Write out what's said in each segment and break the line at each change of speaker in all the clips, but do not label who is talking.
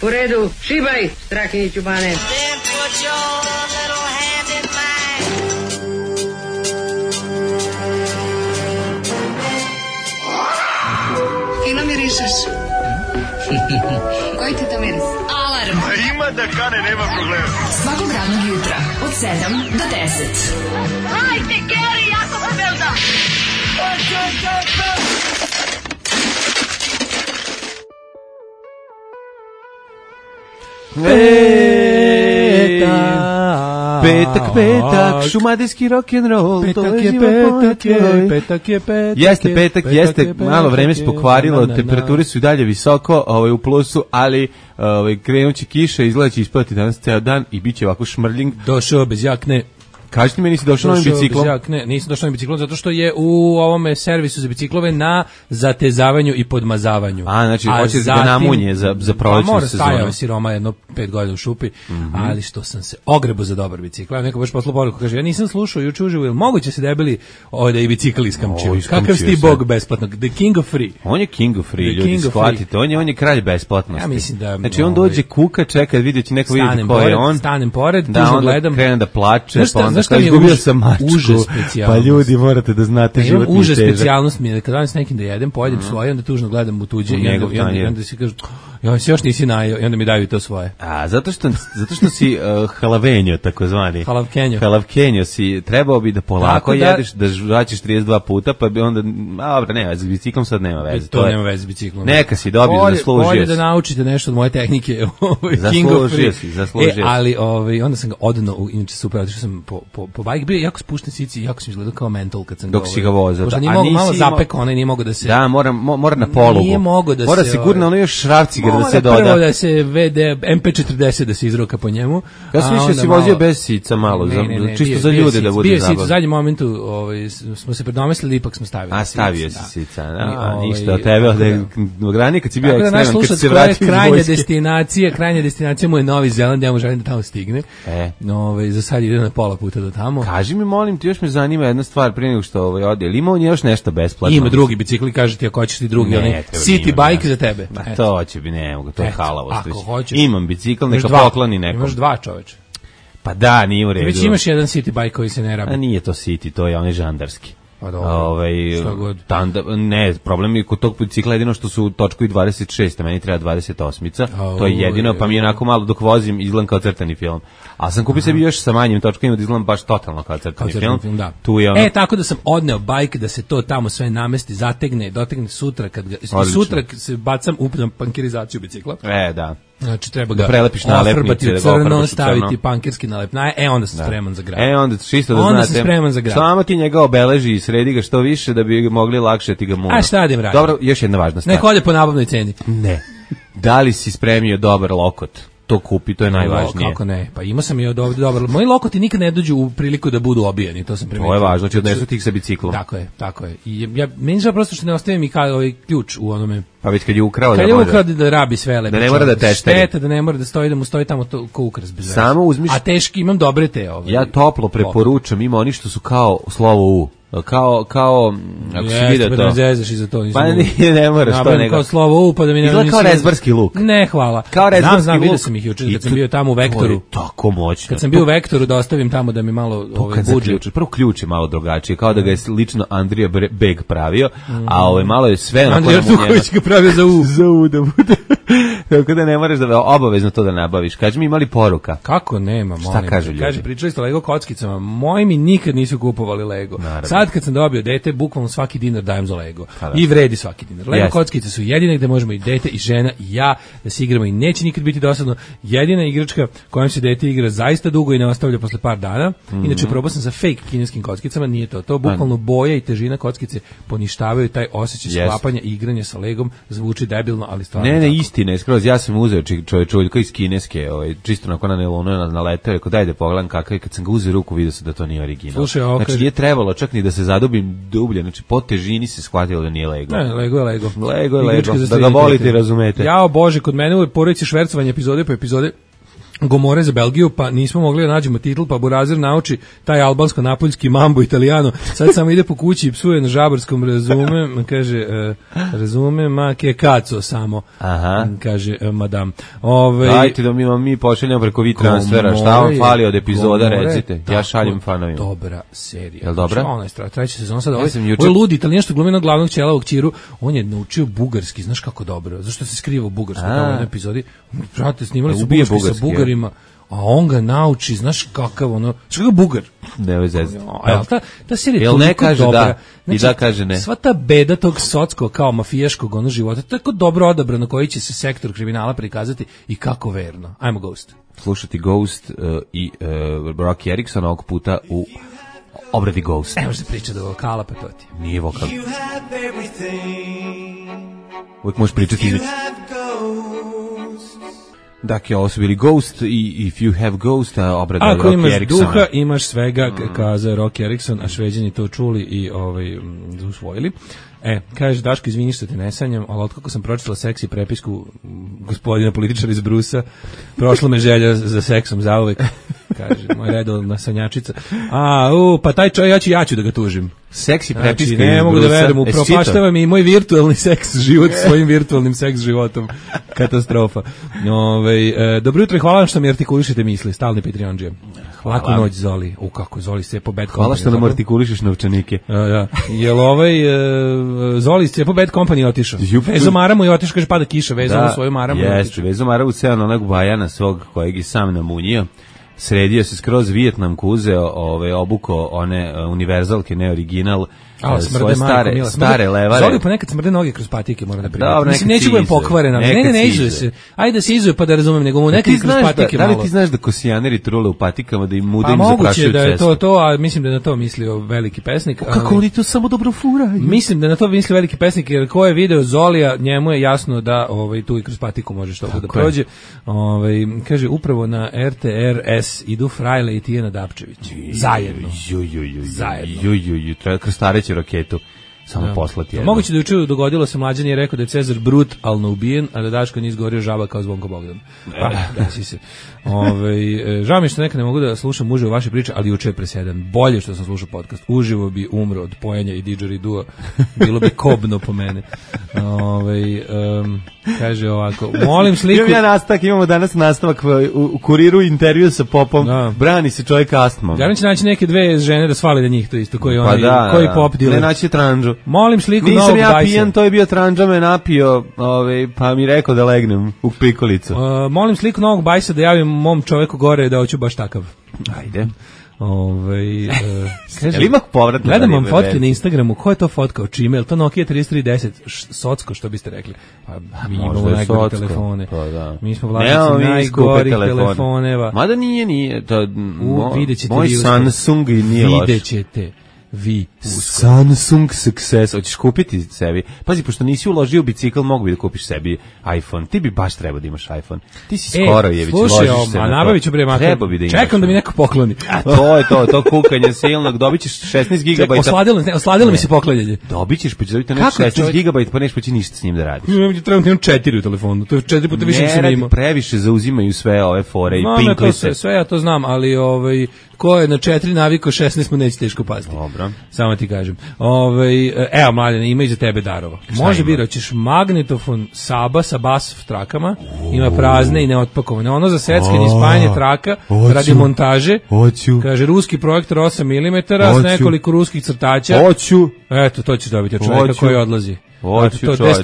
U redu, šibaj, Strahinjiću Bane.
Fino mirišeš. Koji ti to miris? Alarm.
A ima da kane, nema problema.
Svakog radnog jutra od 7 do 10.
Hajde, Geri, jako se velda.
Petak, šumadijski rock'n'roll,
Petak je.
Jeste petak, jeste, malo vreme se pokvarilo, temperature su i dalje visoko, u plusu, ali krenuće kiša, izgleda će ispati danas ceo dan i bit će ovako šmrljing.
Došao bez jakne.
Kažete mi, nisi došao novim biciklom?
Ne, nisam došao novim biciklom, zato što je u ovome servisu za biciklove na zatezavanju i podmazavanju.
Znači, hoće da namunje za prolećnu sezonu.
Stajao siroma jedno 5 godina u šupi, ali što sam se ogrebo za dobar bicikl. Neko baš poslao poruku, kaže, ja nisam slušao juče uživo, jel moguće se debeli da i bicikl iskamčio? Kakav si ti bog besplatnog? The king of free.
On je king of free, ljudi, shvatite. On je kralj besplatnosti.
Ja mislim da...
Znači, on dođe kuka, čeka, vidjet će neko vidjeti ko je on.
Stanem pored, tužno gledam.
Krene da plače, pa onda kao izgubio sam mačku. Pa ljudi, morate da znate život nije težak.
Užas specijalnost mi je da kad danas nekim da jedem, pojedem svoje, onda tužno gledam u tuđe i onda si kažu, ja se još nisi najeo, i onda mi daju to svoje.
Zato što si halavenjo, takozvani. Halavkenjo si, trebao bi da polako jedeš, da žvaćeš 32 puta, pa bi onda, dobro, nema veze, s biciklom sad nema veze.
To nema veze s biciklom.
Neka si dobio, zaslužio si.
Bolje da naučite nešto od moje tehnike.
Zaslužio si.
Ali onda sam ga odano, inače super, otišao sam po bajk, bio jako spušten sici, jako sam izgledao kao mental kad sam
dok si ga vozao.
Pošto nije mogo, malo zapekao, onaj nije mogo da se...
Da, mora na polugu.
Nije mogo da se...
Mora sigurno ono još šrafciger da se doda.
Mora prvo da se MP40 da se izroka po njemu.
Ja sam više si vozio bez sica malo, čisto za ljude da bude zabavno.
Bio sica, u zadnjem momentu smo se predomislili, ipak smo stavili.
A stavio si sica, ništa od tebe, od ranije kad si bio ekstreman, kad se vratio iz vojske.
Krajnja destinacija mu je Novi Zeland, ja mu želim da tamo stigne. Za sad ide na pola puta do tamo.
Kaži mi, molim ti, još me zanima jedna stvar prije nego što ode. Ili ima on još nešto besplatno?
Ima drugi bicikli, kaže ti ako hoćeš ti drugi, onaj city bike za tebe.
To će bi, ne mogu, to je halavost.
Ako hoćeš.
Imam bicikl, neka pokloni nekom.
Imaš dva, čoveče.
Pa da, nije u redu.
Već imaš jedan city bike koji se ne rabi.
A nije to city, to je onaj žandarski.
Pa dobro, šta god.
Ne, problem je kod tog bicikla jedino što su točkovi 26, a meni treba 28-ica, to je jedino, pa mi je onako malo dok vozim izgledam kao crtani film. A sam kupio sebi još sa manjim točkovima da izgledam baš totalno kao crtani film.
Da.
Tu je ono...
tako da sam odneo bajk da se to tamo sve namesti, zategne, dotegne sutra, kad ga, sutra se bacam u pankerizaciju bicikla.
Da.
Znači treba ga
prelepiš nalepnice,
da crno, staviti pankirski nalepnaje, onda sam spreman za grad.
Onda čisto da
onda
znate.
Sam spreman za grad.
Samo ti njega obeleži i sredi ga što više da bi mogli lakše ti ga munu.
A šta radim?
Dobro, još jedna važna stvar.
Nek ode po nabavnoj ceni.
Ne. Da li si spremio dobar lokot? To kupi, to je najvažnije.
Kako ne? Pa imao sam i od ovdje dobro. Moji lokoti nikad ne dođu u priliku da budu obijeni, to sam primetio.
To je važno, znači odnesu tih sa biciklom.
Tako je. I meni je prosto što ne ostavim i ovaj ključ u onome.
Pa već kad je ukrao
da rabi sve lepo.
Da ne mora da tešteri.
Šteta da ne mora da stoji, da mu stoji tamo to ko ukras bez veze.
Samo uzmiš.
A teški imam dobre te ove.
Ja toplo preporučam, ima oni što su kao slovo U. Kao ako si vidio to. Pa ne moraš to nego.
Kao slovo U, pa da mi ne...
Izgleda kao rezbarski luk.
Ne, hvala.
Kao rezbarski luk.
Vidio sam ih jučer kad sam bio tamo u Vektoru.
Tako moćno.
Kad sam bio u Vektoru da ostavim tamo da mi malo buđe.
Prvo ključ je malo drugačije, kao da ga je lično Andrija Beg pravio, a malo je sve...
Andrija Tuković ga pravio za U.
Za U da bude. Tako da ne moraš da obavezno to da nabaviš. Kaži mi, imali poruka?
Kako nema, molim.
Šta kažu ljudi?
Kaže, pričali ste o Lego kockicama. Moji mi nikad nisu kupovali Lego.
Naravno.
Sad kad sam dobio dete, bukvalno svaki dinar dajem za Lego. I vredi svaki dinar. Lego kockice su jedine gde možemo i dete i žena i ja da se igramo i neće nikad biti dosadno. Jedina igračka kojom se dete igra zaista dugo i ne ostavlja posle par dana. Inače, probao sam sa fake kineskim kockicama, nije to. To bukvalno boja i težina kockice poništavaju taj osjećaj sklapanja i igranja sa Legom. Zvuči debilno, ali stvarno.
Ne, istina je skroz. Ja sam uzeo čovječuljka iz kineske, čisto nakon nelonu naletao, rekao daj da pogledam kakav je, kad sam ga uzeo ruku vidio se da to nije original.
Slušaj,
znači nije trebalo čak ni da se zadubim dublje, znači po težini se shvatilo da nije Lego.
Ne, Lego je Lego.
Lego je Lego, da ga volite i razumete.
Jao Bože, kod mene u porodici švercovanje epizode po epizode. Gomore za Belgiju, pa nismo mogli da nađemo titl, pa Burazer nauči taj albansko-napoljski mambo italijano, sad samo ide po kući i psuje na žabarskom, razume, ma ke kaco samo, kaže madam.
Dajte da mi pošaljamo preko transfera, šta vam fali od epizoda, recite, ja šaljem fanovima.
Dobra serija.
Jel dobra?
Ona je treća sezona sad, ovo je ludi italijan što glumi na glavnog ćelavog Ćiru, on je naučio bugarski, znaš kako dobro, zašto se skriva u bugarskom tamo u jednoj epizodi, brate, snimali su bugarski sa Bugarima, a on ga nauči, znaš kakav ono, što ga Bugar.
Ne veze.
A ta serija je toliko dobra.
Da, znači, i da kaže ne.
Sva ta beda tog socskog kao mafijaškog ono života, tako dobro odabrano koji će se sektor kriminala prikazati i kako verno. Ajmo Ghost.
Slušati Ghost i Rocky Erickson ovog puta u obradi Ghost.
Ne može se pričati do vokala, pa to ti.
Nije vokal. Uvijek možeš pričati između. Dakle, ovo su bili Ghost i If You Have Ghost, obrada Rocky Ericksona.
Ako imaš duha, imaš svega, kaza Rocky Erickson, a Šveđani to čuli i usvojili. Kaže, Daško, izvini što te ne sanjam, ali otkako sam pročitala seksi prepisku gospodina političara iz Brusa, prošla me želja za seksom zauvek, kaže, moj redovna sanjačica. Pa taj čovjek, ja ću da ga tužim.
Seksi prepiska iz
Brusa. Ne mogu da verujem, upropaštava mi i moj virtualni seks život svojim virtualnim seks životom. Katastrofa. Dobro jutro i hvala vam što mi artikulišete misli, stalni Patreonđije. Laku noć, Zoli. Kako Zoli se po Bad Company.
Hvala što nam artikulišeš novčanike.
Jel Zoli se po Bad Company otišao. Vezo Maramu je otišao, kaže pada kiša, vezano svoju Maramu.
Jeste, Vezo Maramu ceo na onog bajana svog kojeg i sam namunio. Sredio se skroz Vijetnamku, uzeo, obuko one univerzalke, ne original, svoje stare levare.
Zoli pa nekad smrde noge kroz patike, moram da primiti.
Dobro,
mislim, neću budem pokvarena. Ne izuje se. Ajde da se izuje pa da razumem, nego mu nekad kroz patike malo.
Da li ti znaš da kosijaneri trule u patikama, da im muda im
zaprašuju cestu?
Pa
moguće da je to, a mislim da je na to mislio veliki pesnik.
Kako oni to samo dobro furaju?
Mislim da je na to mislio veliki pesnik, jer ko je video Zolija, njemu je jasno da tu i kroz patiku može što da prođe. Kaže, upravo na RTRS idu Frajle i Tijana Dapčević. Zajedno.
Treba krstareći raketu. Samo poslati jedno.
Moguće da juče dogodilo se, Mlađan je rekao da je Cezar brutalno ubijen, a da Daško nije izgorio žaba kao Zvonko Bogdan. Desi se. Žao mi što nekad ne mogu da slušam uživo vaše priče, ali juče je presedan. Bolje što sam slušao podcast. Uživo bi umro od pojenja i didgeridua. Bilo bi kobno po mene. Kaže ovako, molim sliku.
Imamo danas nastavak u Kuriru, intervju sa Popom. Brani se čovjek astmom.
Ja će naći neke dve žene da svali da njih to isto, koji Pop dile.
Ne naći tranđu.
Molim sliku novog
Nisam ja
Dajsa.
pijan, to je bio tranđa, me napio, pa mi rekao da legnem u prikolicu.
Molim sliku novog Bajsa da javim mom čoveku gore da hoću baš takav.
Ajde.
Kaže,
ima povratno.
Gledam vam fotke na Instagramu, ko je to fotkao, čime, je to Nokia 3310, socko, što biste rekli? Mi imamo najgore telefone. Mi smo vlasnici najgorih telefoneva.
Mada nije.
Moj
Samsung i nije loš.
Vidjet ćete.
Samsung Success, hoćeš kupiti sebi. Pazi, pošto nisi uložio u bicikl, mogu bi da kupiš sebi iPhone. Ti bi baš trebao da imaš iPhone. Ti si skoro Jević, ložiš se na to.
Nabavit ću bre makar.
Treba bi da imaš.
Čekam da mi neko pokloni.
To kukanje silnog, dobit ćeš 16 GB.
Osladilo mi se poklanjanje.
Dobit ćeš, pa ćeš dobiti 16 GB, pa neš pa će ništa s njim da radiš.
Trebam 4 u telefonu, to je 4 puta više nego sam imao.
Previše zauzimaju sve ove fore i pinklice.
Sve ja to znam, ali ko je na 4 naviko 16 mu neće teško pasti.
Dobro.
Samo ti kažem. Evo, Mladene, ima i za tebe darova. Može biti, hoćeš magnetofon Saba sa bas trakama, ima prazne i neotpakovane. Ono za seckanje i spajanje traka radi montaže. Kaže, ruski projektor 8 mm s nekoliko ruskih crtača. Eto, to ćeš dobiti od čovjeka koji odlazi.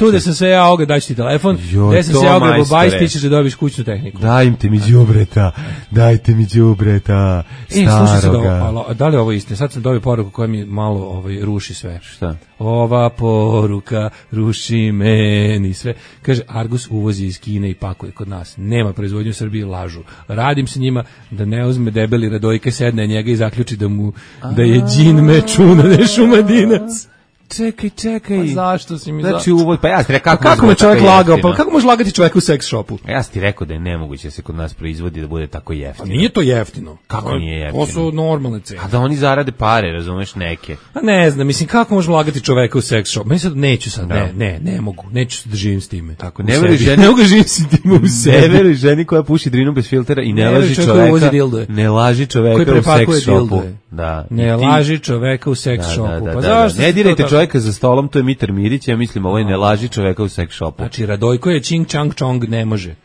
Gde sam se ja oga, daću ti telefon, gde sam se ja oga bobajs, ti ćeš da dobiš kućnu tehniku.
Dajte mi đubreta, staroga.
Da li ovo isto? Sad sam dobio poruku koja mi malo ruši sve.
Šta?
Ova poruka ruši meni sve. Kaže, Argus uvozi iz Kine i pakuje kod nas. Nema proizvodnje u Srbiji, lažu. Radim se njima da ne uzme debeli Radojke, sedne njega i zaključi da je džin mečuna, ne šumadinac.
čekaj.
Pa zašto si mi
Znači uvod, pa ja ti rekao
kako me čovjek lagao, pa kako može lagati čovjek u seks shopu?
Ja ti rekao da je nemoguće da se kod nas proizvodi da bude tako jeftino.
A nije to jeftino.
Kako nije jeftino?
To su normalne cene.
A da oni zarade pare, razumeš, neke.
A ne znam, mislim, kako može lagati čoveka u seks shop? Mislim sad, neću sad, ne mogu, neću se da živim s time.
Tako, ne veruj ženi,
ne mogu živim s time u sebi.
Ne veruj ženi koja puši drinu bez filtera i ne laži čoveka. Ne laži čoveka u seks shopu. Da.
Ne laži čoveka u seks shopu. Pa zašto?
Ne dirajte čoveka za stolom, to je Mitar Mirić, ja mislim, ovo je ne laži čoveka u seks shopu.
Znači, Radojko je čing čang čong, ne može.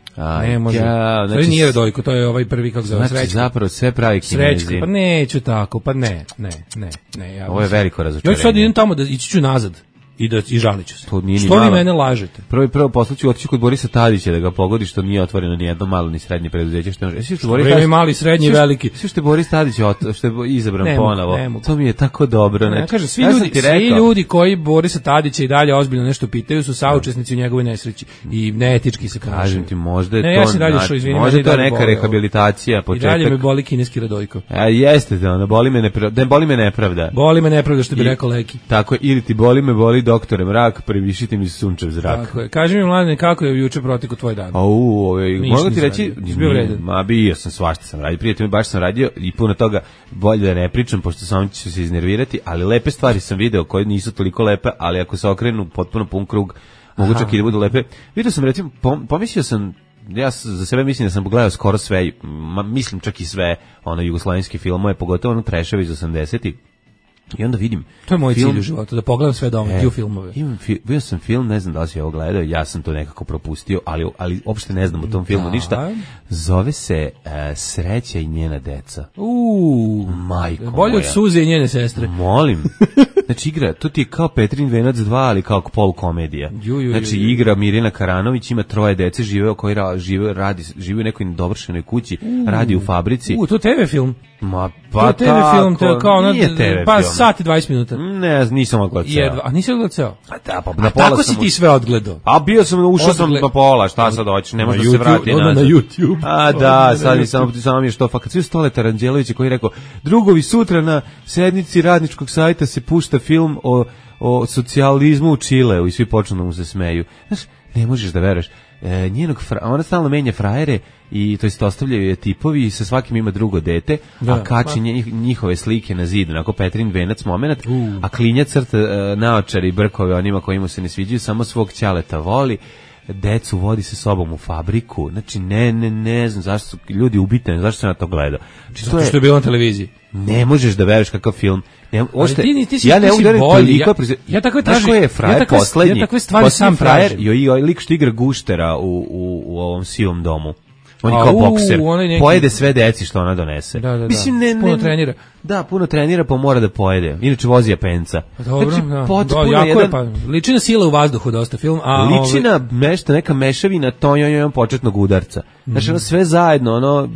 Ne može.
Znači,
to nije Radojko, to je ovaj prvi, kako zove, Srećko.
Znači, zapravo sve pravi Kinezi.
Srećko, pa neću tako, pa ne. Ja
ovo je veliko razočarenje.
Ja sad idem tamo da ići ću nazad. I žalit ću se. Što vi mene lažete?
Prvo poslaću otići kod Borisa Tadića da ga pogodi što nije otvoreno ni jedno malo ni srednje preduzeće.
Što je mali, srednji i veliki.
Što je Boris Tadić što je izabran ponovo. To mi je tako dobro.
Ne, kaže, svi ljudi koji Borisa Tadića i dalje ozbiljno nešto pitaju su saučesnici u njegovoj nesreći i neetički se ponašaju.
Kažem ti, možda je to možda to neka rehabilitacija.
I dalje me boli kineski Radojko.
Jeste, boli me nepravda.
Boli me nepravda, što bi rekao Leki.
Tako, ili ti boli doktore mrak, previšite mi sunčev zrak.
Tako je. Kaži mi, Mladene, kako je juče protekao tvoj dan?
Mogu ti reći, bio sam, svašta sam radio, prijatelj, baš sam radio i puno toga bolje da ne pričam, pošto sam ću se iznervirati, ali lepe stvari sam video koje nisu toliko lepe, ali ako se okrenu potpuno pun krug, mogu čak i da budu lepe. Vidio sam, recimo, pomislio sam, ja za sebe mislim da sam pogledao skoro sve, mislim čak i sve jugoslavenske filmove, pogotovo treševe iz 80-ih. I onda vidim...
To je moj cilj u životu, da pogledam sve domaće filmove.
Bio sam film, ne znam da li si ovo gledao, ja sam to nekako propustio, ali uopšte ne znam o tom filmu ništa. Zove se Sreća i njena deca. Majko moja.
Bolje od Suze i njene sestre.
Molim. Znači igra, to ti je kao Petrin venac 2, ali kao polukomedija. Znači igra Mirjana Karanović, ima 3 dece, žive u nekoj dovršenoj kući, radi u fabrici.
To je TV film.
Pa
to je TV film, to je kao
nije TV
pa
film.
Sat i 20 minuta.
Ne, nisam odgledao ceo.
A nisi odgledao ceo?
Da, pa na pola
tako si ti sve odgledao?
A bio sam, ušao sam na pola, šta sad hoćeš, ne može da se vrati nazad.
Na YouTube.
A da, sad samo mi je što, kad svi Stoleta Ranđelovića koji je rekao, drugovi, sutra na sednici radničkog sajta se pušta film o socijalizmu u Čileu i svi počnu da mu se smeju. Znaš, ne možeš da veruješ. Ona stalno menja frajere i to jest ostavljaju je tipovi i sa svakim ima drugo dete, a kači njihove slike na zidu, onako Petrin venac moment, a klinja crta naočari i brkove onima koji mu se ne sviđaju, samo svog ćaleta voli, decu vodi se sobom u fabriku. Znači ne znam zašto su ljudi ubitani, zašto se na to gledao.
Zato što je bilo na televiziji.
Ne možeš da veruješ kakav film.
Ja ne udarim toliko.
Ja takve tražim. Ja takve stvari sam tražim. I lik što igra guštera u ovom sivom domu. On je kao bokser. Pojede sve deci što ona donese.
Mislim, puno trenira.
Da, puno trenira, pa mora da pojede. Inače vozi Japenca.
Dobro, liči na sila u vazduhu dosta film.
Liči na neka mešavina tonjom početnog udarca. Znači, ono sve zajedno,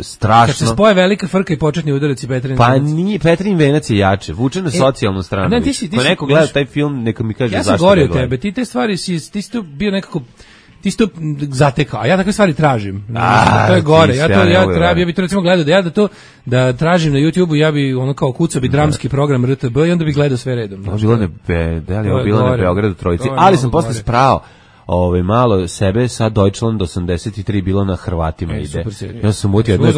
strašno.
Kad se spoje velika frka i početni udarac i Petrin
venac. Pa nije, Petrin venac je jače. Vuče na socijalnu stranu. Ko neko gleda taj film, neka mi kaže zašto
ja sam gorio od tebe. Ti te stvari, ti si to bio nekako... Ti si to zatekao, a ja takve stvari tražim. To je gore. Ja bih to recimo gledao da tražim na YouTubeu, ja bi kao kucao bi dramski program RTB i onda bih gledao sve redom.
Bilo na Beogradu trojici, ali sam posle sprao malo sebe sa Deutschland 83 bilo na Hrvatima ide. Ja sam utio jednu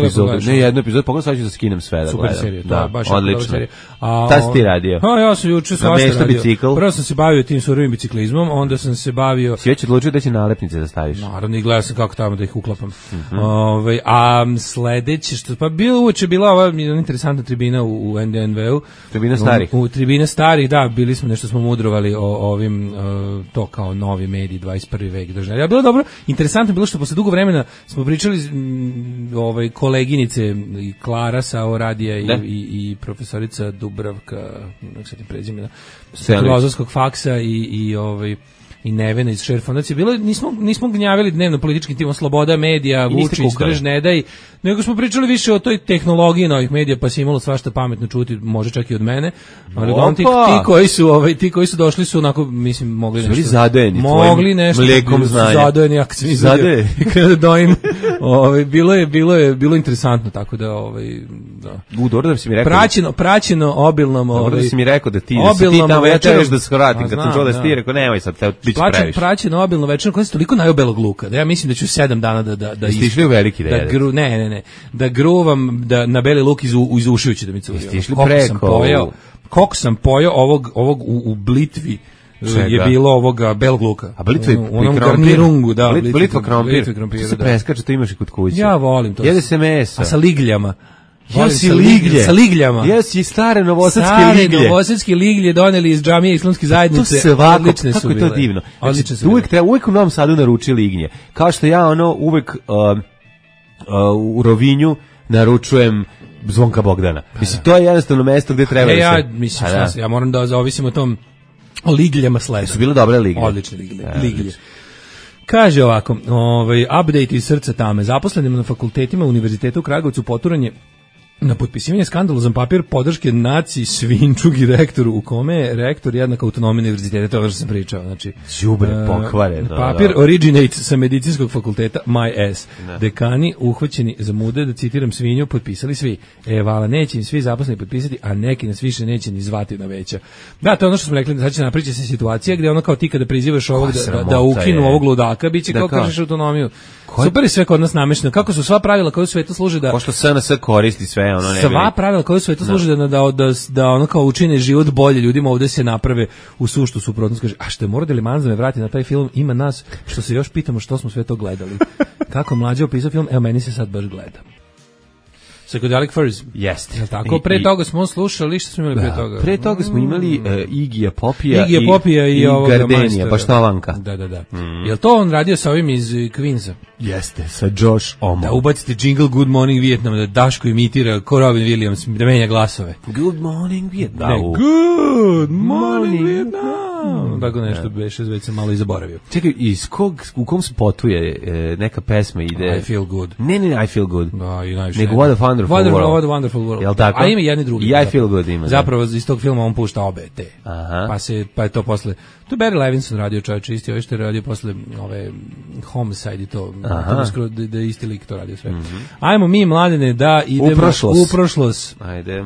epizodu, pogledaj sad ću da skinem sve da gledam.
Super serija, da, baš
odlično. Šta si ti radio?
Ja sam juče svašta radio. Prvo sam se bavio tim surovim biciklizmom, onda sam se bavio...
Si već odlučio da će nalepnice da staviš?
Naravno, i gledao sam kako tamo da ih uklapam. A sledeće, uoče bila ova interesantna tribina u NDNV-u.
Tribina starih?
U tribina starih, da, bili smo, nešto smo mudrovali o ovim, to kao novi mediji, 21. vek državni. Ja, bilo dobro, interesantno bilo što posle dugo vremena smo pričali koleginice i Klara sa radija i profesorica Dubravka, nek se ti prezimena, filozofskog faksa i i Nevena iz Šer fondacije. Bilo nismo gnjavili dnevno političkim timom sloboda medija, Vučić, drž ne daj, nego smo pričali više o toj tehnologiji novih medija, pa se imalo svašta pametno čuti, može čak i od mene. Ali ti koji su došli su onako, mislim, mogli nešto.
Zadojeni,
mogli nešto.
Mlekom znanja.
Zadojeni, jak se
Zadojeni.
Kada dojim. Bilo interesantno, tako da da.
Dobro da si mi rekao.
Praćeno obilnom,
dobro da si mi rekao da ti tamo ja čekaš da se vratim, kad sam čuo da si ti rekao nemoj sad, biće previše.
Praćeno obilno večerno, koja je toliko najobelog luka, da ja mislim da ću 7 dana da
ste išli u veliki da jedete.
Ne, da gruvam da na beli luk iz ušijući da mi curi.
Ste išli preko.
Koliko sam pojao ovog u blitvi. Je bilo ovoga belog luka.
A blitva
u onom garnirungu, da.
Blitva krompir. To se preskače, to imaš i kod kuće.
Ja volim to.
Jede se mesa.
A sa ligljama.
Sa
ligljama.
Jesi stare novosadske liglje.
Stare novosadske liglje doneli iz džamije islamske zajednice.
To svako, kako je to divno. Uvijek u Novom Sadu naruči lignje. Kao što ja uvijek u Rovinju naručujem Zvonka Bogdana. Mislim, to je jednostavno mesto gde treba
ja moram da zavisim o tom o ligljama sleda.
Su bile dobre liglje.
Odlične liglje. Kaže ovako, update iz srca tame. Zaposlenima na fakultetima Univerziteta u Kragovcu poturanje na potpisivanje skandalozan papir podrške naciji Svinčug i rektoru, u kome je rektor jednak autonomije univerziteta, to je ono što sam pričao. Znači,
đubre pokvare.
Papir originates sa medicinskog fakulteta, my ass. Dekani uhvaćeni za mude, da citiram Svinju, potpisali svi. Vala, neće im svi zaposleni potpisati, a neki nas više neće ni zvati na veća. Da, to je ono što smo rekli, da sad će napričati se situacija gdje ono kao ti kada prizivaš ovog da ukinu ovog ludaka, bit će kao kažeš autonomiju. Super je sve kod nas namešno. Kako su sva pravila koja u svetu služe da...
Pošto SNS koristi sve, ono ne...
Sva pravila koja u svetu služe da ono kao učine život bolje ljudima, ovdje se naprave u suštu suprotnost. Kaže, a što je Mora Manza me vrati na taj film, ima nas što se još pitamo što smo sve to gledali. Kako mlađe opisao film, evo meni se sad baš gleda. Psychedelic Furs.
Jeste.
Tako, pre toga smo slušali, što smo imali pre toga?
Pre toga smo imali Igija Popija
i
Gardenija, Baštalanka.
Da. Jel to on radio sa ovim iz Queensa?
Jeste, sa Josh Homme.
Da ubacite jingle Good Morning Vietnam, da Daško imitira ko Robin Williams, da menja glasove.
Good Morning Vietnam.
Good Morning Vietnam. Tako nešto beše, već sam malo i zaboravio.
Čekaj, u kom spotu je neka pesma ide?
I Feel Good.
Ne, I Feel Good.
Da, i najviše.
Nego What a Wonderful World.
Wonderful World.
Jel tako?
A ima jedni drugi.
I I Feel Good ima.
Zapravo iz tog filma on pušta obe te. Pa je to posle... To je Barry Levinson radio, čovječe, isti ovaj što je radio posle ove Homicide i to. Da je isti lik to radio sve. Ajmo mi, mladene, da idemo u prošlost.
Ajde.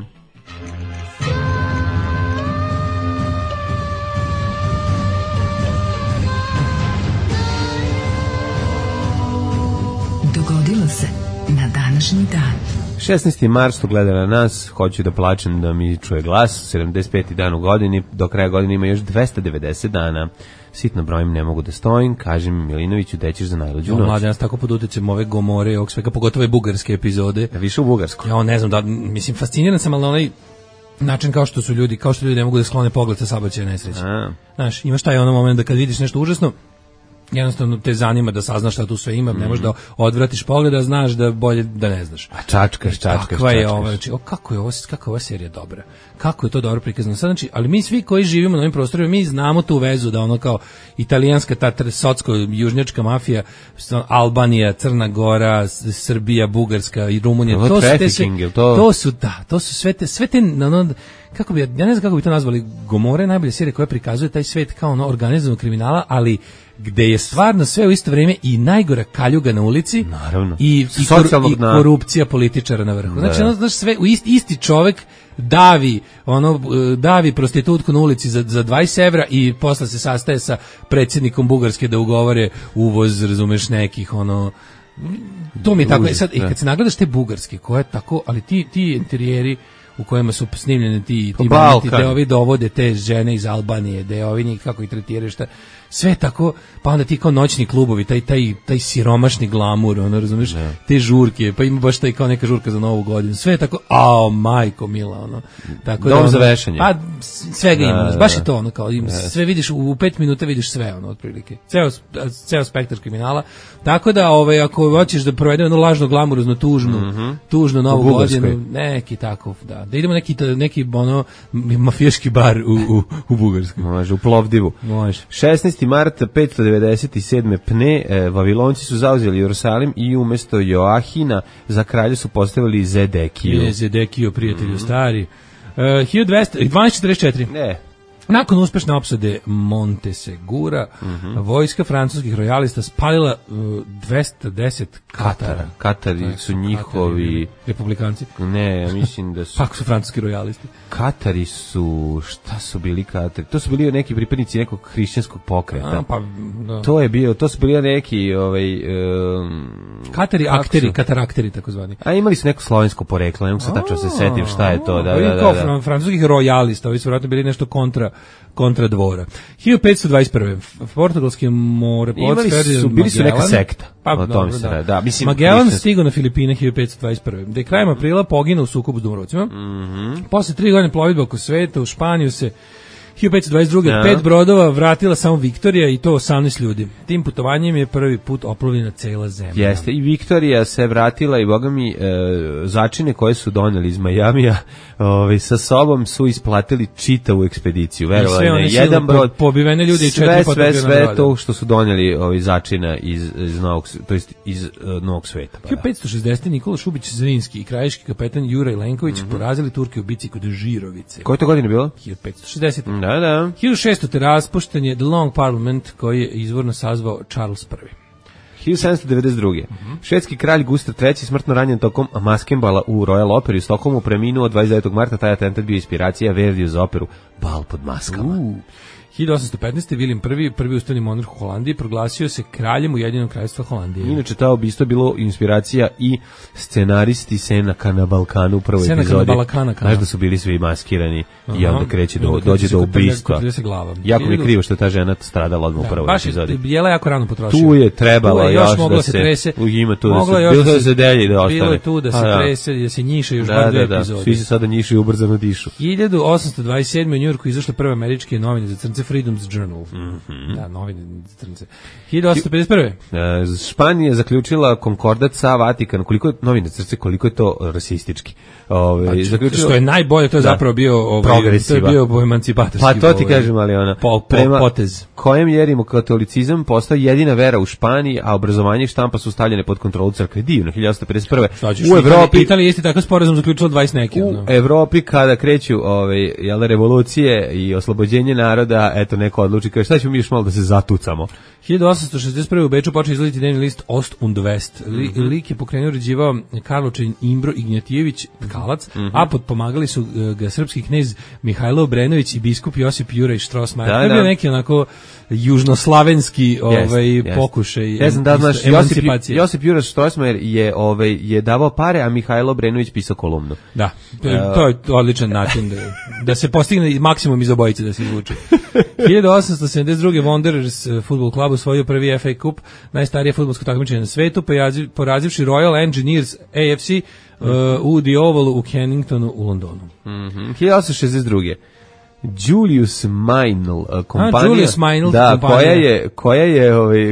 Dogodilo se na današnji dan.
16. mart, što gleda na nas, hoću da plačem da mi čuje glas, 75. dan u godini, do kraja godine ima još 290 dana. Sitno brojim, ne mogu da stojim, kažem Milinoviću, dećeš za najluđu noć.
Mladen, ja sam tako pod utjecajem ove Gomore i ovog svega, pogotovo bugarske epizode.
Više u bugarsku.
Ja ne znam, da, mislim, fasciniran sam, ali na onaj način kao što ljudi ne mogu da sklone pogled sa saobraćajne nesreće. Znaš, imaš taj ono moment da kad vidiš nešto užasno, jednostavno te zanima da saznaš šta tu sve ima, ne možeš da odvratiš pogled, a znaš da bolje da ne znaš.
A čačkaš.
Kakva je ovo, znači, kako je ova serija dobra. Kako je to dobro prikazano. Sad, znači, ali mi svi koji živimo na ovim prostorima, mi znamo tu vezu da ono kao italijanska, ta socko-južnjačka mafija, Albanija, Crna Gora, Srbija, Bugarska i Rumunija, to su sve te kako bi, ja ne znam kako bi to nazvali, Gomora je najbolja serija koja prikazuje taj svet kao ono organizovanog kriminala, ali gde je stvarno sve u isto vrijeme i najgora kaljuga na ulici.
Naravno.
I korupcija političara na vrhu. Znači, znaš, sve, isti čovek davi prostitutku na ulici za 20 evra i posle se sastaje sa predsjednikom Bugarske da ugovore uvoz, razumeš, nekih, to mi je tako. Sad, kad se nagledaš te bugarske, koje je tako, ali ti interijeri u kojima su snimljene ti momenti, gde ovi dovode te žene iz Albanije, gde ovi njih kako ih tretiraju, šta, sve tako, pa onda ti kao noćni klubovi, taj siromašni glamur, razumiješ, te žurke, pa ima baš taj kao neka žurka za Novu godinu, sve tako, majko mila, tako
dom za vešanje.
Pa, svega ima, baš je to, kao, sve vidiš, u 5 minuta vidiš sve, otprilike, ceo spektar kriminala, tako da, ako hoćeš da provede lažno glamurozno, tužno Novu godinu, neki tako, da idemo neki mafijaški bar u Bugarskoj.
Može, u Plovdivu.
Može.
16. 13. marta 597. Pne, Vavilonci su zauzeli Jerusalim i umesto Joahina za kralja su postavili Zedekiju.
Zedekiju, prijatelju stari. 1244.
Ne.
Nakon uspešne opsade Montesegura, vojska francuskih rojalista spalila 210 Katara.
Katari su njihovi...
Republikanci?
Ne, ja mislim da su...
Kako su francuski rojalisti?
Katari su... Šta su bili Katari? To su bili neki pripadnici nekog hrišćanskog pokreta.
Da.
To su bili neki...
Katari akteri, katarakteri, takozvani.
A imali su neko slovensko poreklo, ne mogu se tačno se setim šta je to.
Da. Francuskih rojalista, ovi su vjerojatno bili nešto kontra dvora. 1521. Portugalski moreplot Ferdinand
bili su neka sekta. O tome se radi. Da, mislim,
Magellan stigao na Filipine 1521. Da je krajem aprila poginuo u sukobu s Domorodcima. Posle 3 godine plovidbe oko sveta u Španiju se 1522. 5 brodova vratila samo Viktorija i to 18 ljudi. Tim putovanjem je prvi put oplovljena cela zemlja.
Jeste, i Viktorija se vratila i boga mi začine koje su doneli iz Majamija sa sobom su isplatili čitavu ekspediciju. Verovali ne, jedan brod,
pobivene ljudi i 4 potopljena broda.
Sve to što su doneli začina iz Novog, to jest iz Novog sveta.
1560. Nikola Šubić Zrinski i krajiški kapetan Juraj Lenković porazili Turke u bici kod Žirovice.
Koje to godine bilo?
1560.
Da.
1600. raspušten je The Long Parliament koji je izvorno sazvao Charles I.
1792. Švedski kralj Gustav III smrtno ranjen tokom maskembala u Royal Operi u Stokholmu preminuo 29. marta. Taj atentat bio inspiracija Verdiju za operu Bal pod maskama.
1815. William I, prvi ustavni monarh u Holandiji, proglasio se kraljem Ujedinjenog kraljevstva Holandije.
Inače, ta ubistvo je bilo inspiracija i scenaristi Senaka na Balkanu u prvoj epizodi. Znaš da su bili svi maskirani i onda dođe do ubistva. Jako mi je krivo što je ta žena stradala odmah u prvoj epizodi.
Baš je jela jako rano potrošila.
Tu je trebalo još da se trese. Ima tu da se delji da ostane.
Bilo je tu da se trese, da se njiše još bar 2 epizode.
Svi se sada njiše i ubrzano dišu.
1827. u Njujorku izašle prve američke novine za crnce Freedom's Journal. Da, novine za crnce. 1851.
Španija je zaključila konkordat sa Vatikanom. Koliko je novine za crnce, koliko je to rasistički.
Što je najbolje, to je zapravo bio progresiva. To je bio emancipatorski.
Pa to ti kažem, ali ona
prema potez.
Kojem jerimo katolicizam postao jedina vera u Španiji, a obrazovanje i štampa su stavljene pod kontrolu crkve. Divno, 1851.
U Evropi Italija isti takav sporazum zaključila 20 neki.
U Evropi kada kreću revolucije i oslobođenje naroda, eto neko odluči kaže šta ćemo mi još malo da se zatucamo.
1861. u Beču počeo izlaziti dnevni list Ost und West. Lik je pokrenuo uređivao Karlovčanin Imbro Ignjatijević Tkalac, a potpomagali su ga srpski knez Mihajlo Obrenović i biskup Josip Juraj Štrosmajer. To je bio neki onako južnoslavenski pokušaj emancipacije.
Josip Juraj Štrosmajer je davao pare, a Mihajlo Obrenović pisao kolumnu.
Da, to je odličan način da se postigne maksimum iz obojice da se izvuče. 1872. Wanderers fudbal klub osvojio prvi FA Cup, najstarije fudbalsko takmičenje na svetu, porazivši Royal Engineers AFC u The Ovalu u Kenningtonu u Londonu.
1862. Julius Meinl kompanija,
Julius Meinl,
da,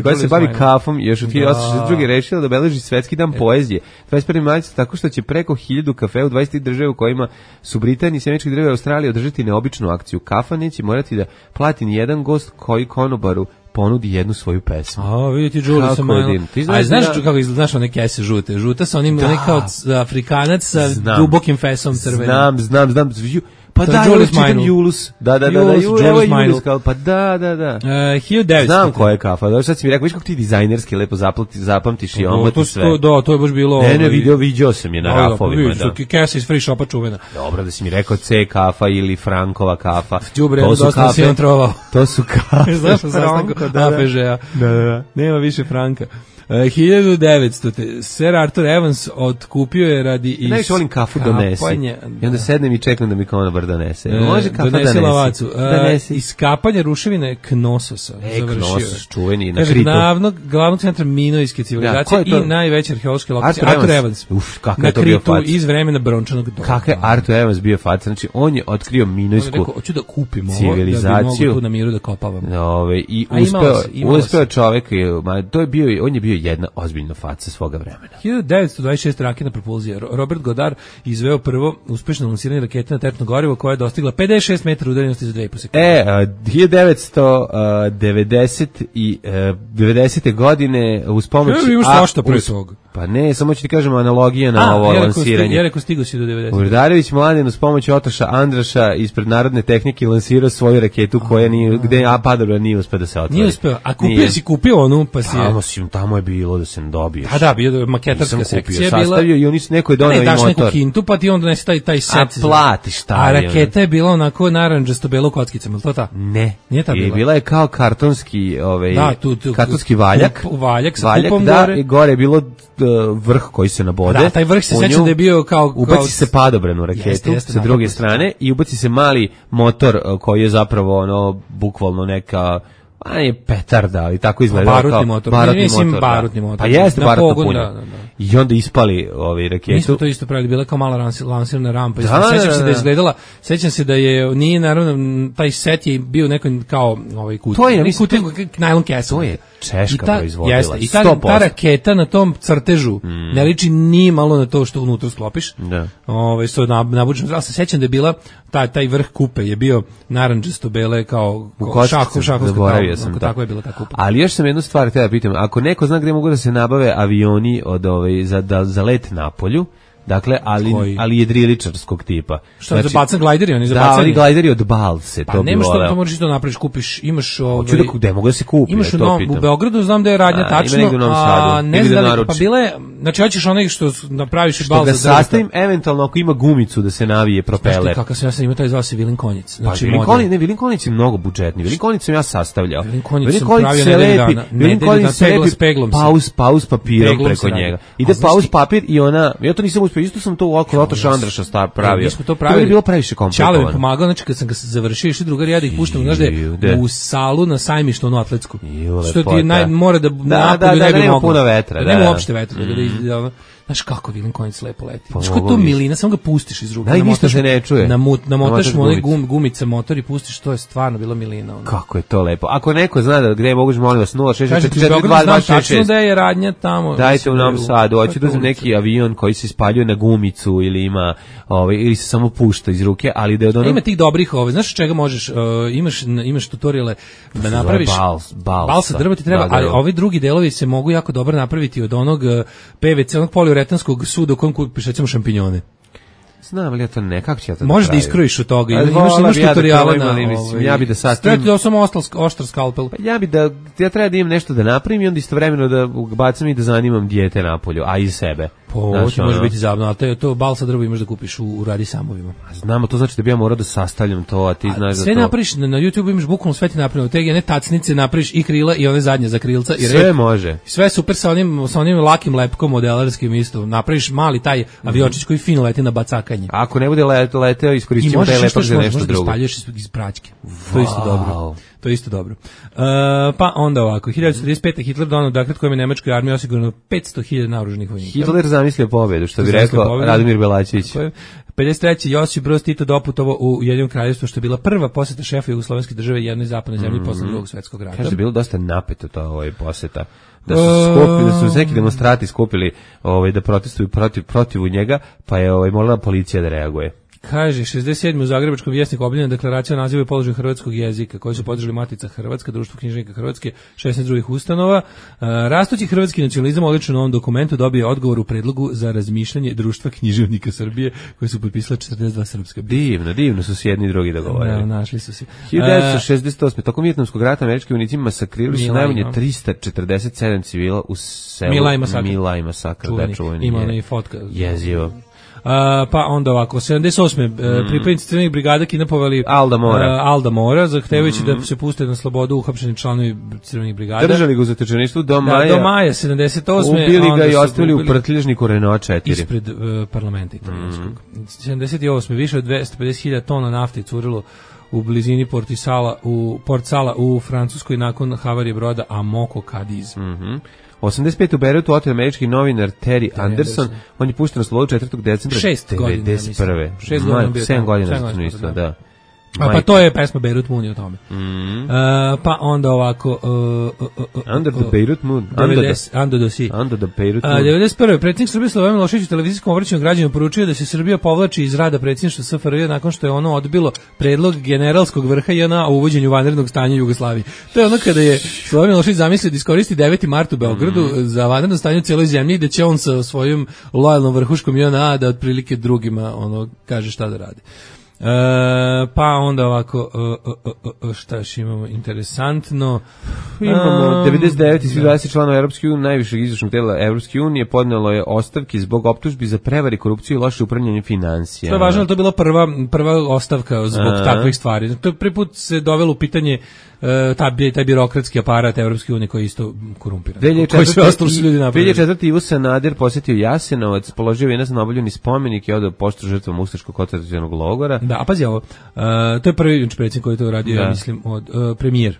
koja se bavi kafom, još u 1862. rešila da obeleži svetski dan poezije 21. marta tako što će preko 1000 kafe u 20 država u kojima su Britanija i Sjemeničke Države Australije održati neobičnu akciju. Kafa neće morati da plati ni jedan gost koji konobaru ponudi jednu svoju pesmu.
Vidite Julius Meinl. A znaš kako izgledaš one kese žute? Žuta sa onim kao Afrikanac sa dubokim fesom crvenim.
Znam. Pa da, čitam Julus. Da, Julus Meinl. Pa da.
1900.
Znam koja je kafa. Da, sad si mi rekao, viš kako ti dizajnerski lepo zapamtiš i omoti sve.
Da, to je baš bilo...
Ne, vidio sam je na rafovima.
Da, kesa iz free shopa čuvena.
Dobro, da si mi rekao C kafa ili Frankova kafa.
Đubre, dosta si on trovao.
To su kafe.
Znaš sam sastanku APŽ-a. Da. Nema više Franka. 1900. Sir Arthur Evans otkupio je radi iz...
Najviše volim kafu donesi. I onda sednem i čekam da mi konobar donese. Može kafa
donesi lavacu. Iskapanje ruševine Knososa.
Knossos, čuveni na
Kritu. Glavnog centra minojske civilizacije i najveća arheološka lokacija. Arthur Evans.
Kakav je to bio fac.
Iz vremena brončanog doba.
Kakav je Arthur Evans bio fac. Znači, on je otkrio minojsku
hoću da kupim
civilizaciju.
Da bi mogu tu na miru da kopavam.
I uspeo čovek, on je bio bio jedna ozbiljna faca svoga vremena.
1926 raketna propulzija. Robert Goddard izveo prvo uspešno lansiranje rakete na teretno gorivo koja je dostigla 56 metara udaljenosti za 2,5 sekunde.
1990. godine uz pomoć...
Imaš svašta pre toga.
Pa ne, samo ću ti kažem analogija na ovo lansiranje.
Ja rekao stigo si do 90.
Urdarević Mladen uz pomoć Otoša Andraša ispred Narodne tehnike lansirao svoju raketu koja nije, gde padobra nije uspeo da se otvori.
Nije uspeo, a kupio onu pa si je...
Tamo je bilo da se ne dobiješ.
Da, bio maketarska sekcija.
Sastavio i oni su neko je donao i motor.
Ne, daš neku kintu pa ti onda nesi taj set.
A platiš taj.
A raketa je bila onako naranđasto belo kockicama, ili to ta?
Ne.
Nije ta bila?
I bila je kao kartonski, kartonski valjak.
Valjak sa kupom
gore. I gore je bilo vrh koji se nabode.
Da, taj vrh se sećam da je bio kao...
Ubaci se padobran u raketu sa druge strane i ubaci se mali motor koji je zapravo ono, bukvalno neka... A je petarda, ali tako izgleda.
Barutni motor. Barutni motor.
Pa jeste barutno punje. I onda ispali raketu.
Mi smo to isto pravili, bila kao mala lansirna rampa. Sećam se da je izgledala, sećam se da je, nije naravno, taj set je bio neko kao kut.
To je,
najlon kesa.
To je Češka proizvodila. Jeste,
i ta raketa na tom crtežu ne liči ni malo na to što unutra sklopiš.
Da.
Što je nabučeno. Ali se sećam da je bila, taj vrh kupe je bio naranđasto bele kao šahovska. Tako je bila ta kupa.
Ali još sam jednu stvar htio da pitam. Ako neko zna gde mogu da se nabave avioni za let na polju, dakle, ali jedriličarskog tipa.
Što za bacan glajderi, oni za bacanje?
Da, oni glajderi od balse,
pa
to bi
nema što
voleo.
to možeš isto napraviš, kupiš, imaš
Hoću da gde mogu da se kupi,
imaš u Beogradu, znam da je radnja tačno,
a
ne znam da li, pa bile, znači hoćeš onaj što napraviš bal za drveta.
Što ga sastavim, eventualno ako ima gumicu da se navije propeler.
Kakav sam ja sam imao taj zvao se Vilin Konjic.
Znači, Vilin Konjic je mnogo budžetni, Vilin Konjic sam ja sastavljao.
Vilin Konjic sam pravio nedelju dana, s peglom.
Pauz papirom preko njega. Ide pauz papir i ona, ja to nisam uspio, isto sam to oko Otoša Andraša pravio.
Mi smo to pravili.
To je bilo previše komplikovano.
Čale mi pomagao, znači kad sam ga završio, išli drugari, ja da ih puštam, znaš da je u salu na sajmištu, onu atletsku. Što ti mora da napolju ne bi moglo.
Nema puno vetra.
Nema uopšte vetra. Znaš kako Vilin Konjic lepo leti. Znaš kako to milina, samo ga pustiš iz ruke.
Da, i ništa se ne čuje.
Namotaš mu onaj gumica motor i pustiš, to je stvarno bila milina.
Kako je to lepo. Ako neko zna da gde moguš, molim vas,
066422266. Tačno da je radnja tamo.
Dajte u Novom Sadu, hoću da znam neki avion koji se spaljuje na gumicu ili ima, ili se samo pušta iz ruke, ali da je od onog...
Ima tih dobrih, znaš čega možeš, imaš tutoriale da napraviš... Balsa drva ti treba, ali ovi drugi delovi se mogu jako dobro napraviti od onog PVC, onog poliuretanskog suda u kojem kupiš recimo šampinjone.
Znam, ali ja to nekako će ja to
možeš da iskrojiš od toga, imaš tutoriale na...
Ja bi da sastavim...
Treba ti samo oštar skalpel.
Pa ja treba da imam nešto da napravim i onda istovremeno da bacam i da zanimam dijete napolju, a i sebe.
Može biti zabavno, ali to balsa drvo imaš da kupiš u Radi Samovima.
Znamo, to znači da bi ja morao da sastavljam to, a ti znaš da to...
Sve napraviš, na YouTube imaš bukvalno sve ti napravljeno, te jedne tacnice napraviš i krila i one zadnje za krilca. I
sve može.
Sve super sa onim lakim lepkom modelarskim isto. Napraviš mali taj aviočić koji fino leti na bacakanje.
Ako ne bude leteo, iskoristimo taj lepak za nešto drugo.
I možeš iz praćke. To je isto dobro. To je isto dobro. Pa onda ovako, 1935. Hitler donao dekret kojim je nemačkoj armiji osigurano 500.000 naoružanih vojnika.
Hitler zamislio pobedu, što bi rekao Radomir Belačević.
53. Josip Broz Tito doputovao u Ujedinjeno Kraljevstvo, što je bila prva poseta šefa jugoslovenske države jednoj zapadnoj zemlji posle Drugog svjetskog rata.
Kaže da je bilo dosta napeto ta poseta. Da su neki demonstrati skupili da protestuju protiv njega, pa je morala policija da reaguje.
Kaže, 67. u Zagrebačkom vjesniku objavljena deklaracija o nazivu i položaju hrvatskog jezika, koju su podržali Matica Hrvatska, Društvo književnika Hrvatske, 16 drugih ustanova. Rastući hrvatski nacionalizam odlično u ovom dokumentu dobije odgovor u predlogu za razmišljanje Društva književnika Srbije, koje su potpisala 42 srpska.
Divno su se jedni i drugi dogovorili.
Da, našli su se.
1968. Tokom Vijetnamskog rata američki vojnici masakrirali su najmanje 347 civila u selu Mila i masakr.
Ima ona i fotka.
Jezivo.
Pa onda ovako, 78. Pripadnici crvenih brigada kidnapovali
Alda
Mora, zahtevajući da se puste na slobodu uhapšeni članovi crvenih brigada.
Držali ga u zatečeništvu do maja.
Do maja 78.
Ubili ga i ostavili u prtlježniku Renault 4.
Ispred parlamenta italijanskog. 78. Više od 250.000 tona nafte curilo u blizini Port Sala u Francuskoj nakon havarije broda Amoco Cadiz.
85. u Beirutu otet američki novinar Terry Anderson, on je pušten na slobodu 4. decembra 1991.
6 godina.
7 godina zatvorništva, da.
Pa to je pesma Beirut Moon o tome. Pa onda ovako...
Under the Beirut Moon. Under the Beirut Moon.
91. predsjednik Srbije Slobodan Milošević u televizijskom obraćanju građanima poručio da se Srbija povlači iz rada predsjedništva SFRJ nakon što je ono odbilo predlog generalskog vrha JNA o uvođenju vanrednog stanja u Jugoslaviji. To je ono kada je Slobodan Milošević zamislio da iskoristi 9. mart u Beogradu za vanredno stanje u cijeloj zemlji i da će on sa svojim lojalnom vrhuškom JNA da otprilike drugima kaže šta da radi. Pa onda ovako šta još imamo interesantno,
imamo 99 i svih 20 članova Evropske unije, najvišeg izvršnog tela Evropske unije podnelo je ostavke zbog optužbi za prevari, korupciju i loše upravljanje financija.
To je važno, to je bila prva ostavka zbog takvih stvari. To prvi put se dovelo u pitanje taj birokratski aparat Evropske unije koji je isto korumpiran.
2004. Ivo Sanader posjetio Jasenovac, položio venac na oboljeni spomenik i odao poštu žrtvom ustaškog koncentracionog logora.
Da, a pazi ovo, to je prvi predsjednik koji je to uradio, ja mislim, od premijer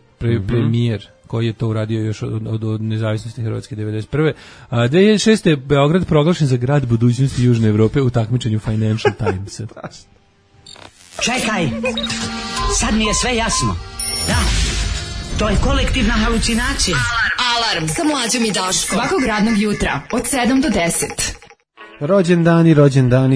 koji je to uradio još od nezavisnosti Hrvatske 91. 2006. je Beograd proglašen za grad budućnosti Južne Evrope u takmičenju Financial Timesa.
Čekaj, sad mi je sve jasno. Da, to je kolektivna halucinacija.
Alarm sa Mlađom i Daškom. Svakog radnog jutra od 7 do 10.
Rođendani,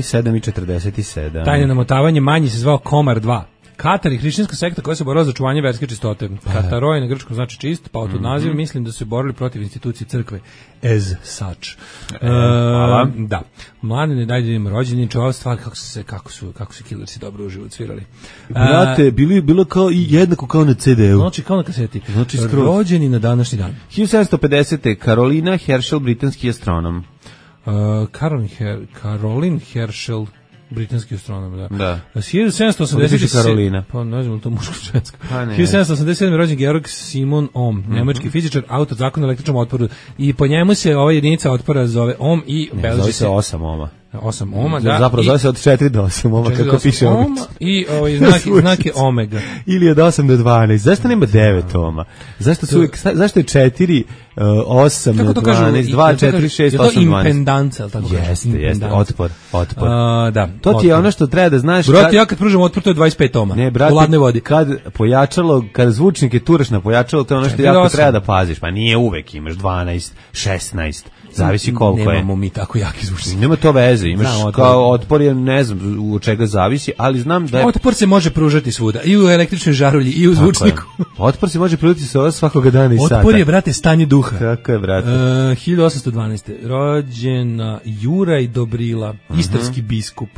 7:47.
Tajne namotavanje manji se zvao Komar 2. Katar i hrišćanska sekta koja se borila za očuvanje verske čistote. Kataroj na grčkom znači čist, pa od naziva mislim da su se borili protiv institucije crkve as such.
Hvala.
Da. Mladine, dajde im rođendan, čova stvar kako su Killersi dobro u život svirali.
Brate, bilo kao i jednako kao na CD-u.
Znači kao na kaseti. Znači rođeni na današnji dan.
1750. Carolina Herschel, britanski astronom.
Caroline Herschel, britanski astronom, da.
Da.
1787.
Karolina.
Pa ne znam, to muško žensko. 1787. rođen Georg Simon Ohm, nemački fizičar, autor zakona o električnom otporu. I po njemu se ova jedinica otpora zove Ohm i
zove se 8 ohma.
8 ohma, da.
Zapravo zove se od 4 do 8 ohma, kako piše
ovdje. I znak je omega.
Ili od 8 do 12. Zašto nema 9 ohma? Zašto je 4, 8, 12, 2, 4, 6, 8, 12?
Je to impedanca, ali tako?
Jeste, otpor.
Da.
To ti je ono što treba da znaš.
Brate, ja kad pružam otpor, to je 25 ohma.
Ne, brate,
u ladnoj vodi.
Kad zvučnike turaš na pojačalo, to je ono što jako treba da paziš. Pa nije uvek, imaš 12, 16, zavisi koliko je.
Nemamo mi tako jaki zvučnik.
Nema to veze, imaš kao otpor je, ne znam od čega zavisi, ali znam da je...
Otpor se može pružati svuda, i u električnoj žarulji, i u zvučniku.
Otpor se može pružati svakoga dana i sata.
Otpor je, brate, stanje duha.
Kako je, brate?
1812. Rođena Juraj Dobrila, istarski biskup.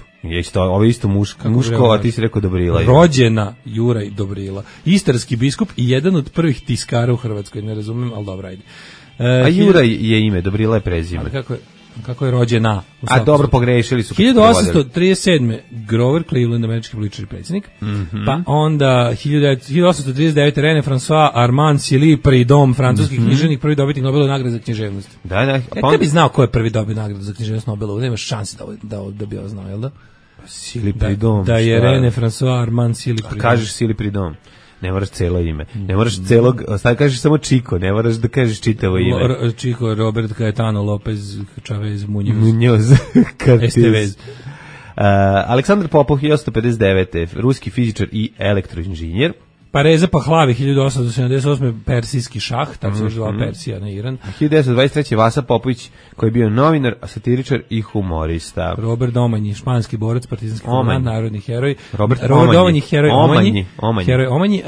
Ovo je isto muško, a ti si rekao Dobrila.
Rođena Juraj Dobrila, istarski biskup i jedan od prvih tiskara u Hrvatskoj, ne razumem, ali dobro, ajde.
A Juraj je ime, Dobrila je prezime.
Ali kako je rođena?
A dobro, pogrešili su.
1837. Grover Cleveland, američki političar i predsjednik. Pa onda 1839. René François Armand Silly Prudhomme, francuski književnik, prvi dobitnik Nobelove nagrade za književnost.
Da.
Kad bi znao ko je prvi dobio nagradu za književnost Nobelovu, nema šanse da bi ovo znao, jel da?
Silly Prudhomme.
Da je René François Armand Silly Prudhomme.
Kažeš Silly Prudhomme. Ne moraš celo ime. Ne moraš celog, kažeš samo Chico, ne moraš da kažeš čitavo ime.
Chico Robert Caetano Lopez Chavez
Muñoz
Estevez.
Aleksandar Popov, 1859. Ruski fizičar i elektroinženjer.
Pa Reza Pahlavi, 1878. persijski šah, tako se zvala Persija na Iran.
1923. Vasa Popović, koji je bio novinar, satiričar i humorista.
Robert Domanji, španski borac, partizanski komandant, narodni heroj.
Robert
Domanji, heroj Omanji. Heroj Omanji.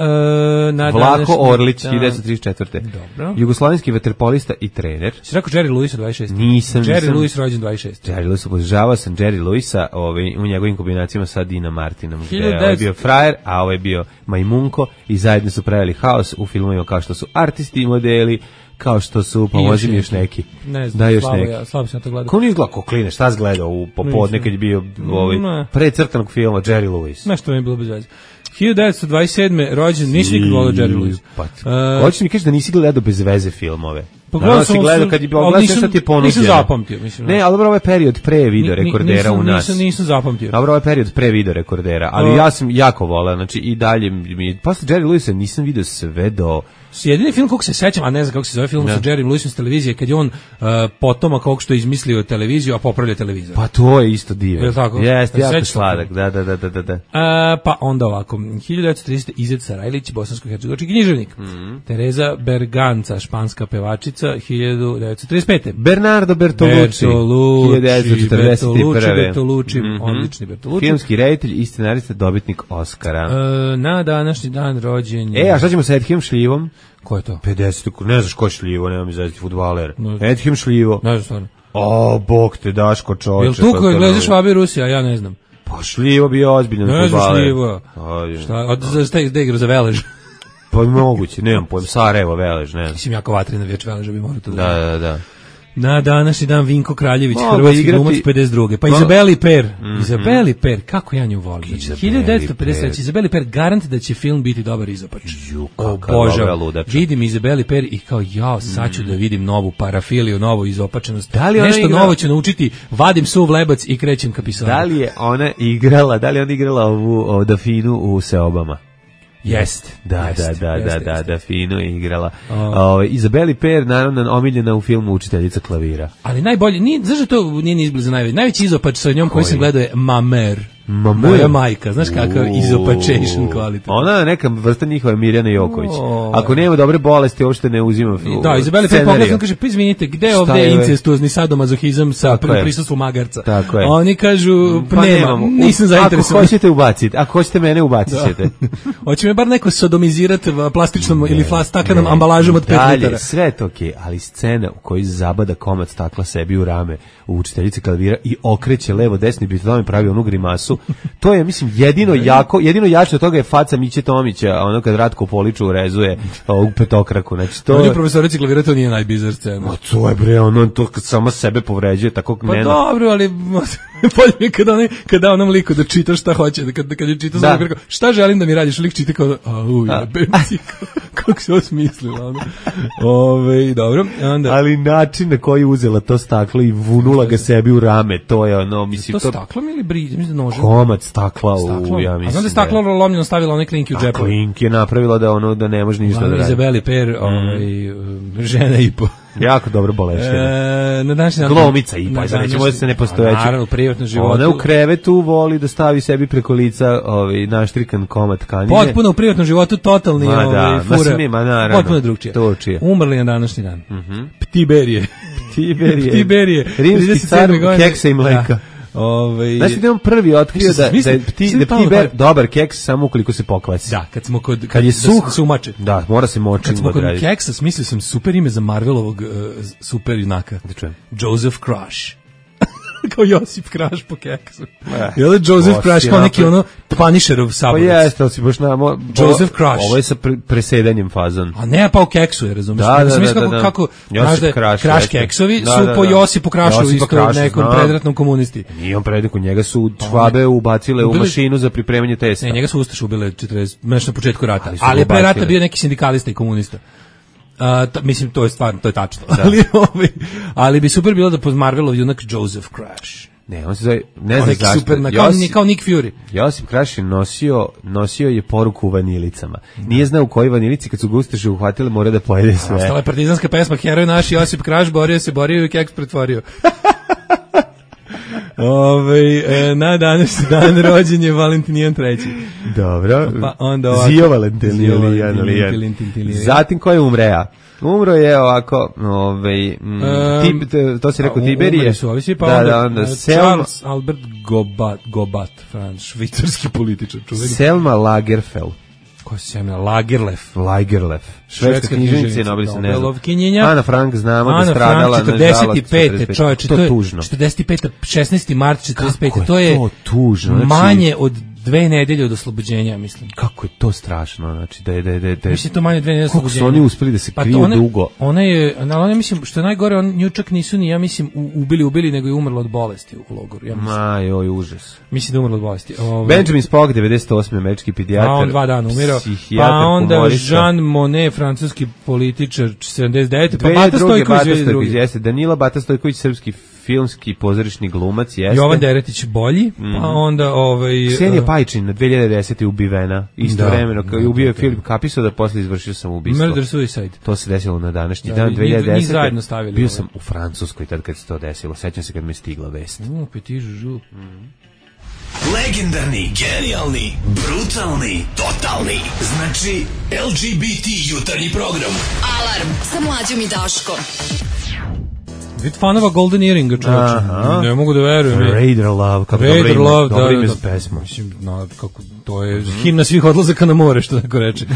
Vlako Orlić, 1934.
Dobro.
Jugoslovenski vaterpolista i trener.
Si rekao Jerry Lewis 26.
Nisam.
Jerry Lewis rođen 26.
Jerry Lewis, obožavao sam Jerry Lewisa u njegovim kombinacijama sa Dina Martinom. Gde je bio frajer, a ovo je bio majmunko. I zajedno su pravili haos u filmovima kao što su Artisti i modeli, kao što su, pomozi mi još neki.
Ne znam, slabo sam to gledao.
Ko nije gledao, ko kline, šta si gledao u popodne kad je bio predcrtanog filma Jerry Lewis?
Nešto mi je bilo bez veze. 1927. rođen, nisi nikad volio Jerry Lewis.
Hoće mi kaži da nisi gledao bez veze filmove.
Pogledao sam
kad je bilo šta ti je ponuđeno.
Nisam zapamtio, mislim.
Ne, ali dobro, ovaj period pre video rekordera u nas.
Nisam zapamtio.
Dobro, ovaj period pre video rekordera, ali ja sam jako voleo, znači i dalje posle Jerry Lewisa nisam video sve do
jedini film kog se sećam, a ne znam kako se zove film sa Jerrym Lewisom s televizije, kad je on potomak ovog što je izmislio televiziju, a popravlja televizor.
Pa to je isto divno.
Je tako?
Jeste, jako sladak, da.
Pa onda ovako, 1930. Izet Sarajlić, bosansko-hercegovački književnik. Tereza Berganca, španska pevačica, 1935.
Bernardo Bertolucci, 1941.
Odlični Bertolucci.
Filmski reditelj i scenarista, dobitnik Oscara.
Na današnji dan rođenja.
A šta ćemo sa Edhim Šljivom?
Ko je to?
50. Ne znaš ko je Šljivo, nema mi zaziti fudbaler. Edhim Šljivo.
Ne znam stvarno.
Bog te, Daško, čoveče.
Jel tu koji gledaš Švabi Rusija, ja ne znam.
Pa Šljivo bio ozbiljan fudbaler.
Ne znam Šljivo. Šta igra za Velež?
Pa moguće, nemam pojem, Sarajevo, Velež, ne znam.
Mislim, jako vatrina vječ Veleža bi morao to
da.
Na današnji dan Vinko Kraljević, hrvatski glumac 52. Pa Izabeli Per. Izabeli Per, kako ja nju volim. 1953. Izabeli Per, garant da će film biti dobar izopač. Obožavam. Vidim Izabeli Per i kao sad ću da vidim novu parafiliju, novu izopačenost. Nešto novo ću naučiti, vadim suv lebac i krećem ka pisanu.
Da li je ona igrala ovu Dafinu u Seobama?
Jest.
Da, fino je igrala. Izabeli Per, naravno, omiljena u filmu Učiteljica klavira.
Ali najbolje, zašto to nije ni izbliza najveći? Najveći izopač sa njom koji sam gledao je Mamer.
Moja
majka, znaš kakav izopačation kvalitet.
Ona je neka vrsta njihova Mirjana Joković. Ako nema dobre bolesti, uopšte ne uzima
da, Izabeli Per pogledam, kaže, pa izvinite, gde je ovde incestuozni sadomazohizam sa prisustvom magarca? Oni kažu, nema, nisam zainteresovan.
Ako hoćete ubaciti, ako hoćete mene ubacit ćete.
Hoće me bar neko sodomizirati plastičnom ili staklenom ambalažom od 5 litara.
Sve je to okej, ali scena u kojoj zabada komad stakla sebi u rame u Učiteljici klavira i okreće levo desni bitodom i pravi onu grimasu. To je, mislim, jedino jače od toga je faca Miće Tomića, ono kad Ratko Poliču rezuje u petokraku. Znači, to
je profesorici klavira, to nije najbizar scena.
To je bre, ono to kad sama sebe povređuje, tako
Pa dobro, ali bolje mi kada onom liku da čita šta hoće, kad je čita za kako, šta želim da mi radiš, lik čita kao kako se osmislila ono. Dobro, onda.
Ali način na koji uzela to staklo i vunula ga sebi u rame, to je ono, mislim,
to staklom ili mislim da nožem?
Komad stakla u, ja mislim.
A znam da je staklo lomljeno stavila onaj klinki u džepu.
Klink je napravila da ne može ništa da radi.
Izabeli Per, žena i po.
Jako dobro boleština.
Na današnji dan
glomica i pa nećemo da se ne postojeći.
Naravno, u privatnom životu.
Ona u krevetu voli da stavi sebi preko lica naštrikan komad tkanine.
Potpuno u privatnom životu totalni fura. Potpuno drugčije. Umrli na današnji dan. Ptiberije.
Rimski car keksa i mleka. Znači da je on prvi otkrio da je Ptiber dobar keks samo ukoliko se pokvasi.
Da,
kad je suh,
sumače.
Da, mora se močiti.
Kad smo kod keksa, smislio sam super ime za Marvelovog super junaka. Joseph Crush. Kao Josip Kraš po keksu. Je li Joseph Crush kao neki ono Punisherov saborac?
Pa jeste, ali si baš
Joseph Crush.
Ovo je sa presedanjem fazon.
A ne, pa u keksu je, razumiješ?
Da.
Kako Kraš keksovi su po Josipu Krašu isto nekom predratnom komunisti.
Nije on predratnom, njega su Švabe ubacile u mašinu za pripremanje testa.
Ne, njega su Ustaše ubile 40, na početku rata. Ali je pre rata bio neki sindikalista i komunista. Mislim, to je stvarno, to je tačno. Ali bi super bilo da pod Marvelov junak Joseph Crush.
Ne, on se zove, ne znam zašto.
Super, kao Nick Fury.
Josip Crush je nosio je poruku u vanilicama. Nije znao u kojoj vanilici, kad su ga Ustaše uhvatili, mora da pojede sve.
Ostala je partizanska pesma, heroj naš Josip Crush, borio i keks pretvorio. Na današnji dan rođen je Valentinijan III.
Dobro.
Pa onda ovako.
Zio Valentinijan. Zatim ko je umrea? Umro je ovako, to si rekao Tiberije.
Umre su ovisi, pa onda Charles Albert Gobat, švicarski političar.
Selma Lagerfeld.
Ko se zemlja? Lagerlef.
Švedska književnica, Nobelova
Nobelovkinjenja.
Ana Frank, znamo da stradala na žalost
45. Čovječe, to je tužno. 45. 16. mart 45. To je
tužno.
Manje od 2 nedelje od oslobođenja, mislim.
Kako je to strašno, znači da je
mislim to manje 2 nedelje od oslobođenja.
Kako su oni uspeli da se kriju dugo?
Ona mislim što je najgore, nju čak nisu ni, ja mislim, ubili, nego je umrla od bolesti u logoru, ja mislim.
Joj, užas.
Mislim da je umrla od bolesti.
Benjamin Spock, 98. američki pedijatar.
On 2 dana umirao. Pa onda Jean Monnet, francuski političar, 79. Pa Bata Stojković,
Danila Bata Stojković, srpski filmski pozorišni glumac, jeste.
Jovan Deretić bolji, pa onda
Ksenija Pajčin na 2010. ubivena, istovremeno kao ubio je Filip Kapiso da posle izvršio samoubistvo.
Murder Suicide.
To se desilo na današnji dan 2010.
Njih zajedno stavili.
Bio sam u Francuskoj tad kad se to desilo. Sećam se kad mi je stigla vest.
Petit Juju.
Legendarni, genijalni, brutalni, totalni. Znači LGBT jutarnji program.
Alarm sa Mlađom i Daškom.
Vid fanova Golden Earringa, čovječe. Ne mogu da verujem.
Raider Love, kako dobro ime za pesmu.
Mislim, kako, to je himna svih odlazaka na more, što neko reče.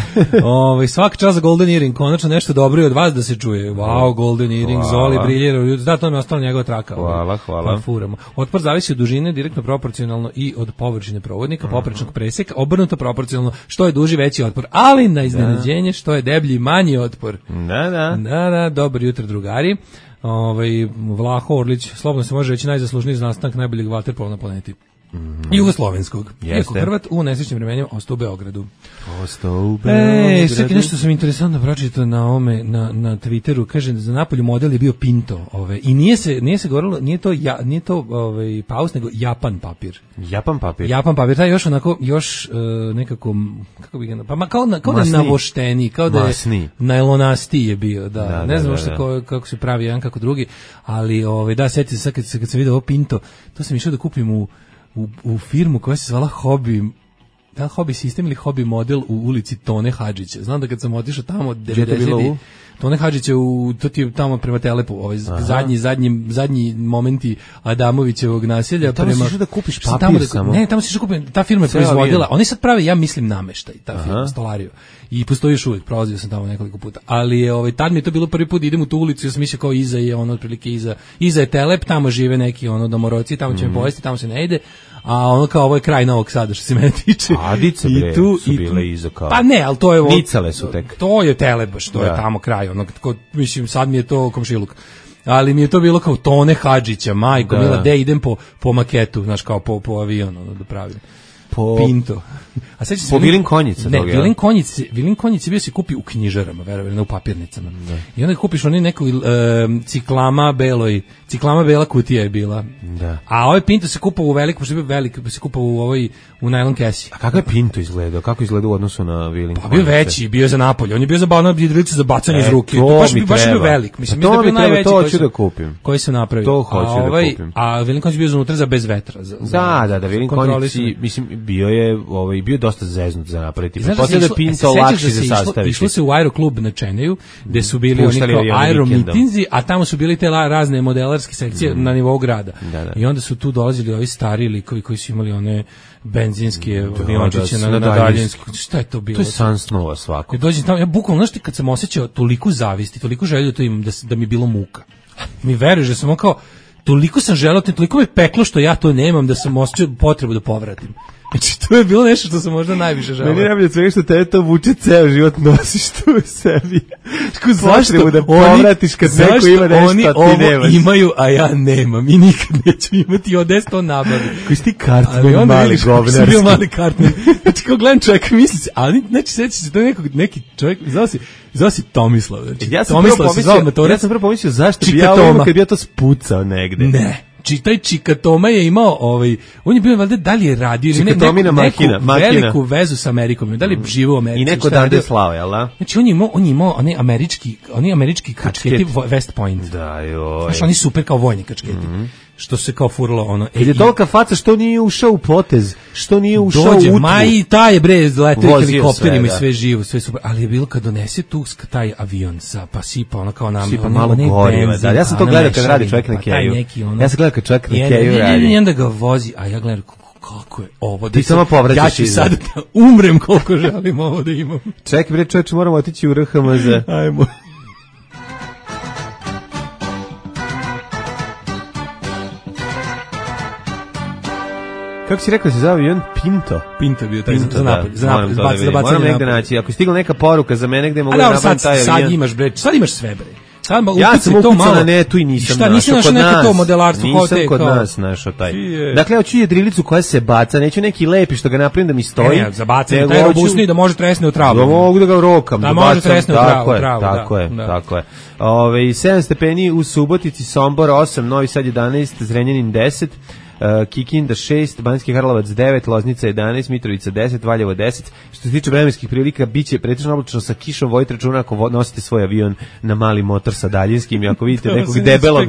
Svaki čas za Golden Earring, konačno nešto dobro i od vas da se čuje. Wow, Golden Earring, Zoli, briljera. Da, to mi je ostala njegova traka.
Hvala.
Furamo. Otpor zavisi od dužine, direktno proporcionalno i od površine provodnika, poprečnog preseka, obrnuto proporcionalno, što je duži, veći otpor. Ali na iznenađenje, što je deblji, manji otpor. Da, dobro jutro, drugari. Vlaho Orlić, slobodno se može reći najzaslužniji za nastanak najboljeg vaterpola na planeti. Jugoslovenskog. Iako Hrvat u nesrećnim vremenima ostao u Beogradu. Sad nešto sam interesantno pročitao na Twitteru, kaže za napolju model je bio Pinto, i nije se govorilo, nije to paus, nego Japan papir. Japan papir, taj još nekako, kako bi ga, pa kao da je navošteni, kao da je najlonastiji je bio, da. Ne znam uopšte kako se pravi jedan kako drugi, ali da, sjetite se kad sam vidio ovo Pinto, to sam išao da kupim u firmu koja se zvala Hobby sistem ili Hobby model u ulici Tone Hadžića. Znam da kad sam otišao tamo 90. Tone Hadžića to ti je tamo prema Telepu, zadnji momenti Adamovićevog naselja.
Tamo si išao da kupiš papir samo?
Ne, tamo si išao kupim, ta firma je proizvodila. Oni sad prave, ja mislim, nameštaj, ta firma, stolariju. I postoji još uvijek, prolazio sam tamo nekoliko puta. Ali tad mi je to bilo prvi put, idem u tu ulicu, ja sam mislio kao iza je otprilike iza je Telep, tamo žive neki domoroci, tamo će me povesti, tamo se ne ide. A kao ovo je kraj Novog Sada što se mene tiče.
Adice bre su bile iza kao.
Pa ne, ali to je
Nicale su tek.
To je Telep, to je tamo kraj, mislim sad mi je to komšiluk. Ali mi je to bilo kao Tone Hadžića, majko, mila, idem po maketu, znaš, kao po avionu da pravim. Pinto. A sećaš se
po Vilin Konjica
toga. Ne, Vilin Konjica bio se kupi u knjižarama, verovali, ne u papirnicama. I onda kupiš onaj neku ciklama bela kutija je bila. Da. A ovaj Pinto se kupao u veliku, pošto je bio velik, se kupao u najlon kesi.
A kako je Pinto izgledao? Kako izgledao u odnosu na Vilin Konjica?
Pa bio veći, bio za napolje. On je bio za jedrilice za bacanje iz ruke. Baš je bio velik. Mislim
da je bio najveći
koji se napravio.
To hoću da kupim.
A Vilin Konjica bio unutra za bez vetra.
Da, Vilin Konjica, mislim, bio dosta zeznut za napraviti. Pretpostavljam da je Pinto lakši za sastaviti.
Išlo se u Aeroklub na Čeneju, gde su bili oni kao aeromitinzi, a tamo su bili te razne modelarske sekcije na nivou grada. I onda su tu dolazili ovi stari likovi koji su imali one benzinske aviončiće na daljinski. Šta je to bilo?
To je san snova svako.
Dođem tamo, ja bukvalno, znaš, kad sam osjećao toliko zavisti, toliko želju da to imam, da mi je bilo muka. Mi veruješ da sam kao, toliko sam želeo, toliko me peklo što ja to nemam, da sam osjećao potrebu da povratim. Znači, to je bilo nešto što sam možda najviše želeo.
Meni najbolje svega što te to vuče ceo život, nosiš to u sebi.
Zašto
da povratiš kad neko ima nešto,
oni
a ti nemaš?
Imaju, a ja nemam i nikad neću imati, odes to nabavi.
Koji si ti kartman, mali govnarski.
Sam bio mali kartman. Znači, kao gledam čovjeka, misli se, ali znači, seći se, to je neki čovjek, zvao si Tomislav. Znači,
ja sam prvo pomislio zašto bi ja ovo kad bi ja to spucao negde.
Ne. Taj Čikatoma je imao, on je bio valjda da li je radio neku veliku vezu sa Amerikom, da li je živao u Americi.
I neko dande slao, jel da?
Znači on je imao oni američki kačketi West Point.
Da, joj.
Znaš, oni super kao vojni kačketi. Što se kao furalo
je tolika faca što nije ušao u potez, što nije ušao u utvu.
I taj je letao helikopterima i sve živo, sve super. Ali je bilo kad donese tu taj avion pa sipa kao nam.
Sipa malo goriva, da. Ja sam to gledao kad radi čovjek na keju. Ja sam gledao kad čovjek na keju radi.
I onda ga vozi, a ja gledam kako je ovo.
Ti samo povraćaš iza.
Ja ću sad da umrem koliko želim ovo da imam.
Čekaj bre čoveče, moramo otići u RHMZ.
Ajmo.
Kako si rekao se zove avion? Pinto.
Pinto bio taj za napolje.
Moram negde naći. Ako je stigla neka poruka za mene gde mogu da napravim taj avion.
Sad imaš sve bre.
Ja sam ukucao na netu i nisam našao.
Nisi našao neko to modelarstvo?
Nisam kod nas našao taj. Dakle, hoću jedrilicu koja se baca, neću neki lepi što ga napravim da mi stoji.
Ne, za bacanje, taj robustni da može tresne u travu.
Da mogu da ga rokam.
Da može tresne u travu.
Tako je. 7 stepeni u Subotici, Sombor 8, Novi Sad 11, Zrenjanin 10, Kikinda 6, Banjski Karlovac 9, Loznica 11, Mitrovica 10, Valjevo 10. Što se tiče vremenskih prilika, biće pretežno oblačno sa kišom, vodite računa ako nosite svoj avion na mali motor sa daljinskim i ako vidite nekog debelog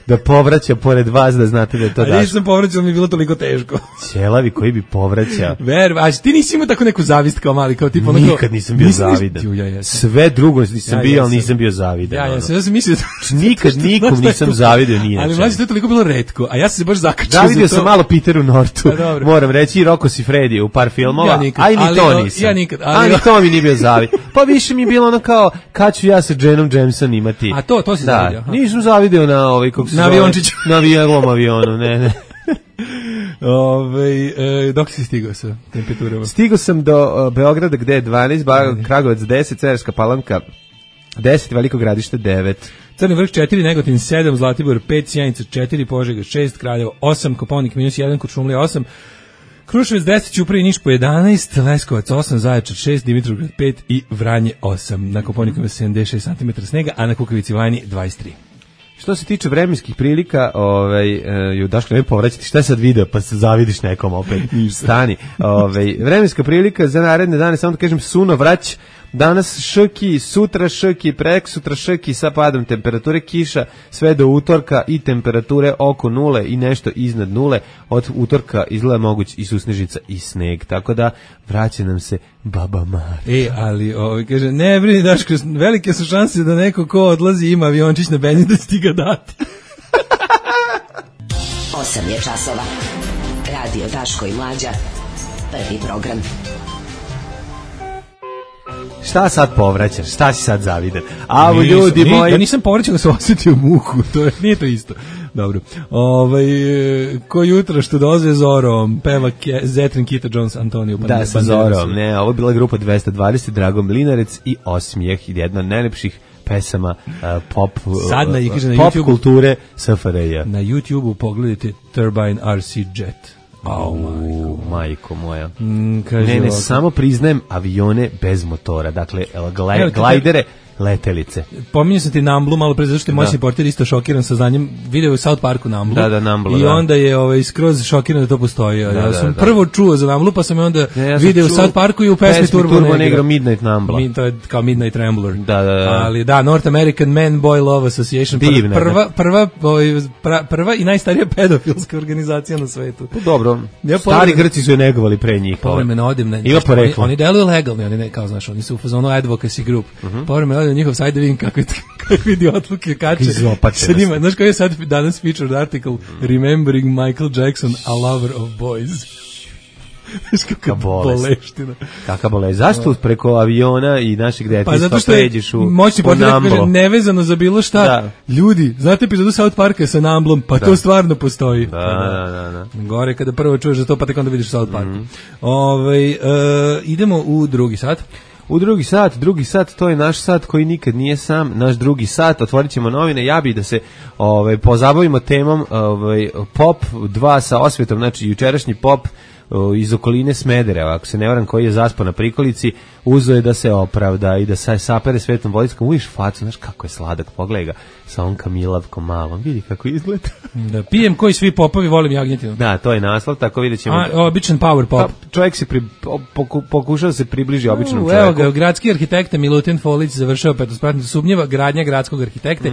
da povraća pored vas, da znate da je to Daško.
A nisam povraćao, mi je bilo toliko teško.
Ćelavi koji bi povraćao.
A ti nisi imao tako neku zavist kao mali, kao tipa
nikad nisam bio zavidan. Sve drugo nisam bio, ali nisam bio zavidan.
Ja sam mislio
nikad nikom nisam zavidio nije.
Ali mlađe, to je toliko bilo retko, a ja sam se baš zakačio.
Zavidio sam malo Peteru Nortu. Moram reći i Rocco Siffredi u par filmova. A i ni to nisam.
Ja nikad.
Ali to mi nije bio zavid. Pa više mi je bilo ono kao kad ću ja sa Jenom Jameson imati.
A to si zavidio.
Nisam zavidio na ovaj kako se
na aviončiću.
Na avionu, ne.
Dok si stigao sa temperaturama?
Stigao sam do Beograda gde je 12, Kragujevac 10, Cerska Palanka 10, Veliko Gradište 9.
Crni vrh 4, Negotin 7, Zlatibor 5, Sjenica 4, Požega 6, Kraljevo 8, Kopaonik -1, Kuršumlija 8, Kruševac 10, Ćuprija i Niš po 11, Leskovac 8, Zaječar 6, Dimitrovgrad 5 i Vranje 8. Na Kopaoniku 76 cm snega, a na Kukavici Vajni 23.
Što se tiče vremenskih prilika, Daško ne povraćati, šta je sad video, pa se zavidiš nekom opet, stani. Vremenska prilika za naredne dane, samo da kažem, suno vrać, danas šrki, sutra šrki, preksutra šrki sa padom temperature, kiša sve do utorka i temperature oko nule i nešto iznad nule. Od utorka izgleda moguć i susnežica i sneg, tako da vraća nam se Baba Mara.
Ali kaže, ne brini Daško, velike su šanse da neko ko odlazi ima aviončić na benzin da ti ga dati.
8 je časova. Radio Daško i Mlađa. Prvi program.
Šta sad povraćaš? Šta si sad zavidan? A ljudi moji...
Ja nisam povraćao da se osjetio muku, nije to isto. Dobro. Ko jutra što dolaze Zorom, peva Zetrin, Kita Jones, Antonio Banderas.
Da, sa Zorom. Ne, ovo je bila grupa 220, Drago Mlinarec i Osmijeh, jedna od najlepših pesama pop kulture SFRJ.
Na YouTube-u pogledajte Turbine RC Jet.
Majko moja. Ne, samo priznajem avione bez motora. Dakle, glajdere, letelice.
Pominjao sam ti Namblu malo pre, zato što je moj portir isto šokiran sa znanjem. Video je u South Parku Namblu.
Da, Namblu,
i onda je skroz šokiran da to postoji. Ja sam prvo čuo za Namblu, pa sam je onda video u South Parku i u pesmi Turbo Negro
Midnight Nambla.
To je kao Midnight Rambler.
Da.
Ali da, North American Man Boy Love Association. Prva i najstarija pedofilska organizacija na svetu.
Dobro. Stari Grci su je negovali pre njih.
Povremeno odim.
Oni
deluju legalni, oni ne, kao znaš, oni su u fazonu advocacy group. Povremeno njihov sajt da vidim kakve idiotluke kače sa njima. Znaš koji je sad danas featured article Remembering Michael Jackson, a lover of boys. Kakva boleština.
Kakva bolest. Zašto preko aviona i našeg detinjstva pređeš u Namblo?
Moćni portir kaže nevezano za bilo šta. Ljudi, znate epizodu South Parka sa Namblom? Pa to stvarno postoji.
Da.
Gore kada prvo čuješ za to, pa tek onda vidiš South Park. Idemo u drugi sat.
U drugi sat, to je naš sat koji nikad nije sam, naš drugi sat, otvorit ćemo novine, ja bih da se pozabavimo temom Pop 2 sa osvetom, znači jučerašnji Pop iz okoline Smedereva, ako se ne varam, koji je zaspao na prikolici, uzeo je da se opravda i da se sapere svetom vodickom, uviš facu, znaš kako je sladak, pogledaj ga sa on kamilavkom malom, vidi kako izgleda.
Da, pijem koji svi popovi, volim jagnjetinu.
Da, to je naslov, tako vidjet ćemo.
Običan power pop.
Čovjek se pokušao se približi običnom čovjeku.
Evo ga, gradski arhitekta Milutin Folić završao petospratno sumnjiva gradnja gradskog arhitekte.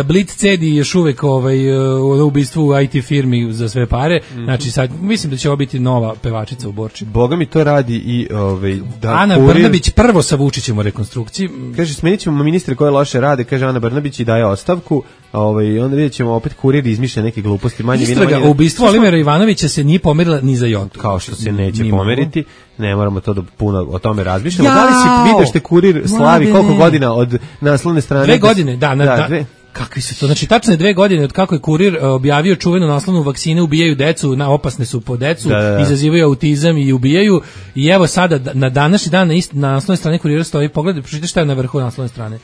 Blitz cedi još uvek u ubistvu u IT firmi za sve pare. Znači sad, mislim da će ovo biti nova pevačica u Borči.
Boga mi to radi i
Ana Brnabić prvo sa Vučićem u rekonstrukciji.
Kaže, smenit ćemo ministre koje loše rade, kaže Ana Brnabić i daje ostavku. Onda vidjet ćemo opet Kurir izmišlja neke gluposti.
Istraga o ubistvu Olimera Ivanovića se nije pomerila ni za jotu.
Kao što se neće pomeriti. Ne moramo to da puno o tome razmišljamo. Da li si vidio što Kurir slavi koliko godina od naslovne strane?
2 godine, Kakvi su to? Znači, tačno je 2 godine od kako je Kurir objavio čuvenu naslovnu vakcine ubijaju decu, opasne su po decu, izazivaju autizam i ubijaju. I evo sada, na današnji dan, na naslovnoj strani Kurira stoji, pogledaj, pročitaj šta je na vrhu naslovne strane.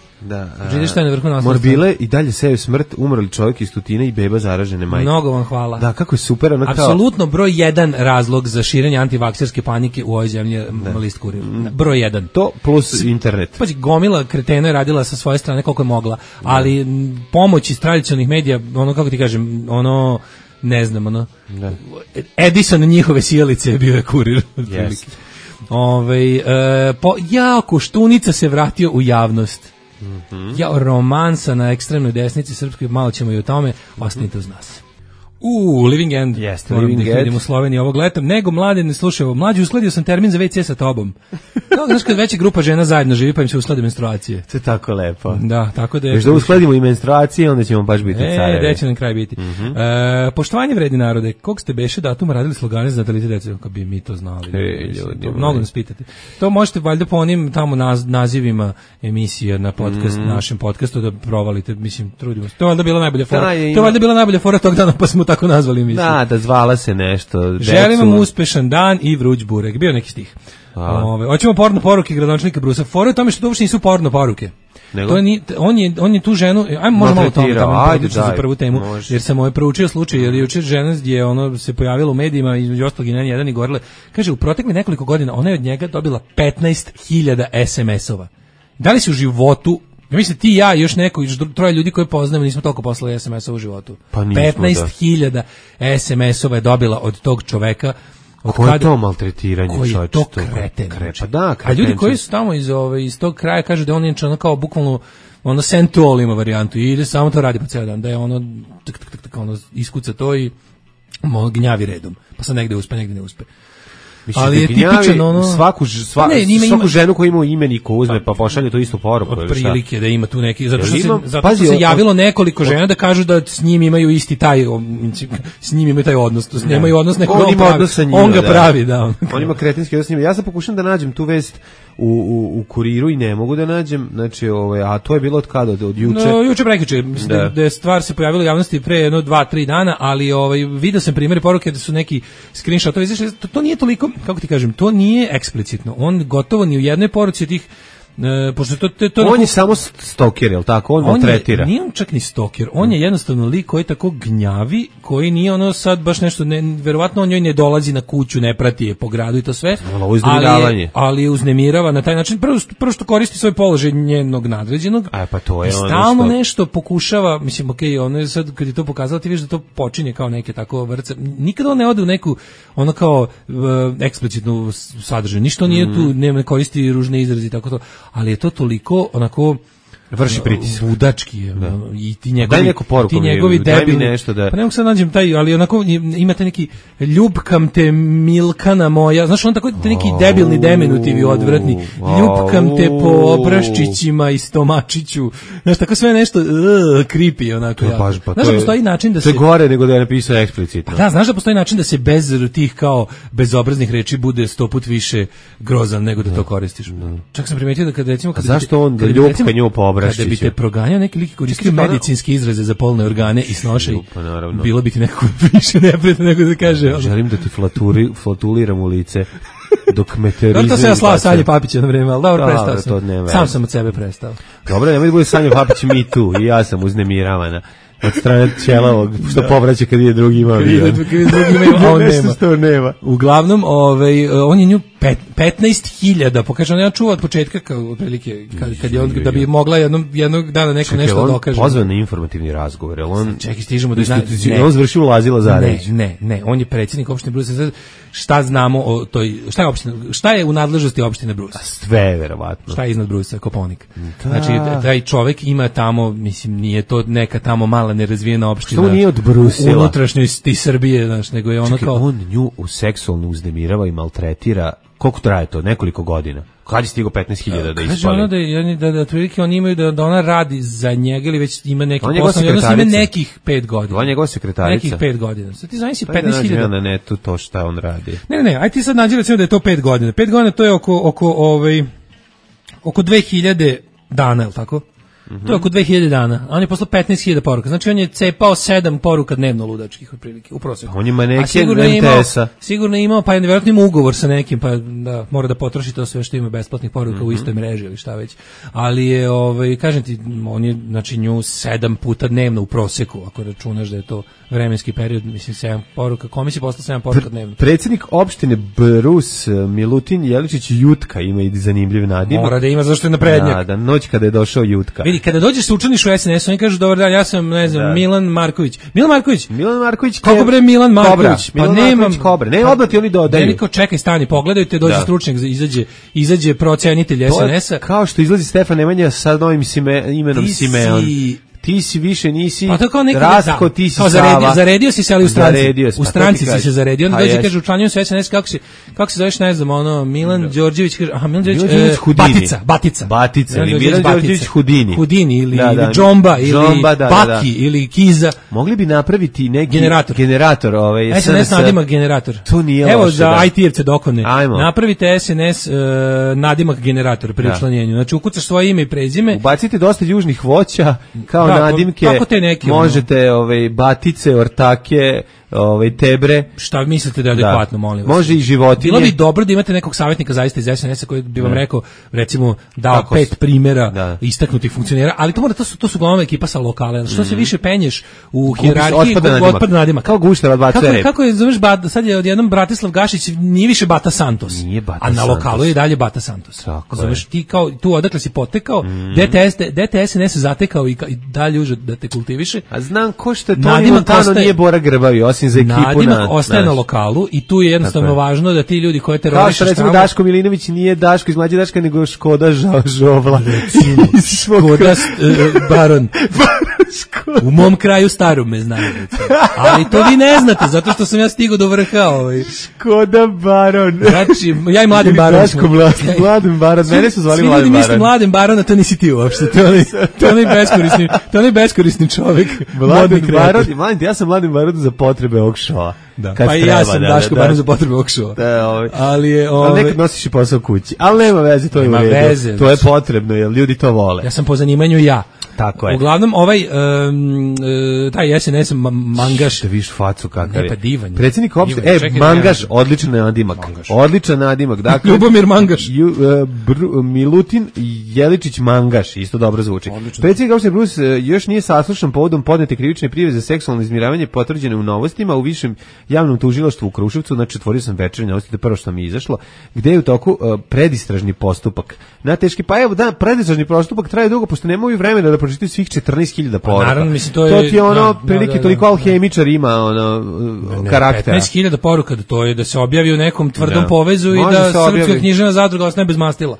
Pročitaj šta je na vrhu naslovne strane.
Morbile i dalje seju smrt, umrli čovjek iz Tutine i beba zaražene majke.
Mnogo vam hvala.
Da, kako je super.
Apsolutno broj 1 razlog za širenje antivakserske panike u ovoj zemlji list Kurir. Broj 1.
To plus internet.
Pazi, gomila kretena je radila sa svoje strane koliko je mogla, ali pomoć iz tradicionalnih medija, ono kako ti kažem, ono ne znam, ono Edison njihove sjelice bio je Kurir.
Yes.
Koštunica se vratio u javnost. Romansa na ekstremnoj desnici srpskoj, malo ćemo i o tome, ostanite uz nas. Living End.
Jeste, Living End.
Idemo u Sloveniji ovog leta. Nego mlade ne slušaju. Mlađi, uskladio sam termin za WC sa tobom. Znaš kad veća grupa žena zajedno živi pa im se usklade menstruacije.
To je tako lepo.
Da, tako da je.
Još da uskladimo i menstruacije, onda ćemo baš biti carevi.
Gde će nam kraj biti. Poštovanje vredni narode. Kog ste beše datuma radili slogane za natalitet dece? Kako bi mi to znali.
Ljudi,
mnogo nas pitate. To možete valjda po onim tamo nazivima emisija na podcast, našem podcastu da provalite. Mislim, trudimo se. To je valjda bila najbolja fora. To je valjda bila najbolja fora tog dana, pa smo tako nazvali emisiju.
Da zvala se nešto.
Želim vam uspešan dan i vruć burek. Bio neki stih. Hoćemo porno poruke gradonačelnika Brusa. Fora je tome što to uopšte nisu porno poruke. On je tu ženu, možemo malo tamo za prvu temu, jer sam proučio slučaj, jer jučer žena je se pojavila u medijima, između ostalog i na jedan i govorila, kaže, u protekli nekoliko godina ona je od njega dobila 15.000 SMS-ova. Da li si u životu, ja mislim ti, ja i još neko, još 3 ljudi koje poznamo, nismo toliko poslali SMS-ova u životu. 15.000 SMS-ova je dobila od tog čoveka.
Koje je to maltretiranje?
Koji je to kreten? A ljudi koji su tamo iz tog kraja kažu da on je kao bukvalno sensual ima varijantu i ide samo to radi po ceo dan, da je iskuca to i gnjavi redom, pa sad negde uspe, negde ne uspe.
Mislim, ali je tipičan svaku ženu koja ima imenik uzme pa pošalje to istu poruku.
Od prilike da ima tu neki, zato što se javilo nekoliko žena da kažu da s njim imaju isti taj, s njim imaju taj odnos, s njima imaju odnos nekog on ga pravi, da.
On ima kretenski odnos s njima. Ja sam pokušam da nađem tu vest u Kuriru i ne mogu da nađem, znači, a to je bilo od kada, od juče?
Juče prekjuče, mislim da je stvar se pojavila u javnosti pre 2-3 dana, ali vidio sam primjere poruke da su neki screenshotovi izašli, to nije toliko, kako ti kažem, to nije eksplicitno, on gotovo ni u jednoj poruci od tih, pošto to
on je samo stalker, jel tako? On maltretira.
Nije on čak ni stalker, on je jednostavno lik koji tako gnjavi, koji nije sad baš nešto, verovatno on njoj ne dolazi na kuću, ne prati je po gradu i to sve, ali je uznemirava na taj način, prvo što koristi svoj položaj njenog nadređenog,
pa to je
stalno nešto pokušava, mislim, ono je sad, kad je to pokazala, ti vidiš da to počinje kao neke tako vrce, nikada on ne ode u neku, kao eksplicitnu sadržaju, ništa nije tu, ne koristi ružne izrazi i tako to, ali je to toliko onako
vrši pritisak.
Budački je. I ti njegovi,
daj neku poruku,
ti njegovi debilni,
nešto da...
Pa ne mogu sad nađem taj, ali onako imate neki ljubkam te Milkana moja, znaš on tako te neki debilni deminutivi odvratni, ljubkam te po obraščićima i stomačiću, znaš tako sve nešto creepy onako. Znaš da postoji način da se...
To je gore nego da je napisao eksplicitno.
Da, znaš da postoji način da se bez tih kao bezobraznih reči bude 100 put više grozan nego da to koristiš. Čak sam primetio da kad recimo...
Zašto on da ljubka nju po
kada bi te proganjao neki lik koristio medicinski izraze za polne organe i snošaj, bilo bi ti nekako više neprijatno nego da kaže...
Želim da ti flatuliram u lice dok me terorizuje.
To se ja slao Sanje Papića na vreme, ali dobro, prestao sam. Sam sam od sebe prestao.
Dobro, nemoj da bude Sanje Papić me too, i ja sam uznemiravana. Od strane Ćelavog, što povraća kad je drugi ima avion.
Kad je drugi ima, on nema. Uglavnom, on je nju 15.000, pokaže, on je čuva od početka, kao otprilike, kad je on, da bi mogla jednog dana neko nešto dokaže.
Pozvan na informativni razgovor, jel on...
Čekaj, stižemo do...
On zvršio ulazila Zaređ.
Ne, on je predsjednik opštine Brus. Šta znamo o toj... Šta je u nadležnosti opštine Brus?
Sve, verovatno.
Šta je iznad Brusa? Koponik. Znači, taj čovek ima tamo, mislim, nije to neka tamo mala nerazvijena opština.
Što nije od Brusila?
U unutrašnjosti Srbije, znači, nego je ono kao...
on nju seksualno uznemirava i maltretira. Koliko traje to? Nekoliko godina. Kad je stigo 15.000 da ispali?
Kaže ono da otprilike oni imaju da ona radi za njega ili već ima neki posao. Ima nekih 5 godina.
On je njegova sekretarica.
Nekih 5 godina. Sad ti zamisli 15.000.
Pa da na netu to šta on radi.
Ne, aj ti sad nađi recimo da je to 5 godina. 5 godina to je oko 2000 dana, je li tako? To je oko 2000 dana. A on je poslao 15.000 poruka. Znači on je cepao 7 poruka dnevno ludačkih otprilike u proseku.
On je maneken MTS-a.
Sigurno je imao, pa je nevjerojatno imao ugovor sa nekim, pa da mora da potroši to sve što ima besplatnih poruka u istoj mreži ili šta već. Ali je, kažem ti, on je znači nju 7 puta dnevno u proseku, ako računaš da je to vremenski period, mislim 7 poruka. Kome si poslao 7 poruka dnevno?
Predsjednik opštine Brus Milutin Jeličić Jutka ima i zanimljiv nadimak.
Mora da ima, zašto je naprednjak.
Da, noć kada je došao Jutka.
Vidi, kada dođeš se učlaniš u SNS, oni kažu dobar dan, ja sam, ne znam, Milan Marković.
Milan Marković.
Kako bre Milan Marković?
Pa nemam Kobra. Ne, odmah ti oni dodaju.
Niko čekaj, stani, pogledajte, dođe stručnjak, izađe procenitelj SNS-a.
Kao što izlazi Stefan Nemanja sa novim imenom Simeon. Ti si više nisi Rastko, ti si Sava.
Zaredio si se, ali u stranci. U stranci si se zaredio. Onda dođe, kaže, učlanjujem se SNS, kako se zoveš, ne znam, ono, Milan Đorđević, kaže, aha, Milan Đorđević Hudini. Batica,
ili Milan Đorđević Hudini.
Hudini, ili Džomba, ili Baki, ili Kiza.
Mogli bi napraviti neki generator
SNS nadimak generator.
To nije loše.
Evo, za IT-evce dokone. Napravite SNS nadimak generator pri učlanjenju. Znači, ukucaš svoje ime i prezime.
Ubacite dosta južnih voća, kao nadimke, možete batice, ortake, tebre.
Šta mislite da je adekvatno, molim vas?
Može i životinje.
Bilo bi dobro da imate nekog savjetnika zaista iz SNS-a koji bi vam rekao, recimo, dao 5 primjera istaknutih funkcionera, ali to su uglavnom ekipa sa lokale. Što se više penješ u hijerarhiji, otpad nadimak.
Kao gušter od bacuje rep.
Kako je, zoveš, sad je odjednom Bratislav Gašić, nije više Bata Santos. A na lokalu je dalje Bata Santos. Zoveš, ti kao, tu odakle si potekao, DTS SNS zatekao i dalje uže da te kultiviše.
A znam ko što je Toni Montano nije Bora Grbavi, osim za ekipu
nadimak ostaje na lokalu i tu je jednostavno važno da ti ljudi koje terorišeš.
Kao što recimo Daško Milinović nije Daško iz Mlađe Daška, nego Škoda Žovla.
Škoda Baron. U mom kraju Starume znaju. Ali to vi ne znate, zato što sam ja stigao do vrha.
Škoda Baron.
Znači, ja i Mladen Baron.
Daško Mladen Baron. Mene su zvali Mladen Baron.
Svi ljudi misle Mladen Baron, a to nisi ti uopšte. To je onaj beskorisni čovjek.
Mladen Baron. Ja sam Mladen Baron za potrebe ovog šova.
Pa i ja sam Daško Baron za potrebe ovog šova. Ali
nekad nosiš i posao kući. Ali nema veze, to je u redu. To je potrebno, jer ljudi to vole.
Ja sam po zanimanju ja.
Tako je.
Uglavnom, taj SNS Mangaš.
Da viš facu kakav je.
Pa divan.
Predsjednik opštine, Mangaš, odličan nadimak. Odličan nadimak. Dakle,
Ljubomir Mangaš.
Milutin Jeličić Mangaš, isto dobro zvuči. Predsjednik opštine Brus još nije saslušan povodom podnete krivične prijave za seksualno izmiravanje potvrđene u Novostima u višem javnom tužilaštvu u Kruševcu. Znači, otvorio sam Večernje novosti, to prvo što mi je izašlo, gde je u toku predistražni postupak. Na teški, pa evo, predistražni postupak traje dugo, pošto nemaju vremena da pročitaju svih 14.000 poruka.
Naravno, mislim,
to ti je prilike toliko alhemičar ima karaktera.
15.000 poruka, to je da se objavi u nekom tvrdom povezu i da Srpska književna zadruga ostane bez mastila.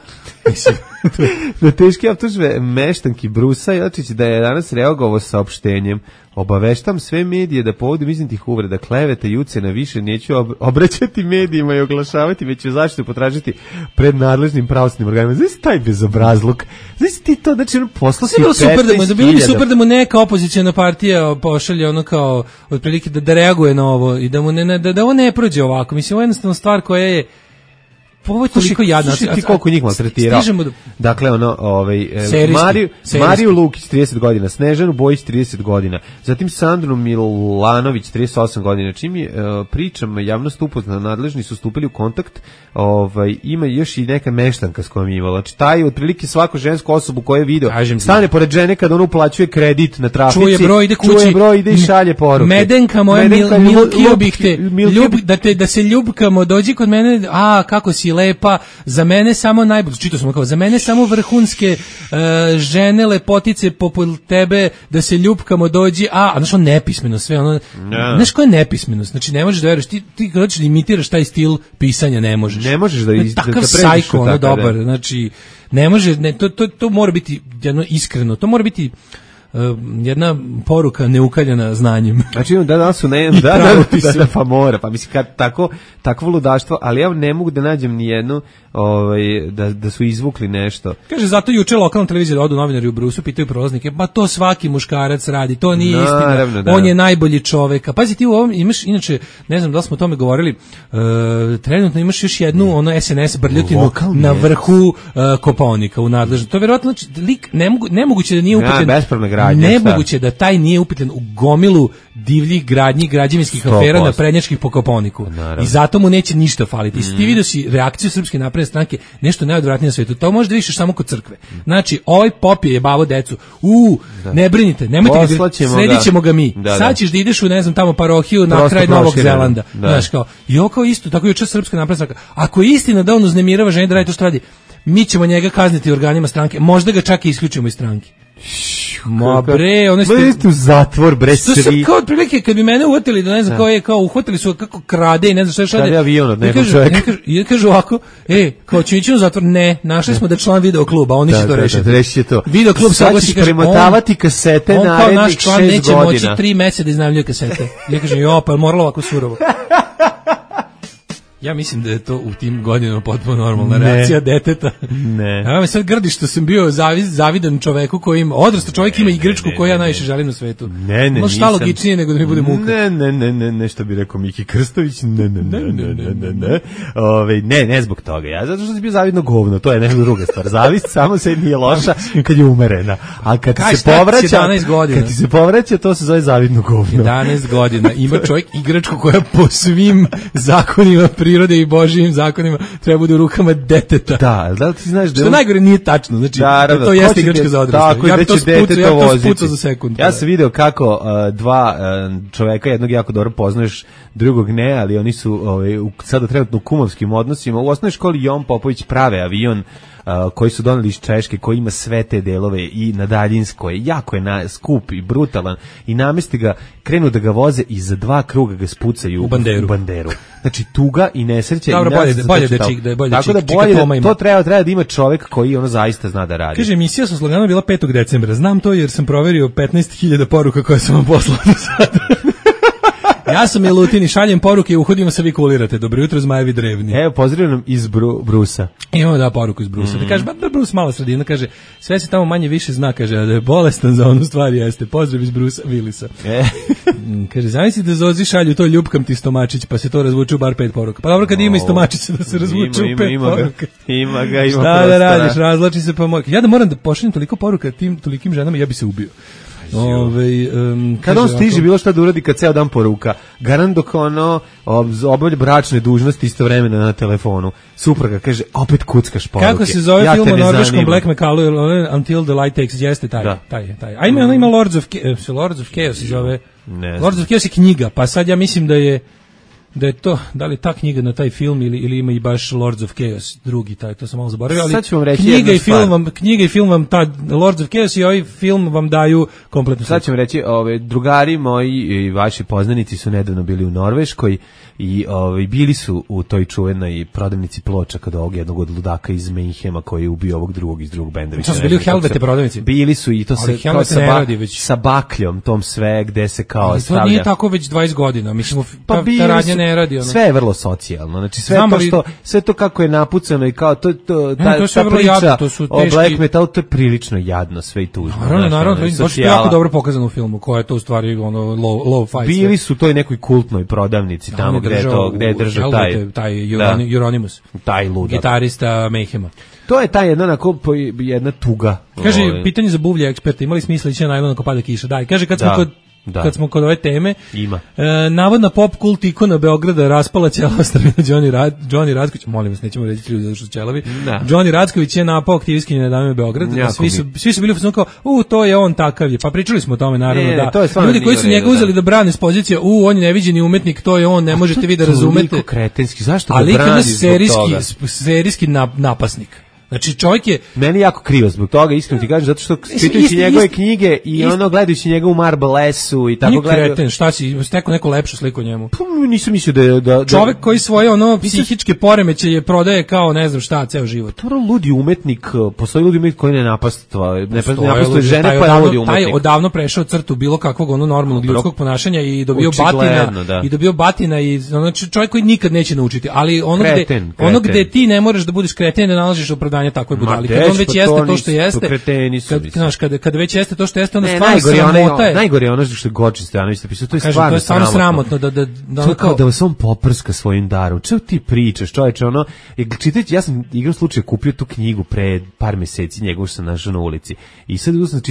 Na teške optužbe meštanki Brusa Jeličić da je danas reagovao saopštenjem: obaveštam sve medije da povodom iznetih uvreda, kleveta i ucena više neću obraćati medijima i oglašavati, već ću zaštitu potražiti pred nadležnim pravosudnim organima. Znači taj bezobrazluk. Znači ti to, znači posla si 15.000.
Bilo bi super da mu neka opozicijna partija pošalje ono kao otprilike da reaguje na ovo i da mu da ovo ne prođe ovako. Mislim, ovo je jednostavno stvar koja je ovo je toliko jadno.
Slušaj ti koliko njih maltretirao. Dakle, Mariju Lukić 30 godina, Snežanu Bojić 30 godina, zatim Sandru Milanović 38 godina. Čim je pričam javnost upoznana, nadležni su stupili u kontakt, ima još i neka meštanka s kojom je imala. Znači, taj otprilike svaku žensku osobu koju je video, stane pored žene kada ona uplaćuje kredit na trafici,
čuje broj, ide kući,
čuje broj, ide i šalje poruke.
Medenka moja, milkio bih te, da se ljubkamo, dođi kod mene, kako si lepa, za mene samo najbolje, čitao sam kao, za mene samo vrhunske žene, lepotice poput tebe, da se ljubkamo, dođi, znaš on nepismeno sve, ono, znaš ko je nepismenost, znači ne možeš da veruješ, ti kad hoćeš da imitiraš taj stil pisanja, ne možeš.
Ne možeš da
takav sajko, ono dobar, znači, ne može, to mora biti jedno iskreno, to mora biti jedna poruka neukaljena znanjem.
Znači da su pa mora, pa mislim kad takvo ludaštvo, ali ja ne mogu da nađem ni jednu da su izvukli nešto.
Kaže, zato juče lokalna televizija odu novinari u Brusu, pitaju prolaznike, pa to svaki muškarac radi, to nije istina, on je najbolji čovek. A pazi, ti u ovom imaš, inače, ne znam da li smo o tome govorili, trenutno imaš još jednu SNS brljotinu na vrhu Kopaonika u nadležnosti. To je verovatno, znači, lik, nemoguće da nije upetljen, nemoguće da taj nije upetljen u gomilu divljih gradnji, građevinskih afera na prednjačkih po Kopaoniku. I zato mu neće ništa faliti. I ti vidio si reakciju Srpske napredne stranke, nešto najodvratnije na svetu. To možda vidiš samo kod crkve. Znači, ovaj pop je jebavo decu. Ne brinite, nemojte sredit ćemo ga mi. Sad ćeš da ideš u, ne znam, tamo parohiju na kraj Novog Zelanda. Znaš, kao, i ovo kao isto, tako juče Srpska napredna stranka. Ako je istina da on uznemirava žene da radi to što radi, mi ćemo njega kazniti organima stranke, možda ga čak i isključimo iz stranke. Ma bre, ono
ste u zatvor, bre,
svi. To kao otprilike kad bi mene uhvatili, da ne znam kao uhvatili su kako krade i ne znam šta je šalje.
Krade avion od nekog čovjeka.
I kažu ovako, kao ću ići u zatvor, ne, našli smo da član video kluba, oni će to rešiti.
Reši to.
Video klub se oglasi, kaže,
premotavati kasete narednih 6 godina. On kao naš član
neće moći 3 meseca da iznajmljuje kasete. Ja kažem, pa je moralo ovako surovo. Ja mislim da je to u tim godinama potpuno normalna reakcija deteta.
Ne.
Ja me sad grdi što sam bio zavidan čoveku koji ima, odrastao čovjek ima igračku koju ja najviše želim na svetu.
Ne,
šta logičnije nego da mi bude muka.
Ne, što bi rekao Miki Krstović, ne zbog toga. Ja zato što sam bio zavidno govno, to je nešto druga stvar. Zavist samo se nije loša kad je umerena. A kad ti se povraća, to se zove zavidno govno.
11 godina ima čovjek igračku koja po svim zakonima prirode i božjim zakonima treba bude u rukama deteta.
Da li ti znaš da
što najgore nije tačno, znači da to jeste igračka za odrasle.
Tako, ja bi to
spucao za sekund.
Ja sam video kako dva čoveka, jednog jako dobro poznaješ, drugog ne, ali oni su sada trenutno u kumovskim odnosima. U osnovnoj školi Jon Popović prave avion koji su doneli iz Češke, koji ima sve te delove i na daljinskoj, jako je skup i brutalan i namesti ga, krenu da ga voze i za 2 kruga ga spucaju u banderu. Znači tuga i nesreća.
Dobro, bolje da
to treba da ima čovjek koji ono zaista zna da radi.
Kaže, emisija sa sloganom bila 5. decembra. Znam to jer sam proverio 15.000 poruka koje sam vam poslao do sada. Ja sam Milutin i šaljem poruke i uhodimo se vi kulirate. Dobro jutro, zmajevi drevni.
Evo, pozdravljam nam iz Brusa.
Imamo poruku iz Brusa. Da kaže, Brus mala sredina, kaže, sve se tamo manje više zna, kaže, da je bolestan za onu stvar jeste. Pozdrav iz Brusa Vilisa. Kaže, zamisli da Zozi šalju to ljubkam ti stomačić, pa se to razvuče u bar 5 poruka. Pa dobro, kad ima i stomačić da se razvuče u 5 poruka.
Ima ga.
Šta da radiš, razlači se pa moj. Ja da moram da pošaljem toliko poruka tolikim ženama, ja bi se ubio.
Kad on stiže bilo šta da uradi kad ceo dan poruka, garant dok obavlja bračne dužnosti istovremeno na telefonu, supruga kaže opet kuckaš poruke.
Kako se zove film o norveškom Black Mecalu, Until the Light Takes, jeste taj. A ima Lords of Chaos se zove. Lords of Chaos je knjiga, pa sad ja mislim da je to, da li ta knjiga na taj film ili ima i baš Lords of Chaos, drugi taj, to sam malo zaboravio, ali knjiga i film vam ta Lords of Chaos i ovaj film vam daju kompletno.
Sad ću vam reći, drugari moji i vaši poznanici su nedavno bili u Norveškoj i bili su u toj čuvenoj prodavnici ploča kod ovog jednog od ludaka iz Mayhema koji je ubio ovog drugog iz drugog benda.
To su bili u Helvete prodavnici?
Bili su i to se kao sa bakljom, tom sve gde se kao stavlja.
To nije tako već 20 godina, mislim, ta radnja ne radi.
Sve je vrlo socijalno, znači sve to kako je napucano i kao ta priča o black metalu, to je prilično jadno, sve i tužno.
Naravno, baš je jako dobro pokazano u filmu, koja je to u stvari low fight.
Bili su to i nekoj kultnoj prodavnici tamo gde je držao
taj Euronymous,
taj ludak,
gitarista Mayhema.
To je ta jedna tuga.
Kaže, pitanje za buvlje eksperta, imali smisla ići na najlon ako pada kiša? Da, i kaže kad smo kod ove teme,
ima.
Navodna pop kult ikona Beograda raspala ćela ostavina Johnny Racković, molim vas, nećemo reći ljudi zato što ćelavi. Johnny Racković je napao aktivistkinje dame Beograd, svi su bili u kao, to je on takav je, pa pričali smo o tome naravno, ljudi koji su njega uzeli da brane s pozicije, on je neviđeni umetnik, to je on, ne možete vi da razumete.
Kretenski, zašto ga
ali
brani
zbog toga? Serijski napasnik. Znači čovjek je
meni jako krivo zbog toga, iskreno ti kažem, zato što čitajući njegove knjige i ono gledajući njega u Marble S-u i tako gledaju.
Kreten, šta si stekao neku lepšu sliku o njemu?
Pa nisam mislio da
čovjek koji svoje ono psihičke poremećaje prodaje kao ne znam šta ceo život.
To je ludi umetnik, postoji ludi umetnik koji ne napastuje žene, pa je ludi umetnik.
Taj je odavno prešao crtu bilo kakvog ono normalnog ljudskog ponašanja i dobio batina i znači čovjek koji nikad neće naučiti, ali ono gde ti ne možeš da budeš kreten, da nalaziš opravdanje takvoj budali. Kad on već jeste to što jeste, kad već jeste to što jeste, onda stvarno sramota je.
Najgore je ono što je Gočin Stojanović napisao, to je
stvarno sramotno
da kao da vas on poprska svojim darom. Čemu ti pričaš, čoveče, ono, čitajući, ja sam igrom slučaju kupio tu knjigu pre par meseci, njegovu sam našao na ulici. I sad uzmem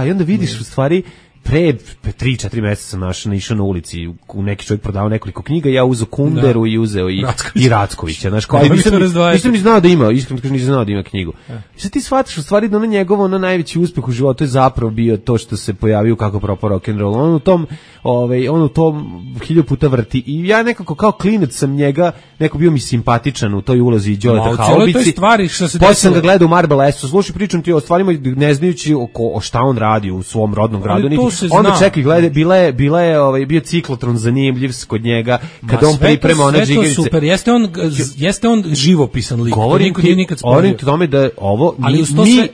i onda vidiš u stvari pre 3-4 meseca sam naišao na ulici, neki čovjek prodavao nekoliko knjiga, ja uzeo Kunderu i uzeo i Rackovića, znaš, kao nisam ni znao da ima, iskreno kažem nisam znao da ima knjigu. I sad ti shvataš u stvari da ono njegovo najveći uspeh u životu je zapravo bio to što se pojavio kako propao rock'n'roll. On u tom 1000 puta vrti i ja nekako kao klinac sam njega, neko bio mi simpatičan u toj ulozi Đoleta Haubici. Posle sam ga gledao u Marble S-u, slušaj, pričam ti o stvarima ne znajući o šta on radi u svom rodnom gradu. Onda čekaj, gledaj, bio ciklotron zanimljiv kod njega, kad on priprema one džigerice.
Sve to super, jeste on živopisan lik.
Govorim ti tome da ovo,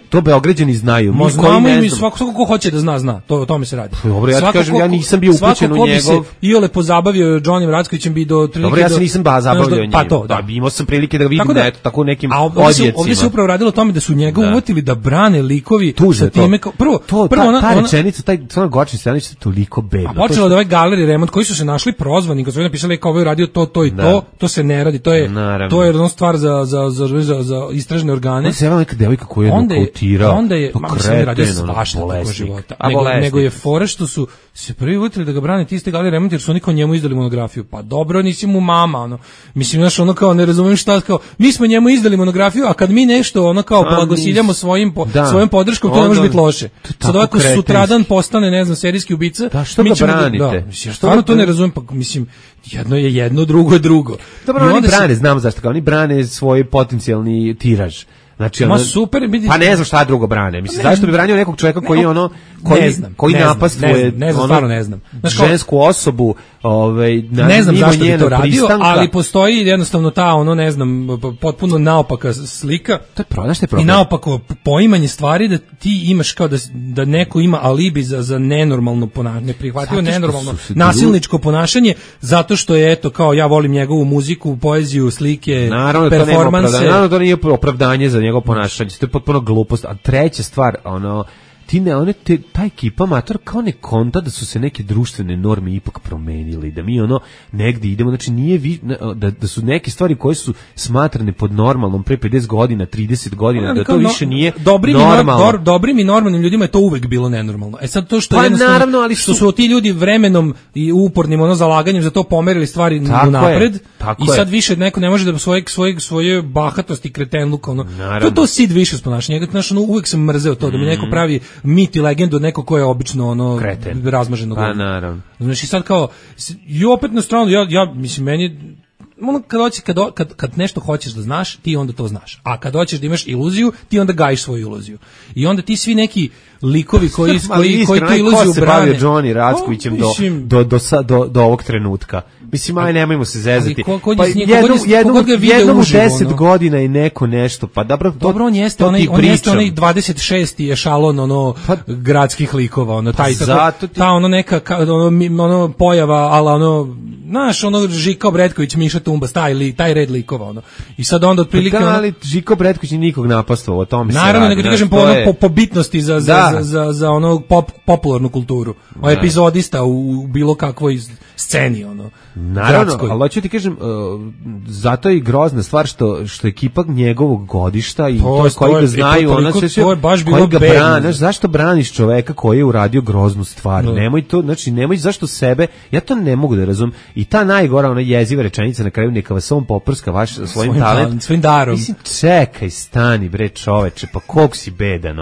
to Beograđani znaju.
Znamo i svako ko hoće da zna, to o tome se radi.
Dobro, ja ti kažem, ja nisam bio upućen u njegov.
Svako ko bi se iole pozabavio Johnnyem Rackovićem bi do...
Dobro, ja se nisam zabavljao njim.
Pa to, da.
Imao sam prilike da ga vidim tako nekim odjecima.
Ovdje se upravo radilo o tome da su njega uvotili da brane likovi sa time. Prvo,
ta rečenica, taj Gočin Stojanović je toliko bedno.
A počelo od ove galerije remont koji su se našli prozvani, kad su napisali kao ovaj radio to i to se ne radi, to je jedna stvar za istražne organe.
Se javila neka devojka koja je nokautirao.
Onda je radio svašta tako života. Nego je fora što su se prvi uvotili da ga brane ti iste galerije remont jer su oni kao njemu izdali monografiju. Pa dobro, nisi mu mama, ono. Mislim, znaš, ono kao ne razumijem šta, kao mi smo njemu izdali monografiju, a kad mi nešto ono kao blagosiljamo svojom podrškom, to ne može biti loše. Sad ovako sutradan postane, ne znam, serijski ubica.
Da, što ga branite?
Stvarno to ne razumijem, pa mislim, jedno je jedno, drugo je drugo.
Dobro, oni brane, znam zašto, kao oni brane svoj potencijalni tiraž. Znači, pa ne znam šta drugo brane. Mislim, zašto bi branio nekog čovjeka koji je ono, koji napastvuje
ne znam.
Žensku osobu,
ne znam zašto bi to radio, ali postoji jednostavno ta, ne znam, potpuno naopaka slika.
To je problem.
I naopako poimanje stvari da ti imaš kao da neko ima alibi za nenormalno ponašanje, neprihvatljivo nenormalno nasilničko ponašanje, zato što je, eto, kao ja volim njegovu muziku, poeziju, slike, performanse.
Naravno to nije opravdanje za njegovo ponašanje, to je potpuno glupost. A treća stvar, ta ekipa mator kao ne konta da su se neke društvene norme ipak promenile, da mi negdje idemo, znači nije da su neke stvari koje su smatrane pod normalnom pre 50 godina, 30 godina, da to više nije normalno.
Dobrim i normalnim ljudima je to uvek bilo nenormalno. Sad to što jednostavno, što su ti ljudi vremenom i upornim zalaganjem za to pomerili stvari napred i sad više neko ne može da svoje bahatosti, kretenluk, to sid više sponašanje. Uvek sam mrzeo to, da mi neko pravi mit i legendu neko ko je obično razmaženo.
Pa naravno.
Znači sad kao i opet na stranu ja mislim meni kad nešto hoćeš da znaš, ti onda to znaš. A kad hoćeš da imaš iluziju, ti onda gajiš svoju iluziju. I onda ti svi neki likovi koji tu iluziju brane.
Ko se bavio Johnny Rackovićem do ovog trenutka? Mislim, nemojmo se zezati. Jednom u 10 godina i neko nešto, pa dobro,
on jeste onaj 26. ešalon gradskih likova, ta neka pojava, ala znaš, Žika Bretković, Miša Tumba, taj red likova, I sad onda otprilike...
ali Žiko Bretković nije nikog napastvao, o tome se radi.
Naravno, nego ti kažem po bitnosti za popularnu kulturu. Epizodista u bilo kakvoj sceni,
Naravno, ali hoću ti kažem, zato je i grozna stvar što ekipa njegovog godišta i to koji ga znaju,
to je baš bilo bedno.
Zašto braniš čoveka koji je uradio groznu stvar? Nemoj to, znači nemoj zašto sebe, ja to ne mogu da razumem. I ta najgora, ona jeziva rečenica na kraju neka vas on poprska svojim talentom,
svojim darom.
Mislim, čekaj, stani bre čoveče, pa koliko si bedan,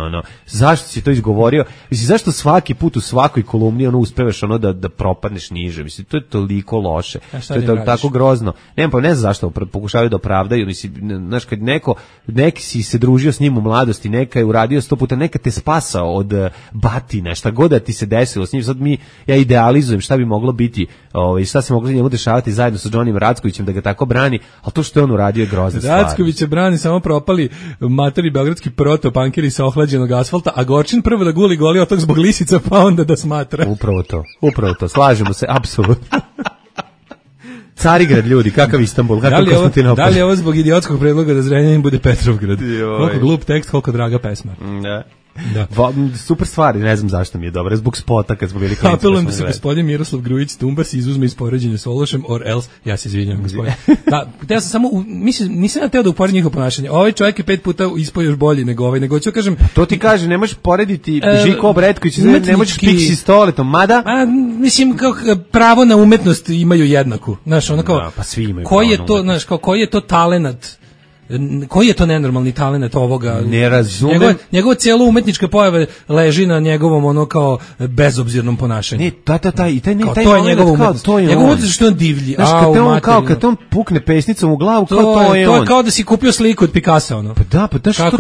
zašto si to izgovorio? Mislim, zašto svaki put u svakoj kolumni uspevaš da propadneš niže? Mislim, to je toliko loše. To je tako grozno. Ne znam zašto pokušavaju da opravdaju. Mislim, znaš, kad neki si se družio s njim u mladosti, neka je uradio 100 puta, neka te spasao od batina, šta god da ti se desilo s njim. Sad ja idealizujem šta bi moglo biti, šta se moglo njemu dešavati zajedno sa Džonim Rackovićem da ga tako brani, ali to što je on uradio je grozna stvar.
Rackovića brani samo propali materi beogradski protopankeri sa ohlađenog asfalta, a Gorčin prvo da guli goli otok zbog lisica, pa onda da smatra.
Upravo to, slažemo se, apsolutno. Carigrad, ljudi, kakav Istanbul, kakav Konstantinopolj.
Da li je ovo zbog idiotskog predloga da Zrenjanin bude Petrovgrad? Koliko glup tekst, koliko draga pesma.
Da. Super stvari, ne znam zašto mi je dobro, zbog spota kad smo bili klinci.
Apelujem da se gospodin Miroslav Grujić Tumbar se izuzme iz poređenja s Ološem, or else, ja se izvinjam gospodin. Da, ja sam samo, nisam ja teo da uporedim njihovo ponašanje. Ovaj čovjek je 5 puta ispao još bolji nego ovaj, nego ću kažem...
To ti kaže, ne možeš porediti Žiko Obretković, ne možeš Pixi Stoletom, mada...
Mislim, kao pravo na umetnost imaju jednaku. Znaš, ono kao...
Da, pa svi imaju
koji je to, znaš, kao koji je to talenat? Koji je to nenormalni talenat ovoga?
Ne razumem.
Njegova cijela umetnička pojava leži na njegovom kao bezobzirnom ponašanju.
Ne, i taj
to je njegova umetnost. Njegova umetnost što je on divlji.
Kad on pukne pesnicom u glavu, to je on.
To je kao da si kupio sliku od Picassa, ono.
Pa da,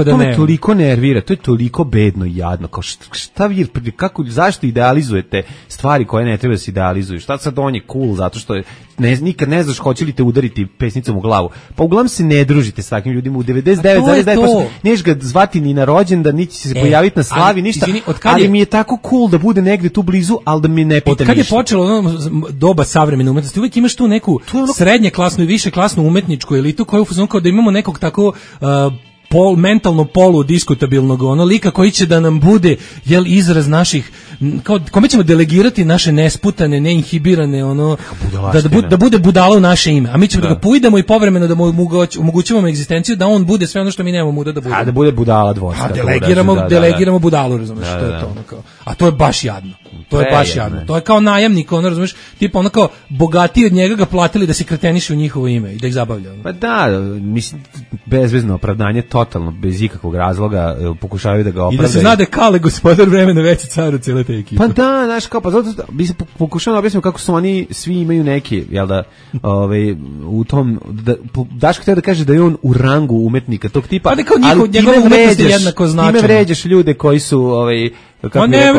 to me toliko nervira, to je toliko bedno i jadno. Kao šta vi, zašto idealizujete stvari koje ne treba da se idealizuju? Šta sad on je cool, zato što nikad ne znaš hoće li te udariti pesnicom u glavu. Pa uglavnom se ne družite s takvim ljudima u 99,9%. Neš ga zvati ni na rođendan, niti će se pojaviti na slavi, ništa. Ali mi je tako cool da bude negde tu blizu, ali da mi ne pita ništa.
Od kad je počelo doba savremene umetnosti, uvijek imaš tu neku srednje klasnu i više klasnu umetničku elitu koja je u fazonu kao da imamo nekog tako mentalno poludiskutabilnog lika koji će da nam bude izraz naših, kao kome ćemo delegirati naše nesputane, neinhibirane da bude budala u naše ime, a mi ćemo da ga pujdemo i povremeno da mu omogućavamo egzistenciju da on bude sve ono što mi nemamo muda da bude.
A da bude budala dvorska.
A delegiramo budalu, razumeš, to je to kao. A to je baš jadno. To je baš jadno. To je kao najamnik, razumeš, tipa kao bogatiji od njega ga platili da se kreteniše u njihovo ime i da ih zabavlja.
Pa da, mislim, bezvezno opravdanje, totalno, bez ikakvog razloga, pokušavaju da ga opravdaju.
I da se zna da je Kale gospodar vremena veći car od cijele te ekipe.
Pa da, znaš, kao, pa zato bi se pokušao da objasnimo kako su oni, svi imaju neki, jel da, u tom, Daško htio da kaže da je on u rangu umetnika tog tipa,
ali njegova umetnost je jednako značajna.
Time vređaš ljude koji su,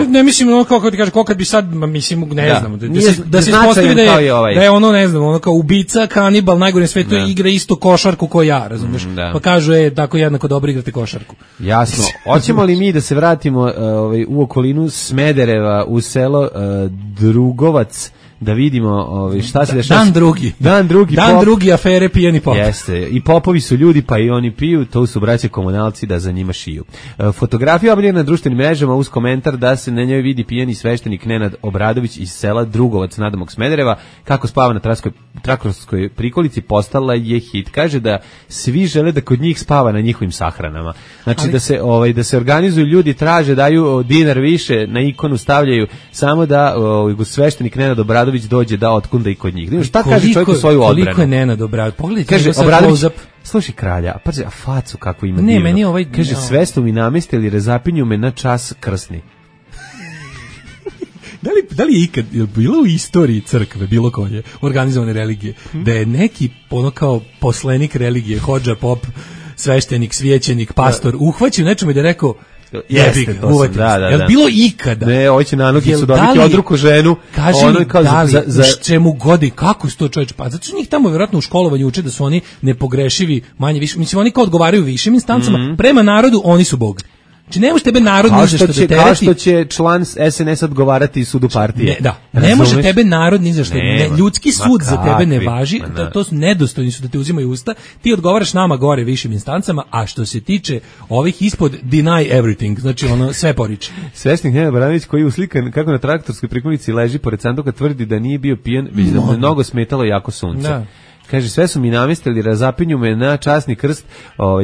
ne mislim kako ti kaže, kad bi sad, mislim, ne znam, da se ispostavi da je ono, ne znam, ono kao ubica, kanibal, najgore na svetu, igra isto košarku ko ja, razumiješ? Pa kažu, tako jednako dobro igrate košarku.
Jasno. Hoćemo li mi da se vratimo u okolinu Smedereva, u selo Drugovac, da vidimo šta se dešava. Dan drugi afere pijani pop. Jeste, i popovi su ljudi, pa i oni piju, to su braće komunalci da za njima šiju. Fotografija objavljena na društvenim mrežama uz komentar da se na njoj vidi pijani sveštenik Nenad Obradović iz sela Drugovac nadamog Smedereva, kako spava na traktorskoj prikolici, postala je hit. Kaže da svi žele da kod njih spava na njihovim sahranama. Znači da se organizuju ljudi, traže, daju dinar više, na ikonu stavljaju samo da sveštenik Nenad Obradović dođe da otkunda i kod njih. Šta kaže čovjek u svoju odbranu?
Koliko je Nenad Obradović? Pogledajte,
kaže Obradović, slušaj kralja, a facu kako ima divno.
Meni
kaže, sve su mi namestili, razapinju me na čas krsni.
Da li je ikad bilo u istoriji crkve, bilo koje organizovane religije, da je neki kao poslenik religije, hodža, pop, sveštenik, svećenik, pastor, uhvaćio nečemu i da je rekao,
jeste,
jel bilo ikada?
Ne, ovo će na nogi su dobiti odruku ženu.
Kaži mi, da li, čemu godi, kako su to čovječe? Pa zato što njih tamo vjerojatno u školovanju uče da su oni nepogrešivi, manje više. Mislim, oni kao odgovaraju višim instancama, prema narodu oni su Bog. Znači ne može tebe narod ni za što da tereti.
Kao što će član SNS odgovarati sudu partije.
Ne može tebe narod ni za što. Ljudski sud za tebe ne važi, to su nedostojni su da te uzimaju usta. Ti odgovaraš nama gore višim instancama, a što se tiče ovih ispod, deny everything, znači ono sve poriče.
Svesnik Nenad Obradović koji je uslikan kako na traktorskoj prikolici leži pored sanduka, tvrdi da nije bio pijan, već da mu je mnogo smetalo jako sunce. Kaže, sve su mi namestili, razapinju me na časni krst,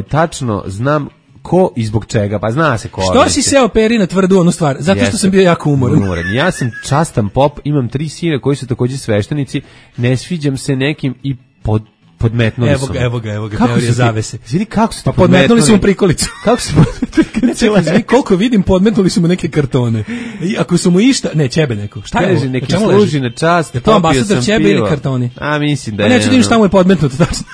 tačno znam ko i zbog čega, pa zna se ko.
Što si seo peri na tvrdu onu stvar? Zato što sam bio jako umoran.
Ja sam častan pop, imam 3 sina koji su također sveštenici, ne sviđam se nekim i podmetnuli su.
Evo ga, teorija zavese.
Vidi kako su
pa podmetnuli su mu prikolicu.
Kako su
podmetnuli? Koliko vidim, podmetnuli su mu neke kartone. I ako su mu išta, ne, ćebe neko. Šta je ovo?
Neki služi na čast.
Je to ambasador ćebe ili kartoni?
A mislim da
je. Neću da vidim šta mu je podmetnuto, tačno.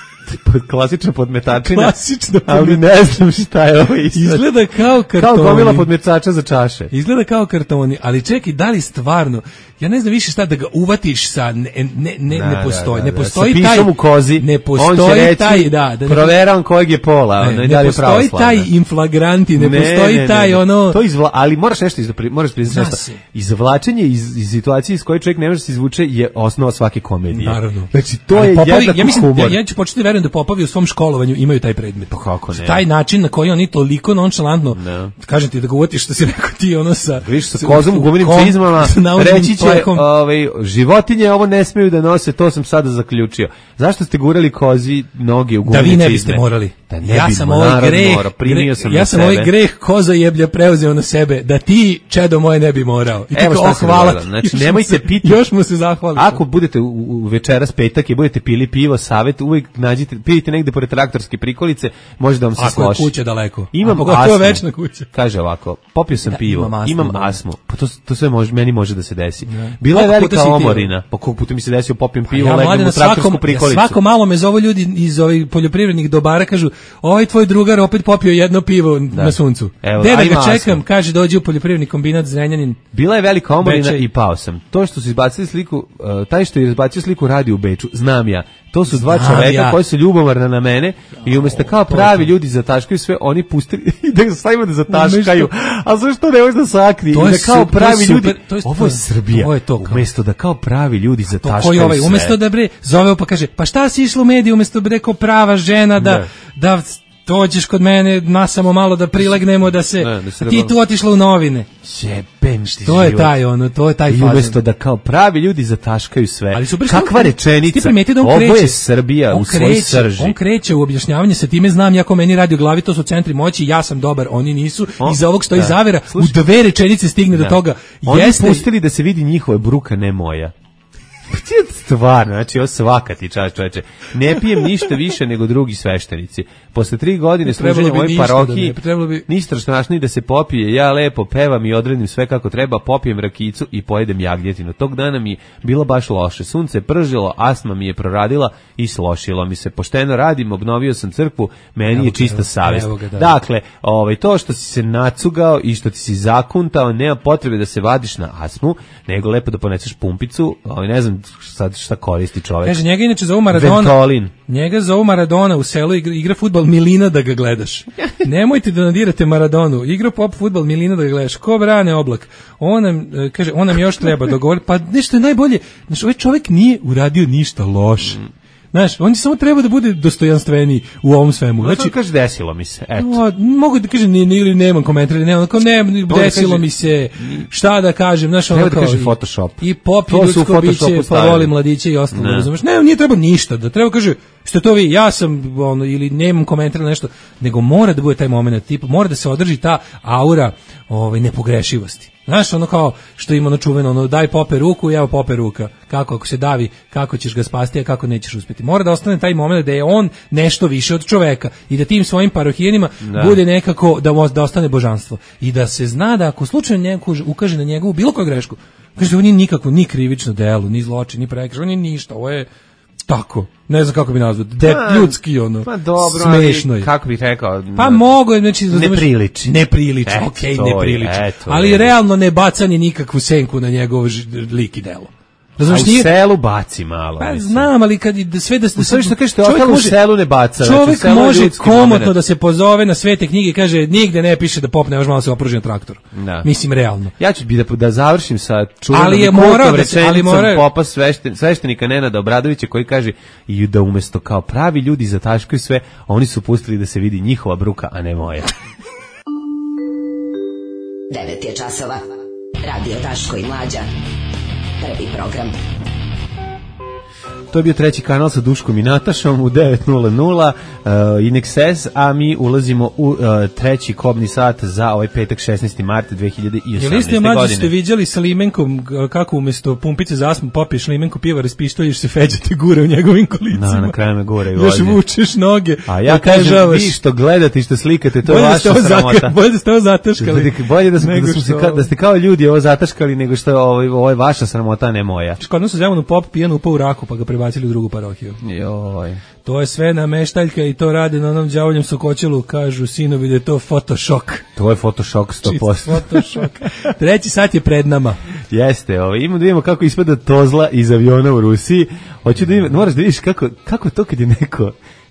Klasična podmetačina.
Klasična
ali ne znam šta je ovo.
Izgleda kao kartoni.
Kao gomila podmetača za čaše.
Izgleda kao kartoni, ali čekaj, da li stvarno, ja ne znam više šta da ga uvatiš sa, ne postoji. Ne postoji taj,
pišom u kozi,
ne postoji taj,
proveravam kojeg je pola.
Ne postoji taj inflagranti, ne postoji taj ono.
Ali moraš nešto izvlačenje iz situacije iz koje čovjek ne može se izvuče je osnova svake komedije.
Naravno.
Znači, to je jednak humor.
Ja ću početi verujem da Popovi u svom školovanju imaju taj predmet.
Pa kako ne?
Taj način na koji oni toliko nonšalantno, kažem ti da ga uvatiš što si rekao ti ono sa
kozom u gumenim cizmama, reći će životinje ovo ne smeju da nose, to sam sada zaključio. Zašto ste gurali kozi noge u gumenim cizme?
Da vi ne biste morali. Ja sam ovaj greh koza jeblja preuzeo na sebe, da ti, čedo moje, ne bi morao. I
evo šta se dogodilo. Znači, nemojte piti.
Još mu se zahvali.
Ako budete u večeras petak i budete pili pivo, savjet, uvijek pijete negde pored traktorske prikolice, može da vam se sloši.
Ako je kuća daleko.
Imam astmu.
Večna kuća.
Kaže ovako, popio sam pivo, imam astmu. Pa to sve meni može da se desi. Bila je velika omorina. Pa koliko puta mi se desio popijem pivo, legnem u traktorsku prikolicu.
Svako malo me zovu ljudi iz ovih poljoprivrednih dobara, kažu, ovaj tvoj drugar opet popio jedno pivo na suncu. Gde da ga čekam, kaže dođi u poljoprivredni kombinat Zrenjanin.
Bila je velika omorina i pao sam. To što su izbacili sliku, taj što je izbacio sliku radi u Beču, znam ja. To su dva čoveka koji su ljubomorna na mene i umjesto kao pravi ljudi zataškaju sve, oni pustili da stavimo da zataškaju. A zašto ne može da sakri? I da kao pravi ljudi, ovo je Srbija. Umjesto da kao pravi ljudi zataškaju sve.
Umjesto da zoveo pa kaže, pa šta si išlo u mediju, umjesto da rekao prava žena da dođeš kod mene, nasamo malo da prilegnemo, da se ti tu otišla u novine.
Jebem ti
to je taj to je taj
faza. I umjesto da kao pravi ljudi zataškaju sve. Kakva rečenica? Ovo je Srbija u svoj srži.
On kreće u objašnjavanje, sa time znam, jako meni radio glavi, to su centri moći, ja sam dobar, oni nisu. Iza ovog stoji zavera, u 2 rečenice stigne do toga.
Oni pustili da se vidi njihova bruka, ne moja. Stvarno, znači ovo svaka ti čast, čoveče. Ne pijem ništa više nego drugi sveštenici. Posle 3 godine služenja u ovoj parohiji, ništa strašnije da se popije, ja lepo pevam i odredim sve kako treba, popijem rakicu i pojedem jagnjetinu. Tog dana mi je bilo baš loše. Sunce je pržilo, astma mi je proradila i slošilo mi se. Pošteno radim, obnovio sam crkvu, meni je čista savjest. Dakle, to što si se nacugao i što ti si zakuntao, nema potrebe da se vadiš na astmu, nego lepo da poneseš pumpicu, ne znam sad šta koristi čovjek.
Kaže, njega inače zovu Maradona.
Ventolin.
Njega zovu Maradona, u selu igra fudbal Milina da ga gledaš. Nemojte da nadirate Maradonu. Igra pop fudbal Milina da ga gledaš. Ko brane Oblak? On nam još treba dogovoriti. Pa nešto je najbolje. Znači, ovaj čovjek nije uradio ništa loše. Znaš, on samo treba da bude dostojanstveniji u ovom svemu.
Znači, kaže, desilo mi se, eto.
Mogu da kažem, ili nemam komentar, desilo mi se, šta da kažem, znaš,
treba da kaže Photoshop.
I pop i ljudsko biće, pa voli mladiće i ostalo, razumeš. Ne, nije treba ništa, da treba kaže, što to vi, ja sam, ili nemam komentar nešto, nego mora da bude taj moment, tipa, mora da se održi ta aura nepogrešivosti. Znaš, ono kao što ima čuveno, daj pope ruku, evo pope ruka. Kako, ako se davi, kako ćeš ga spasti, a kako nećeš uspjeti. Mora da ostane taj moment da je on nešto više od čoveka i da tim svojim parohijenima bude nekako da ostane božanstvo. I da se zna da ako slučajno neko ukaže na njegovu bilo koju grešku, kaže, on nije nikako, ni krivično delo, ni zločin, ni prekršaj, on je ništa, ovo je tako. Ne znam kako bi nazvao, ljudski
pa dobro,
smešno je.
Kako bih rekao?
Pa mogo je, znači,
ne priliči,
ne priliči. Ali realno ne bacanje nikakvu senku na njegov lik i delo.
A u selu baci malo.
Pa znam, ali kad sve da se
što kažete, ostalo u selu ne baca.
Čovjek može komotno da se pozove na svete knjige i kaže, nigde ne piše da pop ne može malo se opruži na traktor. Mislim, realno.
Ja ću da završim sa čuvenom kultom rečenicom popa sveštenika Nenada Obradovića koji kaže i da umjesto kao pravi ljudi zataškaju sve, oni su pustili da se vidi njihova bruka, a ne moja.
9 je časova. Radio Daško i Mlađa. Prvi program.
To je bio treći kanal sa Duškom i Natašom u 9:00 in excess, a mi ulazimo u treći kobni sat za ovaj petak 16. mart 2018.
Jel ste mlađi ste viđali sa limenkom kako umjesto pumpice za astmu popiješ limenku piva, raspištoljiš se, Feđa te gure u njegovim kolicima.
Na kraju me gure i
još vučeš noge.
A ja kažem, vi što gledate i što slikate, to je vaša sramota.
Bolje da ste ovo zataškali.
Bolje da ste kao ljudi ovo zataškali nego što ovo je vaša sramota, a ne moja.
Kod nas u Zemunu pop pijan upao u raku pa ga prebacili u drugu parohiju.
Joj.
To je sve nameštaljka i to rade na onom đavoljem sokoćelu, kažu sinovi da je to fotošok.
To je fotošok 100%.
Fotošok. Treći sat je pred nama.
Jeste, imamo da vidimo kako ispada tozla iz aviona u Rusiji. Hoću da moraš da vidiš kako to kad je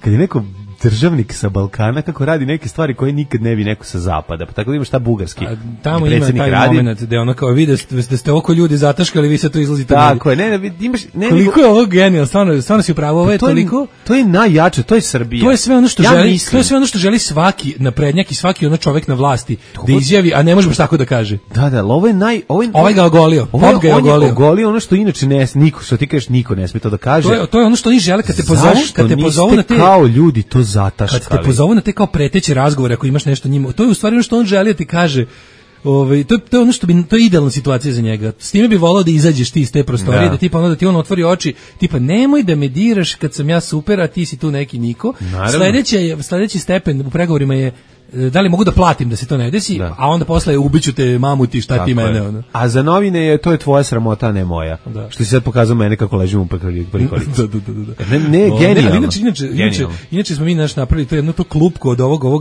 neko državnik sa Balkana kako radi neke stvari koje nikad ne bi neko sa zapada. Pa tako da imaš šta bugarski.
Tamo ima taj moment da ono kao vidi da ste oko ljudi zataškali, vi se to izlazite.
Tako je, imaš
koliko je ovo genijalno, stvarno si upravo, ovo je toliko.
To je najjače, to je Srbija.
To je sve ono što želi, to je sve ono što želi svaki naprednjak i svaki ono čovjek na vlasti da izjavi, a ne može baš tako da kaže.
Da, ovo je
ovaj ga ogolio. Pop ga je
ogolio ono što inače niko, što ti kažeš, niko ne sme to da kaže.
To je ono što oni žele kad te pozovu na te
kao ljudi to zataškali.
Kad te pozovu na te kao preteće razgovore ako imaš nešto njima, to je u stvari ono što on želi da ti kaže. To je ono to je idealna situacija za njega. S time bi volao da izađeš ti iz te prostorije, da ti on otvori oči, tipa nemoj da me diraš kad sam ja super, a ti si tu neki niko. Sledeći stepen u pregovorima je da li mogu da platim da se to ne desi, a onda posle ubiću te mamuti, šta ti mene ono.
A za novine to je tvoja sramota, a ne moja. Da. Što si sad pokazao mene kako ležim u prikolici.
Da.
Ne, genijalno.
Inače smo mi napravili to jedno to klupko od ovog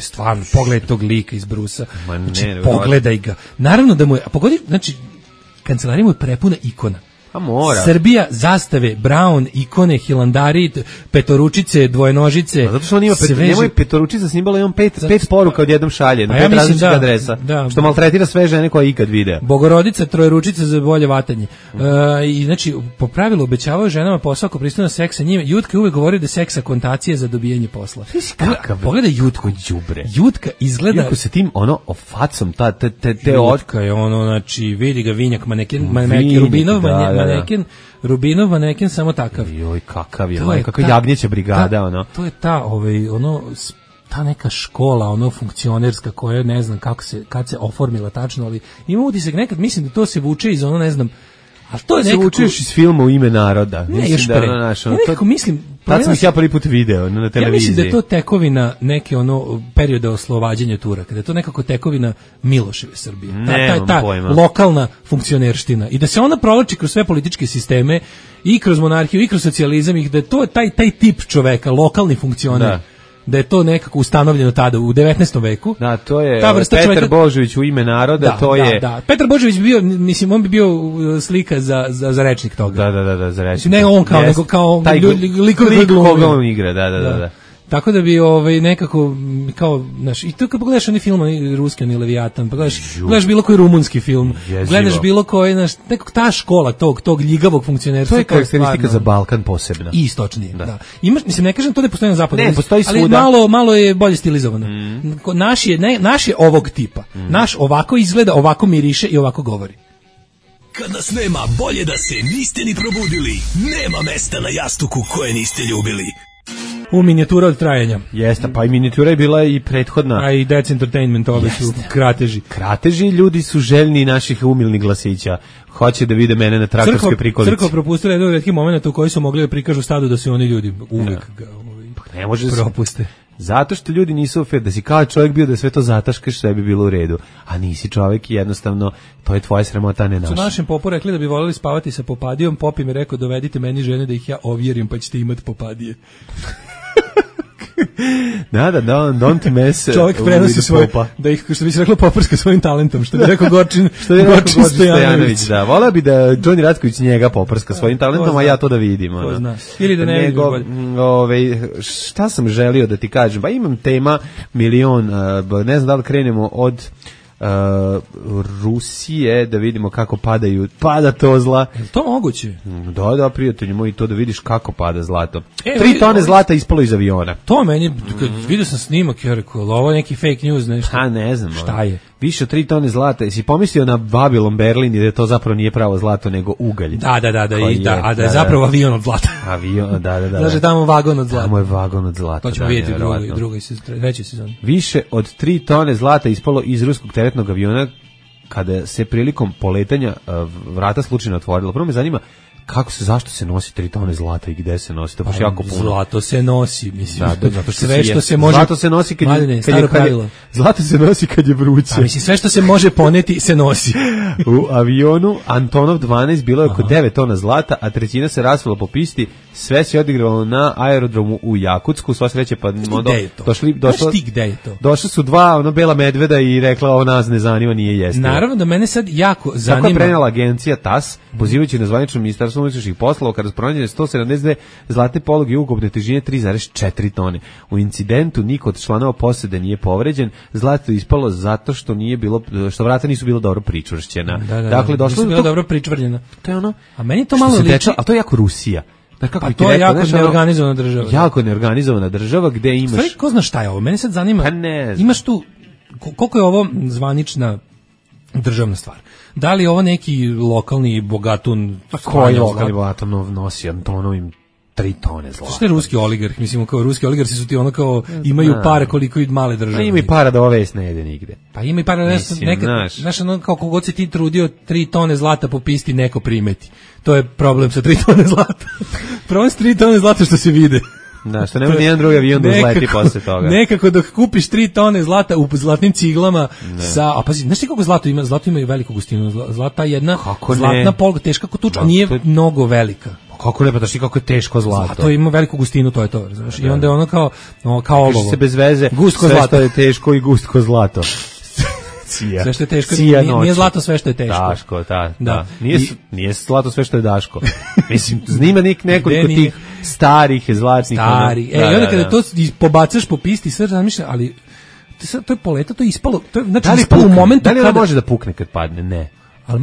stvarno, pogledaj tog lika iz Brusa. Pogledaj ga. Naravno da mu je, pogodi, znači, kancelarija mu je prepuna ikona. Srbija, zastave, Brown, ikone, hilandari, petoručice, dvojenožice.
Zato što on ima nemoj petoručica simbala, imam pet poruka odjednom šalje na 5 različitih adresa. Što maltretira sve žene koje ikad vide.
Bogorodica, trojeručica za bolje vatanje. I znači po pravilu obećavaju ženama posao ako pristanu na seks sa njima. Jutka uvek govori da je seks akontacija za dobijanje posla. Pogledaj Jutku, đubre. Jutka izgleda
Jutku sa tim facom te
Jutka je ono, znači vidi ga vinjak maneken Rubinov Rubinov maneken samo takav.
Joj, kakav je, kako jagnjeća brigada, ono.
To je ta neka škola, funkcionerska koja ne znam kad se oformila tačno, ali ima utisak nekad, mislim da to se vuče iz ne znam, a to je nekako...
Se vučeš iz filma U ime naroda.
Ne, još pre. Ja nekako mislim...
Tad sam ih ja prvi put video na televiziji.
Ja mislim da je to tekovina neke perioda oslobađanja Turaka, da je to nekako tekovina Miloševe Srbije. Ta lokalna funkcionerština. I da se ona provlači kroz sve političke sisteme, i kroz monarhiju, i kroz socijalizam, i da je to taj tip čoveka, lokalni funkcioner. Da je to nekako ustanovljeno tada u 19. veku.
Da, to je Petar Božović U ime naroda, to je...
Da, Petar Božović bi bio, mislim, on bi bio slika za rečnik toga.
Da, za rečnik.
Ne on kao, nego kao likovi
koga on igra, da.
Tako da bi nekako kao, znaš, i to kad pogledaš onaj film, onaj ruski, onaj Leviatan, gledaš bilo koji rumunski film, gledaš bilo koji, znaš, nekako ta škola tog ljigavog funkcionerstva.
To je karakteristika za Balkan posebna.
I istočnije, da. Imaš, mislim, ne kažem to da je postoji na zapadu,
ne, postoji svuda.
Ali malo je bolje stilizovano. Naš je ovog tipa. Naš ovako izgleda, ovako miriše i ovako govori.
Kad nas nema, bolje da se niste ni probudili. Nema mesta na jastuku koje niste ljubili.
U minijatura od trajanja.
Jeste, pa i minijatura je bila i prethodna.
A i Dec Entertainment, ove su krateži.
Krateži, ljudi su željni naših umilnih glasića. Hoće da vide mene na traktorskoj prikolici.
Crkva propustila jedan od retkih momenta u koji su mogli da prikažu stadu da su oni ljudi uvek ga
ne može
propuste.
Zato što ljudi nisu ofer, da si kao čovjek bio da sve to zataškaš, sve bi bilo u redu. A nisi čovjek i jednostavno to je tvoja sramota, ne naša.
Su našem popu rekli da bi voljeli spavati sa popadijom, pop im je rekao dovedite meni žene da ih ja ovjerim pa ćete imati popadije.
don't mess.
Čovjek prenosi svoj, da ih, što bi se reklo, poprska svojim talentom, što bi rekao Gorčin Stojanović.
Da, voleo bi da Đoni Ratković njega poprska svojim talentom, a ja to da vidim.
Ili da ne vidim bolje.
Šta sam želio da ti kažem? Pa imam tema milion, ne znam da li krenemo od Rusije, da vidimo kako pada to zla.
Je to moguće?
Da, prijatelji moji, to da vidiš kako pada zlato. 3 tone zlata ispalo iz aviona.
To meni, kad vidio sam snimak, ja rekao, ovo je neki fake news, nešto.
Ne znam.
Šta je?
Više od 3 tone zlata. Jesi pomislio na Babylon Berlin i da to zapravo nije pravo zlato, nego ugalj?
Da, da je zapravo avion od zlata.
Avion, da.
Znači tamo vagon od zlata.
Tamo je vagon od zlata.
To ćemo vidjeti u drugoj trećoj sezoni.
Više od 3 tone zlata ispalo iz ruskog teretnog aviona kada se prilikom poletanja vrata slučajno otvorila. Prvo me zanima zašto se nosi 3 tone zlata i gde se nosi? To baš jako puno.
Zlato se nosi, mislim.
Da, zato što
sve što se može.
Zlato se nosi kad zlato se nosi kad je vruće.
A mislim sve što se može poneti se nosi.
U avionu Antonov 12 bilo je oko 9 tona zlata, a trećina se rasvela po pisti. Sve se odigravalo na aerodromu u Jakutsku. Sva sreće pa došli su 2 bela medveda i rekla ovo nas ne zanima, nije jestivo.
Naravno da mene sad jako zanima.
Tako je prenela agencija TASS, pozivajući na zvanično ministarstvo unutrašnjih poslova kada su pronađene 172 zlatne poluge ukupne težine 3,4 tone. U incidentu niko od članova posade nije povređen. Zlato je ispalo zato što što vrata nisu bila dobro pričvršćena. Dakle, došlo
je dobro pričvrljena.
To je ono.
A meni to malo liči,
a to je jako Rusija.
Pa to je jako neorganizovana država.
Jako neorganizovana država gde imaš...
Stvari, ko zna šta je ovo? Mene sad zanima,
pa ne znam.
Imaš tu, koliko je ovo zvanična državna stvar? Da li je ovo neki lokalni bogatun?
Pa koji lokalni bogatun nosi Antonovim 3 tone zlata?
Što je ruski oligarh? Mislim, kao ruski oligarsi su ti ono kao imaju para koliko i male države.
Pa ima i para da ova vest ne jede nigde.
Pa ima i para znaš, ono kao kogod se ti trudio 3 tone zlata popisti neko primeti. To je problem sa 3 tone zlata. Problem sa 3 tone zlata što se vide.
Da, što nema nijedan drugi avion da uzleti posle toga.
Nekako dok kupiš 3 tone zlata u zlatnim ciglama a pazi, znaš ti kako zlato ima? Zlato ima i veliku gustinu. Zlata jedna zlatna polga teška kao tuča, nije mnogo velika.
Kako ne, pa daš ti kako je teško zlato.
Zlato ima veliku gustinu, to je to, znaš. I onda je ono kao olovo.
Se bez veze, sve što je teško i gustko zlato.
Sve što je teško, nije zlato sve što je teško.
Daško, da. Nije zlato sve što je Daško. Mislim, znima nekoliko tih starih zlatnih.
I onda kada to pobacaš po pisti, sve razmišlja, ali to je poleta, to je ispalo, znači ispalo u momentu
kada... Da li može da pukne kad padne? Ne.
Ali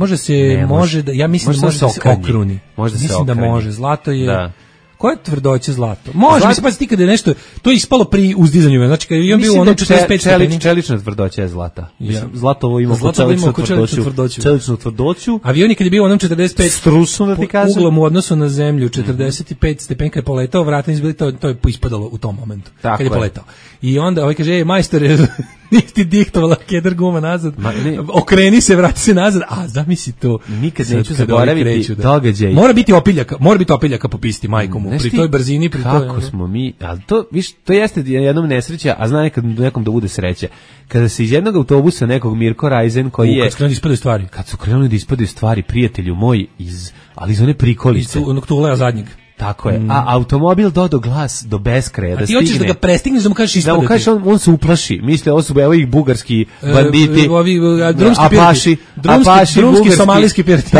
može da, ja mislim da može da se okruni. Mislim da može, zlato je... Koja je tvrdoća zlato? Može, mislim, pa ti kada je nešto, to je ispalo pri uzdizanju, znači kada je on bio u onom 45 stepeni.
Čelična tvrdoća je zlata. Zlatovo ima čeličnu tvrdoću.
Avion kad je bio u onom 45
strusno, da ti kažem,
uglom u odnosu na zemlju, 45 stepeni kad je poletao, vrata izbili, to je ispadalo u tom momentu, kad je poletao. I onda ovaj kaže, majstore, niti diktovala kedar guma nazad, okreni se, vrati se nazad, a zamisli to.
Nikad neću zaboraviti događaj.
Mora biti opiljaka po pisti, majkom, pri toj brzini, pri toj...
Kako smo mi, ali to jeste jednom nesreća, a zna nekom da bude sreća. Kada se iz jednog autobusa nekog Mirko Rajzen, koji je... Kad su krenuli da ispadaju stvari, prijatelju moj, ali iz one prikolice.
Iz onog tulea zadnjeg.
Tako je. A automobil do glas do beskraja da stigne.
A ti hoćeš da ga prestigneš da mu kažeš ispadati.
Da mu kažeš on se uplaši. Misle ovo su ih bugarski banditi.
Ovi drumski somalijski pirati.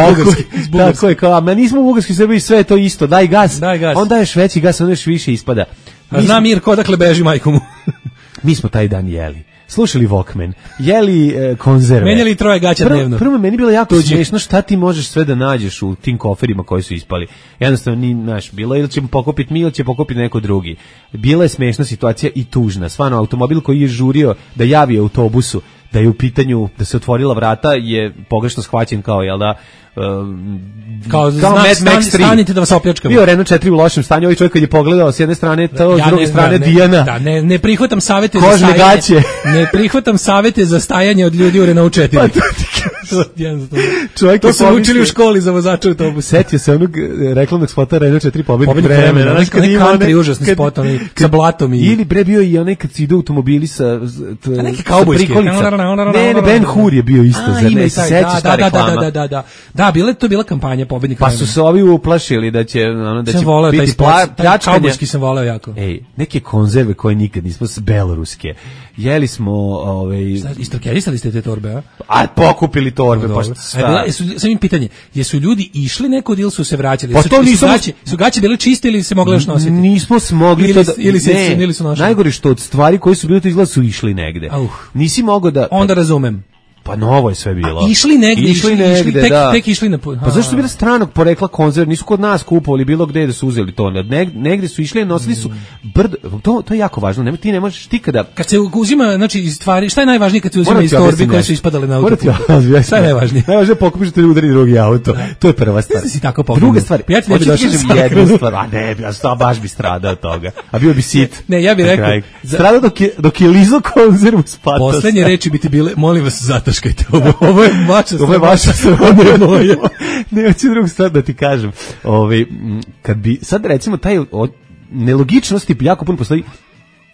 Tako je, kao, nismo bugarski Srbi, sve je to isto. Daj gas. Onda ješ veći gas, onda još više ispada.
A zna Mirko odakle beži majkomu.
Mi smo taj dan jeli. Slušali Walkman, jeli konzerve.
Menjali 3 gaća dnevno.
Prvo meni bilo jako smiješno šta ti možeš sve da nađeš u tim koferima koji su ispali. Jednostavno bilo ili ćemo pokupiti mi ili će pokupiti neko drugi. Bila je smiješna situacija i tužna. Stvarno, automobil koji je žurio da javi autobusu da je u pitanju da se otvorila vrata je pogrešno shvaćen kao, jel da,
kao Mad Max 3. Stanite da vas opljačkamo.
Bio Renault 4 u lošem stanju, ovaj čovjek kad je pogledao s jedne strane to, s druge strane Dijana.
Da, ne prihvatam savete za stajanje. Ne prihvatam savete za stajanje od ljudi u Renault 4. To su učili u školi za vozača autobusa.
Setio se onog reklamnog spota Renault 4 pobednik
vremena. Onaj country užasni spot, onaj sa blatom.
Ili bre bio i onaj kad se ide automobili sa
neki kaubojski.
Ne, Ben Hur je bio isto.
Da, bila kampanja pobednika.
Pa su se ovi uplašili da će biti pljačkanje.
Kaubojski sam voleo jako.
Neke konzerve koje nikad nismo, beloruske. Jeli smo
istorkerisali ste te torbe,
a pokupili torbe, pa šta?
Sam im pitanje, jesu ljudi išli neko ili su se vraćali?
Pa to nismo...
Su gaće bile čiste ili se mogle još nositi?
Nismo smogli to da...
Ili su nošli?
Najgore što od stvari koji su bili to izgleda su išli negde. Nisi mogao da...
Onda razumem.
Pa novo je sve bilo.
Išli negde,
da.
tek išli na...
Pa zašto su bile stranog porekla konzerve? Nisu kod nas kupovali bilo gde da su uzeli to. Negde su išli, nosili su to je jako važno. Ti ne možeš kada
se uzima, znači stvari, šta je najvažnije kad se uzima iz torbi koje su ispadale na auto? Šta je najvažnije?
Najvažnije je pokupiš da udari drugi auto. To je prva stvar.
Si tako pokupio.
Druga stvar,
ja ti ne bih došao
jednu stvar, a ne, ja baš bi stradao od toga. A bio bi sit.
Ne, ja bih rekao,
stradao dok je lizo konzervu s patosa.
Poslednje reči bi ti bile, molim vas, zataškajte ovo je vaša
ovo je vaša
ovo je moja.
Ne, hoću drugu stvar da ti kažem. Kad bi, sad recimo, taj nelogičnosti jako puno postoji,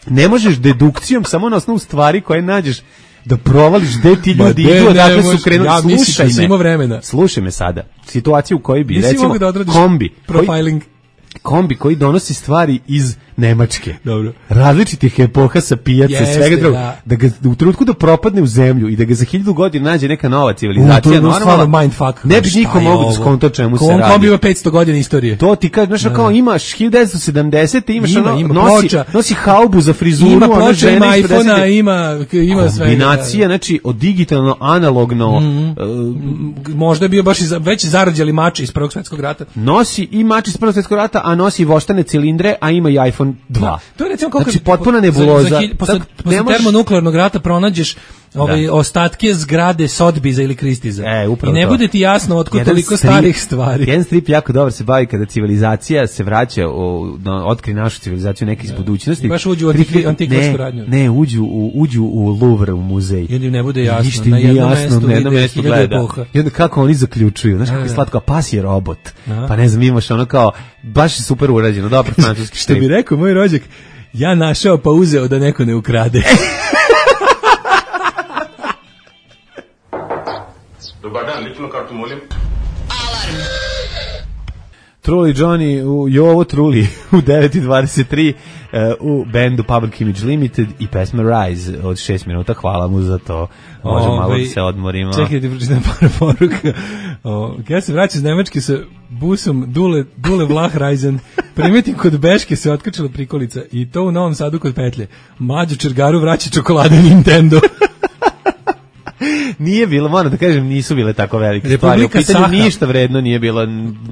ne možeš dedukcijom samo na osnovu stvari koje nađeš da provališ gde ti ljudi idu, odakle su krenuli.
Ja mislim da si imao vremena.
Slušaj me sada. Situaciju u kojoj bi,
nisi
recimo, kombi koji donosi stvari iz Nemačke.
Dobro.
Različitih epoha sa pijace, svega druga. Da ga u trenutku da propadne u zemlju i da ga za 1000 godina nađe neka nova civilizacija,
normalno mindfuck.
Ne bi niko mogao da skonto čemu se radi.
Kombi ima 500 godina istorije.
To ti kažeš, kao imaš 1970, imaš nosi haubu za frizuru,
ima ploča, ima iPhone-a, ima sve.
Kombinacija, znači od digitalno analogno.
Možda je bio baš već zarađali mače iz Prvog svjetskog rata.
Nosi i mače iz Prvog svjetskog rata, a nosi voštane cilindre, a ima i iPhone 2.
To je recimo kako
znači potpuna nebuloza.
Posle termonuklearnog rata pronađeš ostatke zgrade Sotbiza ili Kristiza. I ne bude ti jasno otkud toliko starih stvari.
Jedan strip jako dobro se bavi kada civilizacija se vraća, otkri našu civilizaciju neki iz budućnosti.
Baš uđu u antikvarsku radnju.
Ne, uđu u Louvre, u muzej.
I onda im ne bude jasno. Na jednom mestu gleda.
I onda kako oni zaključuju. Znaš kako je slatko, a pas je robot. Pa ne znam, imaš ono kao, baš je super urađeno, dobro francuski strip.
Što bi rekao moj rođak, ja našao pa uzeo da neko ne ukrade.
Dobar dan, ličnu kartu molim.
Alarm.
Trulli Johnny u Jovo Trulli u 9:23 u bendu Public Image Limited i pesma Rise od 6 minuta. Hvala mu za to. Možemo malo da se odmorimo.
Čekaj da ti pročitam par poruka. Ja se vraćam iz Nemačke sa busom Dule Vlahreisen. Primetim kod Beške se otkačila prikolica i to u Novom Sadu kod Petlje. Mlađu Čergaru vraća čokolade Nintendo.
Nije bilo, moram da kažem, nisu bile tako velike stvari. U pitanju ništa vredno nije bilo,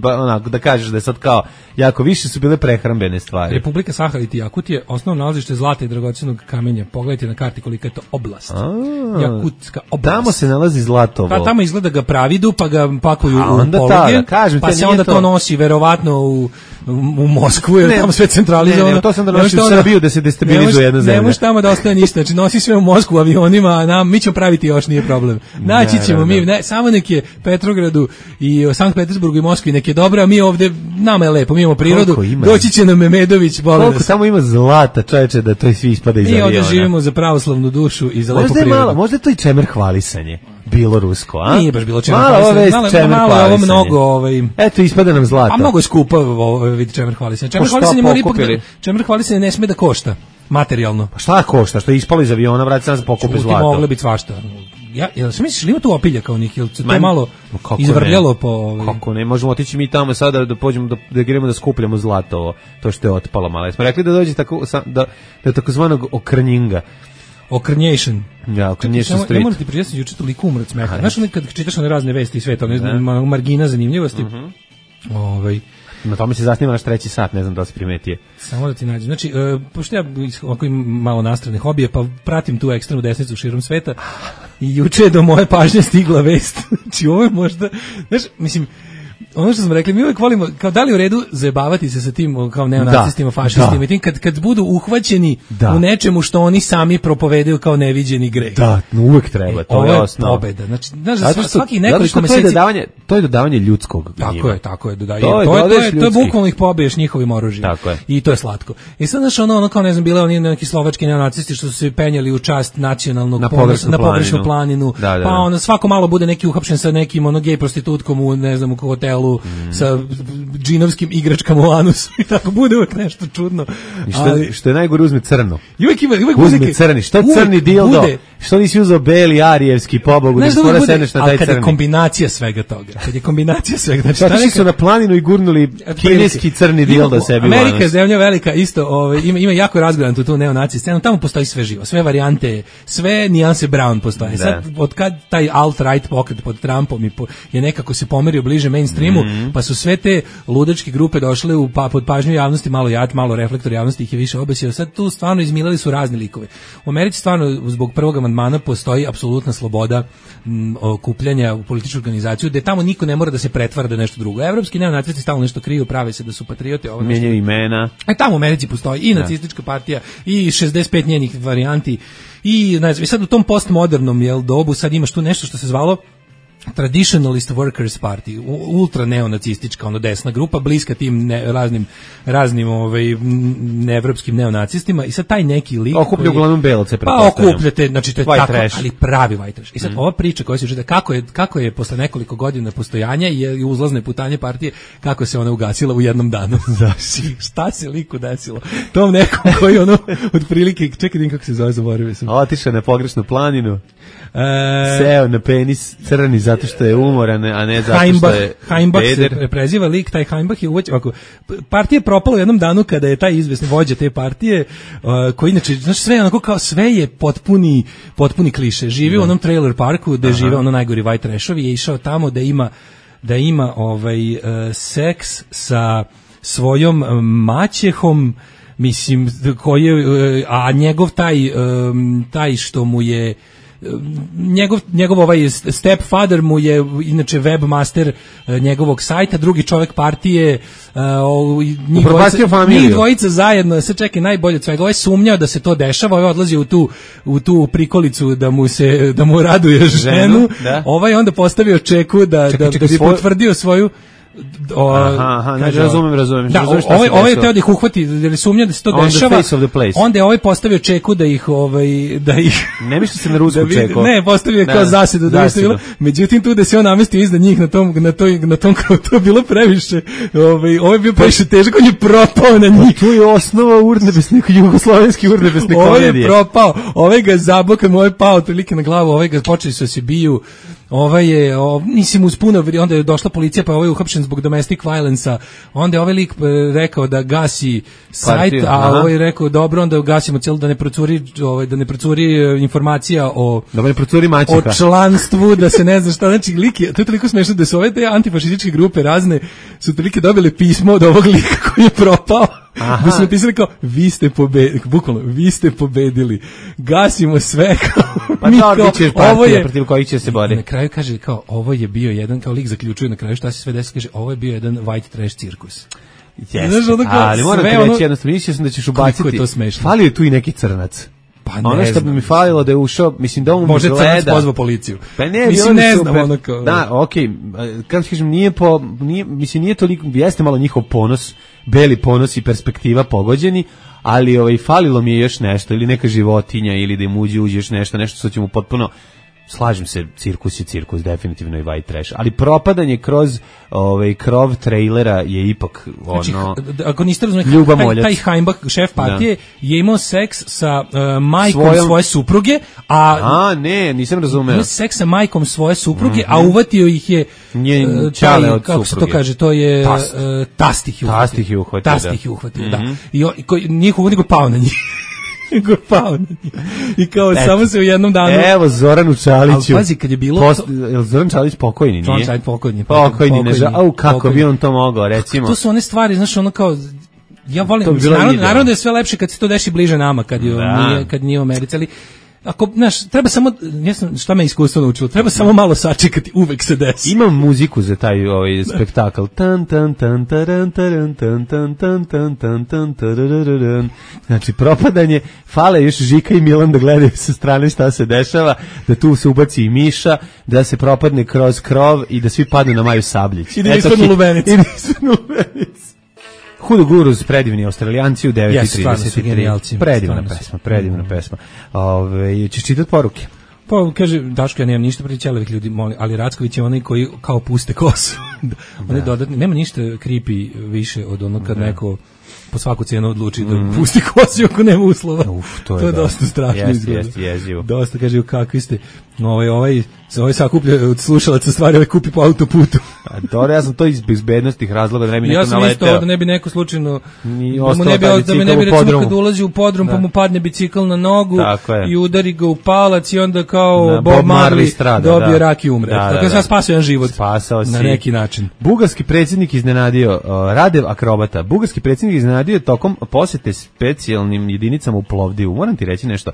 onako, da kažeš da je sad kao, jako više su bile prehrambene stvari.
Republika Sahara i Jakutije, osnovno nalazište zlata i dragocenog kamenja. Pogledajte na karti kolika je to oblast. Jakutska oblast.
Tamo se nalazi zlatovo.
Pa tamo izgleda ga pravidu, pa ga pakuju u pologe, pa se onda to nosi verovatno u Moskvu, jer tamo sve centralizovano.
Ne, to sam da nosi u Srbiju da se destabilizuje jedna zemlja.
Ne možeš tamo da ostaje ništa, znači nosi sve u Moskvu avionima, a mi ćemo praviti još, nije problem. Naći ćemo mi, samo nek je Petrogradu i Sankt Petersburgu i Moskvi nek je dobro, a mi ovde, nama je lepo, mi imamo prirodu, doći će nam Memedović,
koliko tamo ima zlata, čoveče, da to svi ispada iz aviona.
Mi ovde živimo za pravoslavnu dušu i za lepu prirodu.
Možda je to i čemer hvalisanje. Bilo rusko, a?
Nije baš bilo čemer hvalisanje. Malo ovo mnogo,
eto, ispada nam zlata.
A mnogo je skupa vid čemer hvalisanje. Čemer hvalisanje mora ipak, čemer hvalisanje ne sme da košta. Materijalno.
Pa šta košta? Što je ispalo iz aviona, vrati se nas pokupe zlato.
Moglo biti svašta. Ja sam misliš, ima tu opilja kao njih, ili se to malo izvrljalo po...
Kako ne, možemo otići mi tamo sada da pođemo, da gremo da skupljamo zlato, to što je otpalo malo. Smo rekli da dođe tako, da takozvanog okrnjinga.
Okrnjation.
Ja, Okrnjation Street.
Ne morate pričati, juče toliko umrac meha. Znaš, kad čitaš one razne vesti i sve to, margina zanimljivosti,
na tome se zasniva naš 3. sat, ne znam da li si primetio.
Samo da ti nađem. Znači, pošto ja ovako imam malo nastrane hobije, pa pratim tu ekstremnu desnicu širom sveta i juče je do moje pažnje stigla vest. Znači, ovo je možda, znaš, mislim, ono što smo rekli, mi uvijek volimo, kao da li u redu zajebavati se sa tim kao neonacistima, fašistima i tim kad budu uhvaćeni u nečemu što oni sami propovedaju kao neviđeni greh.
Da, uvijek treba, to je osnov.
Pobeda. Znači, svaki nekoliko meseci...
To je dodavanje ljudskog gnjiva.
Tako je, to je bukvalno ih pobiješ njihovim oružjem.
Tako je.
I to je slatko. I sad, znaš, ono kao, ne znam, bile oni neki slovački neonacisti što su se penjali u čast nacionalnog ponosa, na pogrešnu planinu, pa ono, svako malo bude neki uhapšen sa nekim gej prostitutkom u, ne znam, u hotelu čelu sa džinovskim igračkama u anusu i tako bude uvek nešto čudno.
I što je najgore uzme crno.
Uvek
uzme crni. Što crni dildo? Što nisi uzeo beli arijevski pobogu?
Ne skoro sedneš na taj crni. Ali kad je kombinacija svega toga.
Znači su na planinu i gurnuli kineski crni dildo sebi u anus.
Amerika je zemlja velika, isto ima jako razgledantu tu neonaci scenu. Tamo postoji sve živo, sve varijante, sve nijanse Brown postoje. Sad, od kad taj alt-right pokret pod Trumpom je nekako se pomerio bliže mainstreamu, pa su sve te ludačke grupe došle pod pažnju javnosti, malo reflektor javnosti ih je više obesio. Sad tu stvarno izmilali su razni likove. U Americi stvarno zbog prvog amandmana postoji apsolutna sloboda okupljanja u političku organizaciju, gde tamo niko ne mora da se pretvara da je nešto drugo. Evropski neonacisti stalno nešto kriju, prave se da su patriote.
Menjaju imena.
Tamo u Americi postoji i nacistička partija i 65 njenih varijanti i ne znam, sad u tom postmodernom dobu sad imaš tu nešto što se zvalo Traditionalist Workers Party, ultra neonacistička, desna grupa, bliska tim raznim neevropskim neonacistima i sad taj neki lik
okuplja uglavnom belce,
pa okupljate, znači to je tako, ali pravi white trash. I sad ova priča koja se čita, kako je posle nekoliko godina postojanja i uzlazne putanje partije, kako se ona ugasila u jednom danu. Šta se liku desilo? Tom nekom koji otprilike, čekaj kako se zove, zaboravio sam.
Otišao na pogrešnu planinu. Seo na penis crni zato što je umoran, a ne zato što je
Heimbach se preziva lik, taj Heimbach je partija je propala u jednom danu kada je taj izvesni vođa te partije, koji inače, znači sve onako kao sve je potpuni kliše. Živi u onom trailer parku gde žive najgori white trashovi, je išao tamo da ima seks sa svojom maćehom, mislim, a njegov taj što mu je njegov stepfather mu je inače webmaster njegovog sajta, drugi čovjek partije, njih dvojica zajedno, se čekaj, najbolje od svega, ovaj sumnjao da se to dešava, ovaj odlazi u tu prikolicu da mu raduje ženu, ovaj onda postavio čeku da bi potvrdio svoju
razumem.
Da, ovaj je teo da ih uhvati, jer sumnja da se to dešava. Onda je ovaj postavio čeku da ih
ne misli se na rusku čeku.
Ne, postavio kao zasedu da je bilo. Međutim tu da se on namestio iznad njih na tom kao to je bilo previše. Ovaj je bio previše težak, on je propao na njih.
Tu je osnova jugoslovenski urnebesne komedije.
Ovaj je propao, ovaj ga zabokao, ovaj pao otprilike na glavu, ovaj ga počeli su se biju. Ovaj je, nisi mu uspuno, onda je došla policija, pa ovaj je uhapšen zbog domestic violence-a, onda je ovaj lik rekao da gasi sajt, a ovaj je rekao dobro, onda gasimo cijelo da ne procuri informacija o članstvu, da se ne zna šta, znači lik je, to je toliko smešno da su ove te antifašističke grupe razne, su tolike dobili pismo od ovog lika koji je propao. Da su napisali kao, vi ste pobedili, bukvalno, vi ste pobedili, gasimo sve, kao,
pa da, bićeš partija protiv kojih će se boriti.
Na kraju kaže, kao, ovo je bio jedan, kao lik zaključuje na kraju šta se sve desi, kaže, ovo je bio jedan white trash cirkus.
Ali moram ti reći jednostavno, mislio sam da ćeš ubaciti, falio je tu i neki crnac. Ono što bi mi falilo da je ušao, mislim da on
može crnac pozvao policiju.
Pa ne,
mislim ne znam ono kao.
Da, okej, kako kažem, nije toliko, jeste malo njihov ponos, beli ponos i perspektiva pogođeni, ali falilo mi je još nešto, ili neka životinja, ili da im uđe još nešto što će mu potpuno, slažem se, cirkus je cirkus, definitivno i white trash, ali propadanje kroz krov trailera je ipak
ako niste razumeli, taj Heimbach, šef partije, je imao seks sa majkom svoje supruge,
nisam razumeo.
Imao seks sa majkom svoje supruge, a uvatio ih je kako se to kaže, to je tastih je uhvatio, da. I njih uvatio pao na njih. I kao samo se u jednom danu.
Evo Zoranu Čaliću.
Pazi, kad je bilo
Zoran Čalić pokojni, nije?
Čalić pokojni.
Kako bi on to mogao, recimo.
To su one stvari, znaš, ono kao, ja volim, naravno da je sve lepše kad se to deši bliže nama, kad nije u Americi, ali ako, znaš, treba samo, šta me iskustvo naučilo, treba samo malo sačekati, uvek se desi.
Imam muziku za taj spektakl. Tan tan tan taran taran tan tan tan tan tan tan tararararan. Znači, propadanje, fale još Žika i Milan da gledaju sa strane šta se dešava, da tu se ubaci i Miša, da se propadne kroz krov i da svi padnu na Maju Sabljić.
I da ispadnu lubenicu.
Hudo Guruz, predivni Australijanci u 9:30.
Predivna
pesma. Ćeš čitati poruke?
Pa kaže, Daško, ja nemam ništa protiv ćelavih ljudi, ali Racković je onaj koji kao puste kosu. On dodatni, nema ništa creepy više od onog kad neko po svaku cijenu odluči da pusti kosu ako nema uslova. To je dosta strašno izgleda.
Jezivo.
Dosta, kaže, kakvi ste, ovaj sakuplja od slušalaca stvari, ovaj kupi po autoputu.
Dobro, ja sam to iz bezbednostih razloga da ne bi neko naleteo.
Ja sam isto da ne bi neko slučajno da me ne bi recimo kad ulazi u podrum pa mu padne bicikl na nogu i udari ga u palac i onda kao Bob Marley dobije rak i umre. Dakle, sam spasio jedan život na neki način.
Bugarski predsjednik iznenadio, Radev akrobata, bugarski predsjednik iznenadio tokom posete specijalnim jedinicama u Plovdivu. Moram ti reći nešto.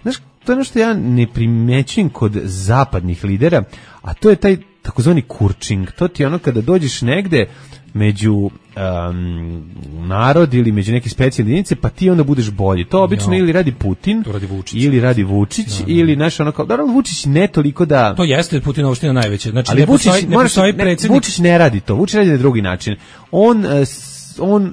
Znaš, to je ono što ja ne primećujem kod zapadnih lidera, a to je taj takozvani kurčing. To ti je ono kada dođeš negde među narod ili među neke specijalne jedinice, pa ti onda budeš bolji. To obično ili radi Putin, ili radi Vučić, ili naš ono kao, naravno Vučić ne toliko da...
To jeste Putinova opština najveća. Znači,
ali Vučić ne radi to, Vučić radi na drugi način. On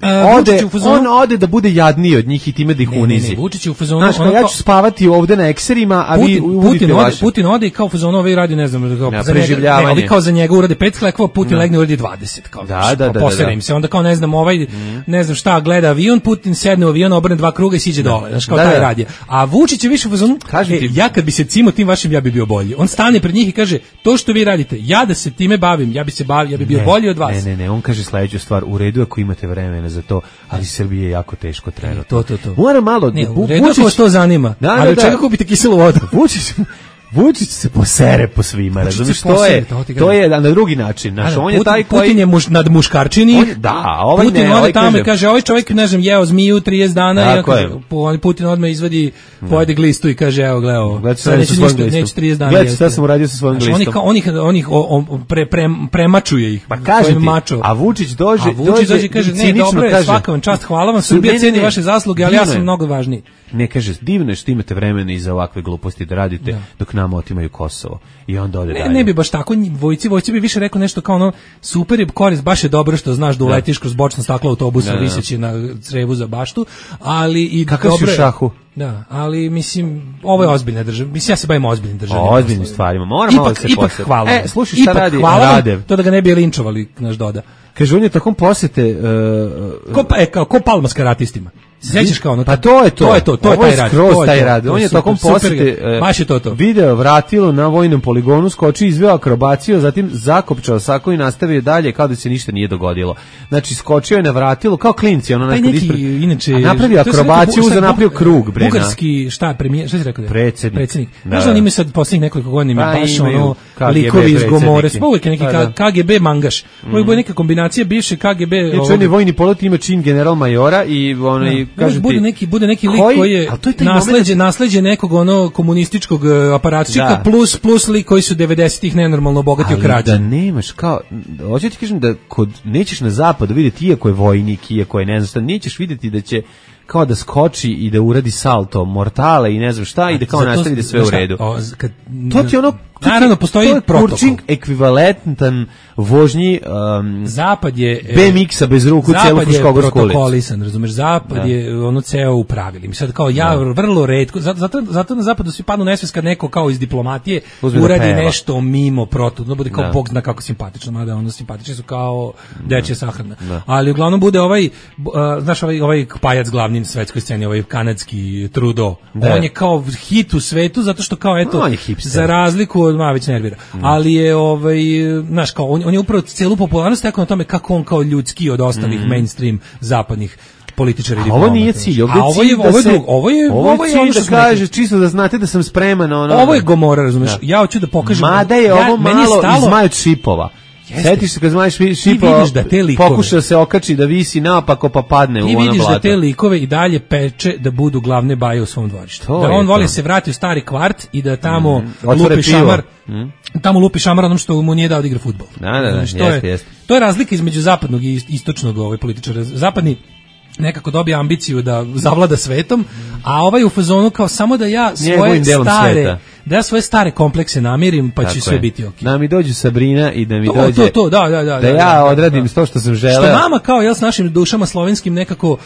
ode da bude jadniji od njih i time da ih unizi.
Vučić je u fazonu...
Znaš, ja ću spavati ovde na ekserima, a vi uvodite vaše.
Putin ode i kao u fazonu, ovaj radi, ne znam,
preživljavanje.
Ovi kao za njega urade 5 sklekova, Putin legne uradi 20. Kao,
da.
Posere im se, onda kao ne znam, ne znam šta, gleda avion, Putin sedne u avion, obrne 2 kruga i siđe dole. Znaš, kao taj radi. A Vučić je više u fazonu, ja kad bi se cimo tim vašim, ja bi bio bolji. On stane pred njih i kaže, to što vi radite, ja da se time bavim, ja bi bio bolji od vas.
Ne, on kaže sledeću stvar, u redu ako imate vremena za to, ali Srbije je jako teško trenutno.
To.
Mora malo...
Vučić vas to zanima, ali od čega kupite kiselu vodu?
Vučić se posere po svima, razumiješ, to je na drugi način. Znaš, on je taj koji...
Putin je nad muškarčini,
Putin
ode tamo i kaže, ovaj čovjek, ne znam, jeo zmiju 30 dana, i Putin odmah izvadi, pojede glistu i kaže, evo, gledao, neće 30 dana.
Gledajte šta sam uradio sa svojim glistom.
Oni premačuje ih.
Pa kažem ti, a Vučić dođe
i kaže, ne, dobro je, svaka vam čast, hvala vam, Srbija ceni vaše zasluge, ali ja sam mnogo važniji.
Ne, kaže, divno je što imate vremena i za ovakve gluposti da radite dok nama otimaju Kosovo. I onda ode dalje.
Ne bi baš tako, vojci bi više rekao nešto kao ono, super je korist, baš je dobro što znaš da uletiš kroz bočno staklo autobusa viseći na crevu za baštu, ali i
kakav si u šahu?
Da, ali mislim, ovo je ozbiljna država. Mislim, ja se bavim ozbiljnim državnim.
Ozbiljnim stvarima. Moram malo se posjetiti.
Ipak hvala.
Slušaj šta radi Radev.
To da ga ne bi linčovali, naš Doda.
Kaže, on je takom posete...
Ko Palma s karatistima. Sećaš kao ono?
Pa to je to.
To je
taj rad. On je tokom posete video vratilo na vojnom poligonu, skočio, izveo akrobaciju, zatim zakopčao sako i nastavio dalje kao da se ništa nije dogodilo. Znači skočio je na vratilo kao klinci, ono nekad ispred.
Inače
napravio akrobaciju, napravio krug, bre.
Bugarski premijer, šta si rekao?
Predsjednik.
Možda ima sad poslednjih nekoliko godina baš ono likovi iz Gomore, uvek neki KGB mangaš. Uvek bude neka kombinacija bivše KGB.
Je vojni pilot, ima čin general majora i onaj
bude neki lik koji je nasleđe nekog ono komunističkog aparatčika plus lik koji su 90-ih nenormalno bogatio krađe.
Da nemaš kao, hoću ti kažem da kod nećeš na zapadu vidjeti, iako je vojnik, iako je ne znam šta, nećeš vidjeti da će kao da skoči i da uradi salto mortale i ne znam šta i da kao nastavi da sve u redu. To ti ono,
naravno postoji protokol.
Ekvivalentan vožnji
Zapad je
BMX-a bez ruku celu Fruškogorsku ulicu.
Zapad je protokolisan, razumeš, Zapad je ono ceo u pravilima. Sad kao vrlo retko, zato na Zapadu svi padnu nesvest kad neko kao iz diplomatije uradi nešto mimo protokol, bude kao bog zna kako simpatično, mada ono simpatični su kao dečja sahrana. Ali uglavnom bude znaš ovaj pajac glavni svetskoj sceni, ovaj kanadski Trudeau. On je kao hit u svetu zato što kao eto za razliku od već nervira. Ali je znaš kao on je upravo celu popularnost tako na tome kako on kao ljudski od ostalih mainstream zapadnih političara i diplomata.
Ovo nije cilj, ovo je cilj da kaže čisto da znate da sam spreman.
Ovo je Gomora, razumeš? Ja hoću da pokažem.
Mada je ovo malo izmajut šipova. Sjetiš se kad zmaš šipova, pokuša se okači da visi naopako pa padne u ono blato.
Ti vidiš da te likove i dalje peče da budu glavne baje u svom dvorištu. Da on voli se vrati u stari kvart i da tamo lupi šamar. Tamo lupi šamar onom što mu nije dao da igra fudbal.
Da, jeste.
To je razlika između zapadnog i istočnog političara. Zapadni nekako dobije ambiciju da zavlada svetom, a ovaj u fazonu kao samo da ja svoje stare komplekse namirim, pa će sve biti okej.
Da mi dođu Sabrina i da mi dođe da ja odradim to što sam želeo.
Što nama kao s našim dušama slovenskim nekako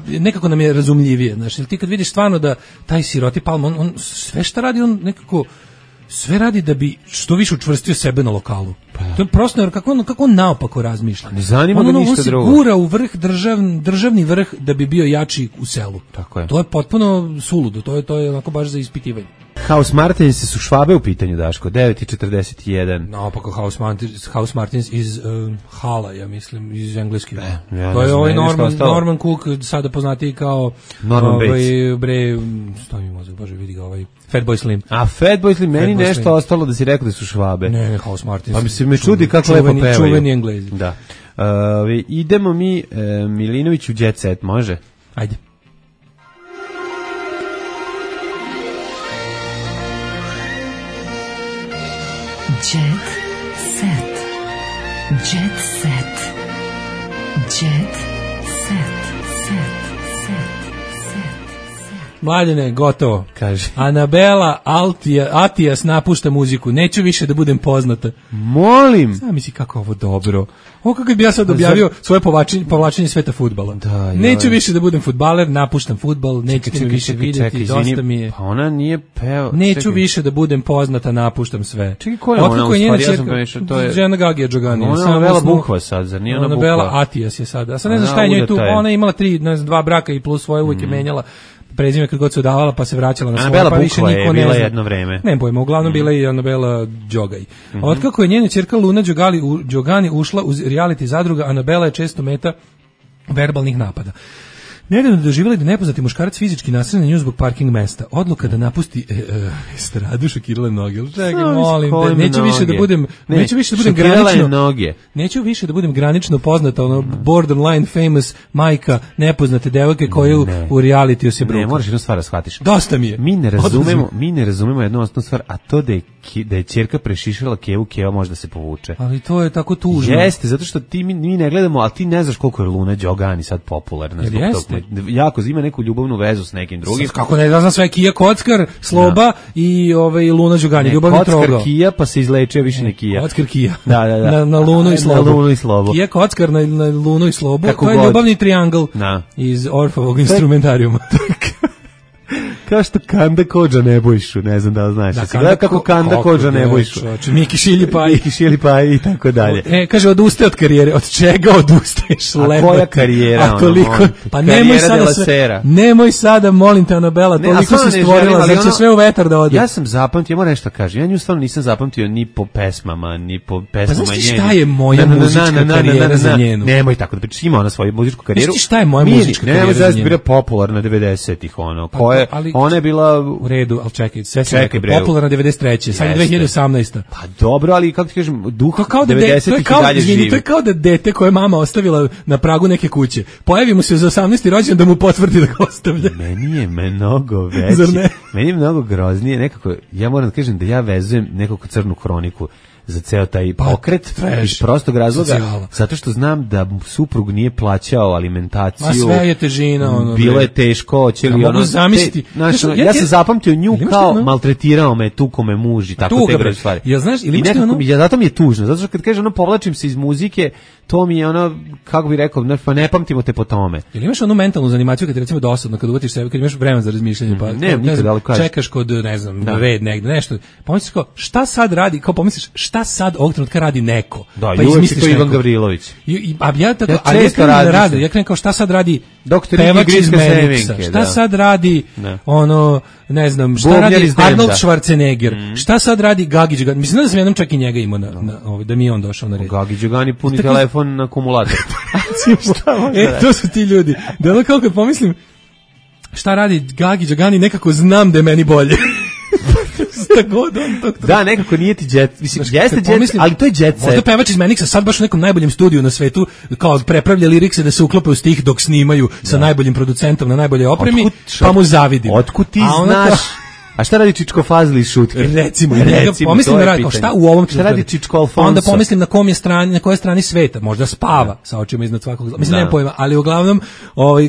nekako nam je razumljivije, znači ti kad vidiš stvarno da taj siroti Palma on sve šta radi on nekako sve radi da bi što više učvrstio sebe na lokalu. To je prosto kako on naopako razmišlja.
Ne zanima ga ništa drugo.
On se gura u vrh državni vrh da bi bio jači u selu.
Tako je.
To je potpuno suludo, to je onako baš za ispitivanje.
House Martins su Švabe u pitanju, Daško, 9:41.
Naopako House Martins iz Hala, ja mislim, iz engleski.
To
je ovaj Norman Cook, sada poznatiji kao
Norman Bates.
Stoji mi mozak, bože, vidi ga ovaj Fatboy Slim.
A Fatboy Slim, meni nešto ostalo da si rekao da su Švabe.
Ne, House Martins.
Pa mi se čudi kako lepo pevaju.
Čuveni Englezi.
Da. Idemo mi Milinović u Jet Set, može?
Ajde.
Jet set. Jet set. Jet set.
Mladene, gotovo.
Kaže.
Anabela Atijas napušta muziku. Neću više da budem poznata.
Molim.
Znam misli kako ovo dobro. Ovo kako bi ja sad objavio svoje povlačenje sveta fudbala. Neću više da budem fudbaler, napuštam fudbal, nećete me više vidjeti, dosta mi je.
Pa ona nije peo.
Neću više da budem poznata, napuštam sve.
Čekaj, ko je ona u stvari? Ja sam pomešao, to je
žena Gagija Đogani.
Ona je Anabela Bukva sad, zar nije ona Bukva?
Anabela Atijas je sad. A sad ne znam šta je njoj tu. Ona je imala 2 braka i plus svoje uvijek je menjala prezime kad god se udavala pa se vraćala na svoje, pa više niko ne zna.
Jedno vreme.
Ne pojma, uglavnom bila je Anabela Đogaj. Otkako je njena ćerka Luna Đogani ušla u reality zadruga, Anabela je često meta verbalnih napada. Nedavno doživjeli da nepoznati muškarac fizički nasrne na nju zbog parking mesta. Odluka da napusti estradu šokirala noge. Čekaj, molim, neću više da budem granično. Neću više da budem granično poznata, borderline famous majka nepoznate devojke koju u realitiju se bruka.
Ne, moraš jednu stvar da shvatiš.
Dosta mi je.
Mi ne razumemo jednu osnovnu stvar, a to da je ćerka prešišala Kevu, Keva može da se povuče.
Ali to je tako tužno.
Jeste, zato što mi ne gledamo, ali ti ne znaš koliko je Luna Đogani sad popularna zbog toga. Jako ima neku ljubavnu vezu s nekim drugim.
Kako ne znam sve, Kija Kockar, Sloba i Luna Đogani, ljubavni trogao.
Kockar Kija, pa se izlečio više ne Kija.
Kockar Kija.
Da.
Na Lunu i Slobu.
Na Lunu i Slobu.
Kija Kockar na Lunu i Slobu. To je ljubavni triangl iz Orfovog instrumentarijuma.
Kao što Kanda Kodža Nebojšu, ne znam da li znaš. Gleda kako Kanda Kodža Nebojšu.
Miki Šilji Paj
i tako dalje.
Kaže, odustaje od karijere. Od čega odustaješ?
A koja karijera?
A toliko, pa nemoj sada, molim te, Anabela, toliko si stvorila, da će sve u vetar da ode.
Ja sam zapamtio, ja moram nešto kažem, ja nju stvarno nisam zapamtio ni po pesmama, ni po pesmama njeni.
Pa znaš ti šta je moja muzička karijera za njenu?
Nemoj tako da pričaš, ima ona svoju muzičku karijeru.
Znaš ti šta je moja muzička karijera za njenu?
Nemoj bila popularna 90-ih, ona je bila
u redu, ali čekaj, sve se popularna 93. Sad je 2018.
Pa dobro, ali kako ti kažem, duh 90-ih i dalje živi.
To je kao da dete koje mama ostavila na pragu neke kuće. Pojavi mu se za 18. rođendan da mu potvrdi da ga ostavlja.
Meni je mnogo veći.
Zar ne?
Meni je mnogo groznije, nekako, ja moram da kažem da ja vezujem nekako crnu hroniku za ceo taj pokret iz prostog razloga, zato što znam da suprug nije plaćao alimentaciju.
Ma sve je težina.
Bilo je teško.
Mogu zamisliti.
Ja sam zapamtio nju kao maltretirao me, tuko me muž i tako te gre stvari.
Ja znaš, ili
zato mi je tužno, zato što kad kaže povlačim se iz muzike, to mi je kako bih rekao, pa ne pamtimo te po tome.
Ili imaš onu mentalnu zanimaciju kad ti recimo dosadno, kad uvatiš sebe, kad imaš vremen za razmišljanje, pa čekaš kod, ne znam, red negde, nešto. Pomisliš kao, šta sad radi, kao pomisliš, šta sad ovog trenutka radi neko?
Da, pa izmisliš to Ivan Gavrilović.
Ja krenem kao, šta sad radi pevač iz Meniksa, šta sad radi ne znam, šta radi Arnold Schwarzenegger, šta sad radi Gagi Đogani, mislim da sam jednom čak i njega imao da mi je on došao na red.
Gagi Đogani puni telefon na akumulator.
To su ti ljudi. Da kao kad pomislim šta radi Gagi Đogani, nekako znam da je meni bolje.
Da, nekako nije ti jet, mislim, jeste jet, ali to je jet set.
Možda pevač iz Meniksa sad baš u nekom najboljem studiju na svetu, kao prepravlja lirikse da se uklope u stih dok snimaju sa najboljim producentom na najboljoj opremi, pa mu zavidim.
Otkud ti znaš? A šta radi Čičko Fazli iz Šutke?
Recimo, pomislim da radi, šta u ovom
šta radi Čičko Alfonso?
Onda pomislim na kom je strani, na kojoj strani sveta, možda spava sa očima iznad svakog. Mislim, nemam pojma, ali uglavnom,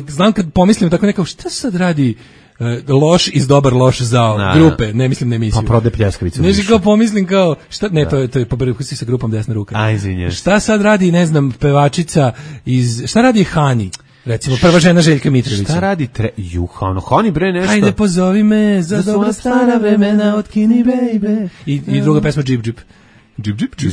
znam kad pomislim tako nekako, šta sad radi loš iz dobar loš zao grupe, ne mislim na emisiju.
Pa prode pljeskavicu.
Ne kao pomislim kao, šta, ne, to je pobrkusi sa grupom Desna ruka.
Aj, izvinjam.
Šta sad radi, ne znam, pevačica šta radi Hani? Recimo, prva žena Željka Mitrovića.
Šta radi Hani bre nešto?
Ajde pozovi me za dobra stara vremena od Kini baby. I druga pesma Džip Džip.
Džip, džip, džip.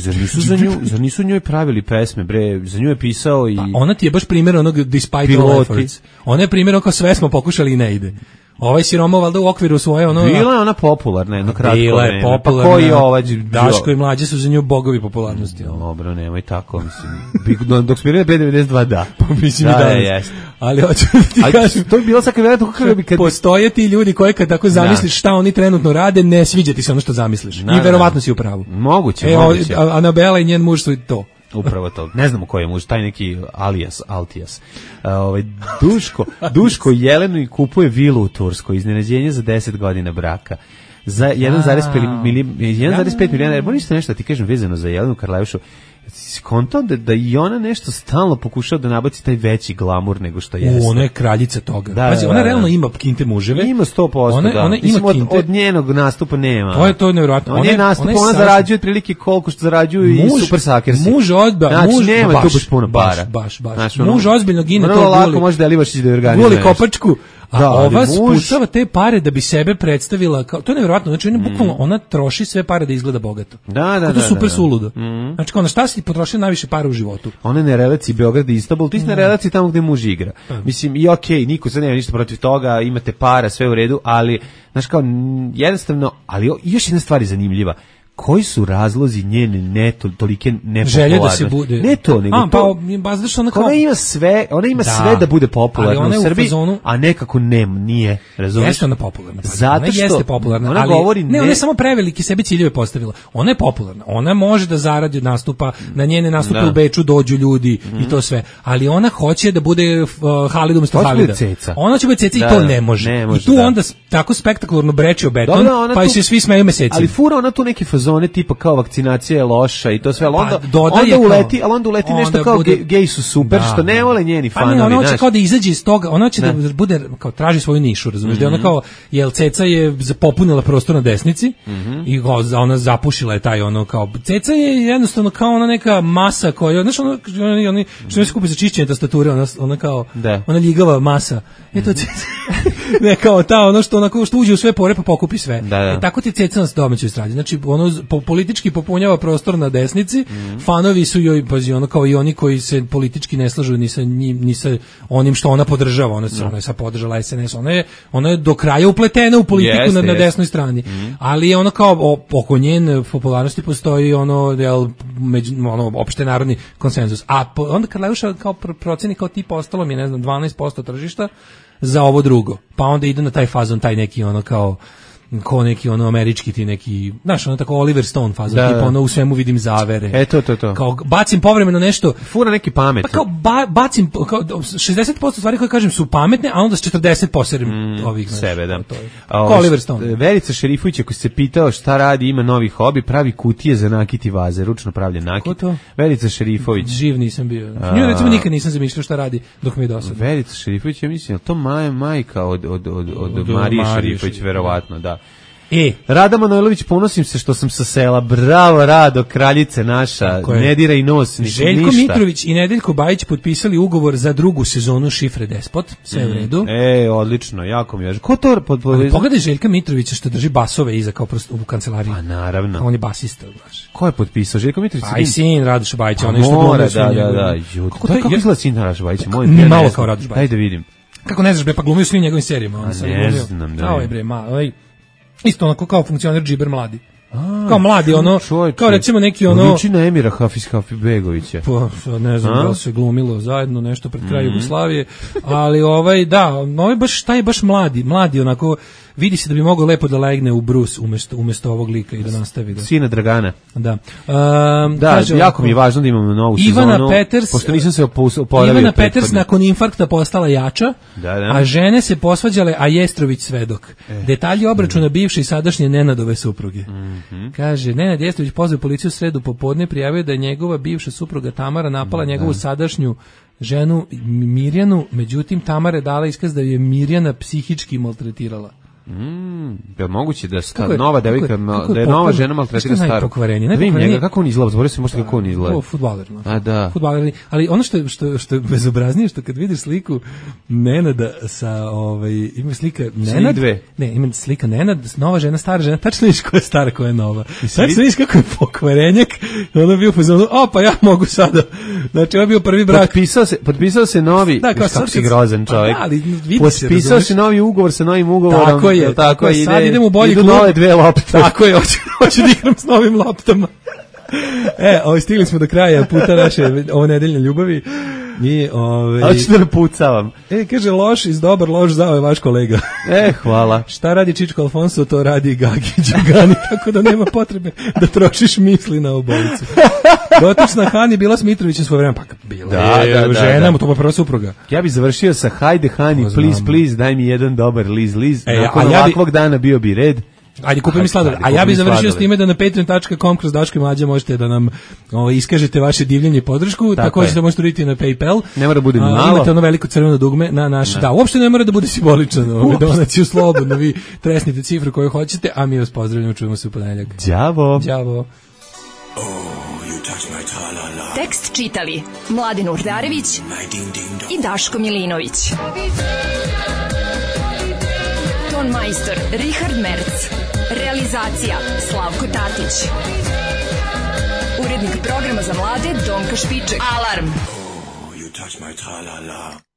Zar nisu njoj pravili pesme, bre? Za nju je pisao i...
Pa ona ti je baš primjer onog Despite All Efforts. Ona je primjer kao sve smo pokušali i ne ide. Ovaj siroma valjda u okviru svoje ono...
Bila je ona popularna, jedno kratko vreme.
Bila je popularna.
Pa koji ovaj...
Daško i Mlađe su za nju bogovi popularnosti.
Dobro, nemoj tako, mislim. Dok smo bili na B92, da.
Pa mislim i danas. Ali hoću da ti kažem...
To je bilo sad kad
postoje ti ljudi koji kad tako zamisliš šta oni trenutno rade, ne sviđa ti se ono što zamisliš. I verovatno si u pravu.
Moguće.
Anabela i njen muž su to.
Upravo to. Ne znamo ko je muž, taj neki Altijas. Duško Jelenu i kupuje vilu u Turskoj, iznenađenje za 10 godina braka. Za 1,5 milijana, moram nešto da ti kažem vezano za Jelenu Karleušu. Skonto da i ona nešto stalno pokušava da nabaci taj veći glamur nego što jeste.
Ona je kraljica toga. Pazi, ona realno ima kinte muževe.
Ima 100%,
ona ima kinte.
Od njenog nastupa nema.
To je nevjerojatno.
Ona zarađuje otprilike koliko što zarađuju i Super Sakersi.
Muž
nema tu baš puno para.
Baš. Muž ozbiljno gine to.
Vrlo lako može da Livašić da organizuje.
Guli kopačku. A ova spucava te pare da bi sebe predstavila kao, to je nevjerojatno, znači bukvalno ona troši sve pare da izgleda bogato.
Da.
To je super suludo. Znači kao na šta si potrošio najviše para u životu?
Ona je na relaciji Beograd i Istanbul, ti si na relaciji tamo gde muž igra. Mislim i okej, niko sad nema ništa protiv toga, imate para, sve u redu, ali znaš kao jednostavno, ali još jedna stvar je zanimljiva. Koji su razlozi njene tolike nepopularnosti?
Želje da se bude.
Ne to, nego to. Ona ima sve da bude popularna u Srbiji, a nekako nije, razumiješ?
Jeste ona popularna. Ona jeste popularna,
ona govori
ona je samo preveliki sebi ciljeve postavila. Ona je popularna. Ona može da zaradi od nastupa, na njene nastupe u Beču dođu ljudi i to sve. Ali ona hoće da bude Halid umjesto Halida. Ona će biti ceca i to ne može. I tu onda tako spektakularno breči o beton, pa se svi smeju mesecima.
Ali fura ona tu neki zone tipa kao vakcinacija je loša i to sve, ali onda uleti nešto kao gej su super, što ne vole njeni fanovi.
Ona hoće kao da izađe iz toga, ona hoće da bude, kao traži svoju nišu, razumiješ, da ona kao, jel Ceca je popunila prostor na desnici i ona zapušila je taj ono kao, Ceca je jednostavno kao ona neka masa koja, znaš ono, oni što ne se kupi za čišćenje tastature, ona kao, ona ljigava masa, eto Ceca, ne kao ta, ono što uđe u sve pore pa pokupi sve. Tako ti Ceca nas domaćoj stradi, znači ono politički popunjava prostor na desnici, fanovi su joj, pazi, ono kao i oni koji se politički ne slažu ni sa njim, ni sa onim što ona podržava, ona je sad podržala SNS, ona je do kraja upletena u politiku na desnoj strani, ali je ono kao oko njen popularnosti postoji ono opšte narodni konsenzus, a onda Karleuša kao proceni kao tipa ostalo mi je, ne znam, 12% tržišta za ovo drugo, pa onda ide na taj fazon, taj neki ono kao neki ono američki ti neki, znaš, ono tako Oliver Stone fazon, tipa ono u svemu vidim zavere.
To.
Kao bacim povremeno nešto.
Fura neki pamet.
Pa kao bacim, kao 60% stvari koje kažem su pametne, a onda s 40 poserim ovih.
Sebe, da.
Kao Oliver Stone.
Verica Šerifović, ako se pitao šta radi, ima novi hobi, pravi kutije za nakit i vaze, ručno pravljen nakit.
Ko to?
Verica Šerifović.
Živ nisam bio. Nju recimo nikad nisam zamišljao šta radi dok mi je dosadno.
Verica Šerifović, ja mislim, to majka od Marije Šerifović, verovatno, da. Rada Manojlović, ponosim se što sam sa sela. Bravo, Rado, kraljice naša. Ne diraj nos, ništa.
Željko Mitrović i Nedeljko Bajić potpisali ugovor za drugu sezonu Šifre Despot. Sve u redu.
Odlično, jako mi je. Ko to
pogledaj Željka Mitrovića što drži basove iza kao prosto u kancelariji.
Pa naravno.
On je basista, znaš.
Ko je potpisao? Željko Mitrović?
Aj sin Radoša Bajića, on je što glumio sve njegove.
Kako izgleda sin Radoša Bajića?
Malo kao Radoš Bajić.
Daj da vidim.
Kako ne znaš, bre, pa glumio svim njegovim serijama.
Ne znam, da.
Isto onako kao funkcioner džiber mladi. Kao mladi, ono, kao recimo neki ono...
Liči na Emira Hafizbegovića.
Pa, ne znam, da se glumilo zajedno nešto pred kraj Jugoslavije, ali taj je baš mladi onako, vidi se da bi mogao lepo da legne u brus umesto ovog lika i da nastavi.
Sina Dragana.
Da.
Kaže, jako mi je važno da imamo novu sezonu. Pošto nisam se oporavio.
Ivana Peters nakon infarkta postala jača, a žene se posvađale, a Jestrović svedok. Detalji obračuna bivše i sadašnje Nenadove supruge. Kaže, Nenad Jestrović pozvao policiju u sredu popodne, prijavio da je njegova bivša supruga Tamara napala njegovu sadašnju ženu Mirjanu, međutim Tamara je dala iskaz da je Mirjana psihički maltretirala.
Je moguće da je nova devojka, da je nova žena maltretira staru. Da vidim njega, kako on izgleda, zaboravio sam možda kako on izgleda.
Fudbaler.
Fudbaler,
ali ono što je bezobraznije, što kad vidiš sliku Nenada sa, ima slika Nenad, ima slika Nenad, nova žena, stara žena, tačno vidiš ko je stara, ko je nova. Tačno vidiš kako je pokvarenjak, ono bio pozvano, pa ja mogu sada. Znači, ovo je bio prvi brak.
Potpisao se novi, kako si grozan čovjek. Potpisao se novi ugovor sa novim ugovorom. Tako je,
sad idem u bolji klub.
Idu nove 2 lopte.
Tako je, hoću da igram s novim loptama. Stigli smo do kraja puta naše ovo nedeljne ljubavi.
Ali ću da napucavam.
Kaže, loš iz dobar, loš zao je vaš kolega.
Hvala.
Šta radi Čičko Alfonso, to radi Gagi Đugani, tako da nema potrebe da trošiš misli na obojicu. Dotična Hani bila s Mitrovićem svoje vreme, pa bila žena, to pa prva supruga.
Ja bih završio sa hajde Hani, please, daj mi jedan dobar liz. Nakon ovakvog dana bio bi red.
Ajde, kupi mi sladoled. A ja bih završio s time da na patreon.com kroz Daško i Mlađa možete da nam iskažete vaše divljenje i podršku. Također da možete uraditi na PayPal.
Ne mora da bude malo.
Imate ono veliko crveno dugme na naš... Da, uopšte ne mora da bude simboličan. Donaciju slobodno, vi tresnite cifru koju hoćete, a mi vas pozdravljamo, čujemo se u ponedeljak.
Đavo.
Tekst čitali Mladin Urdarević i Daško Milinović. Ton majstor Richard Merc. Realizacija Slavko Tatić. Urednik programa za mlade Donka Špiček. Alarm! You touch my tra-la-la.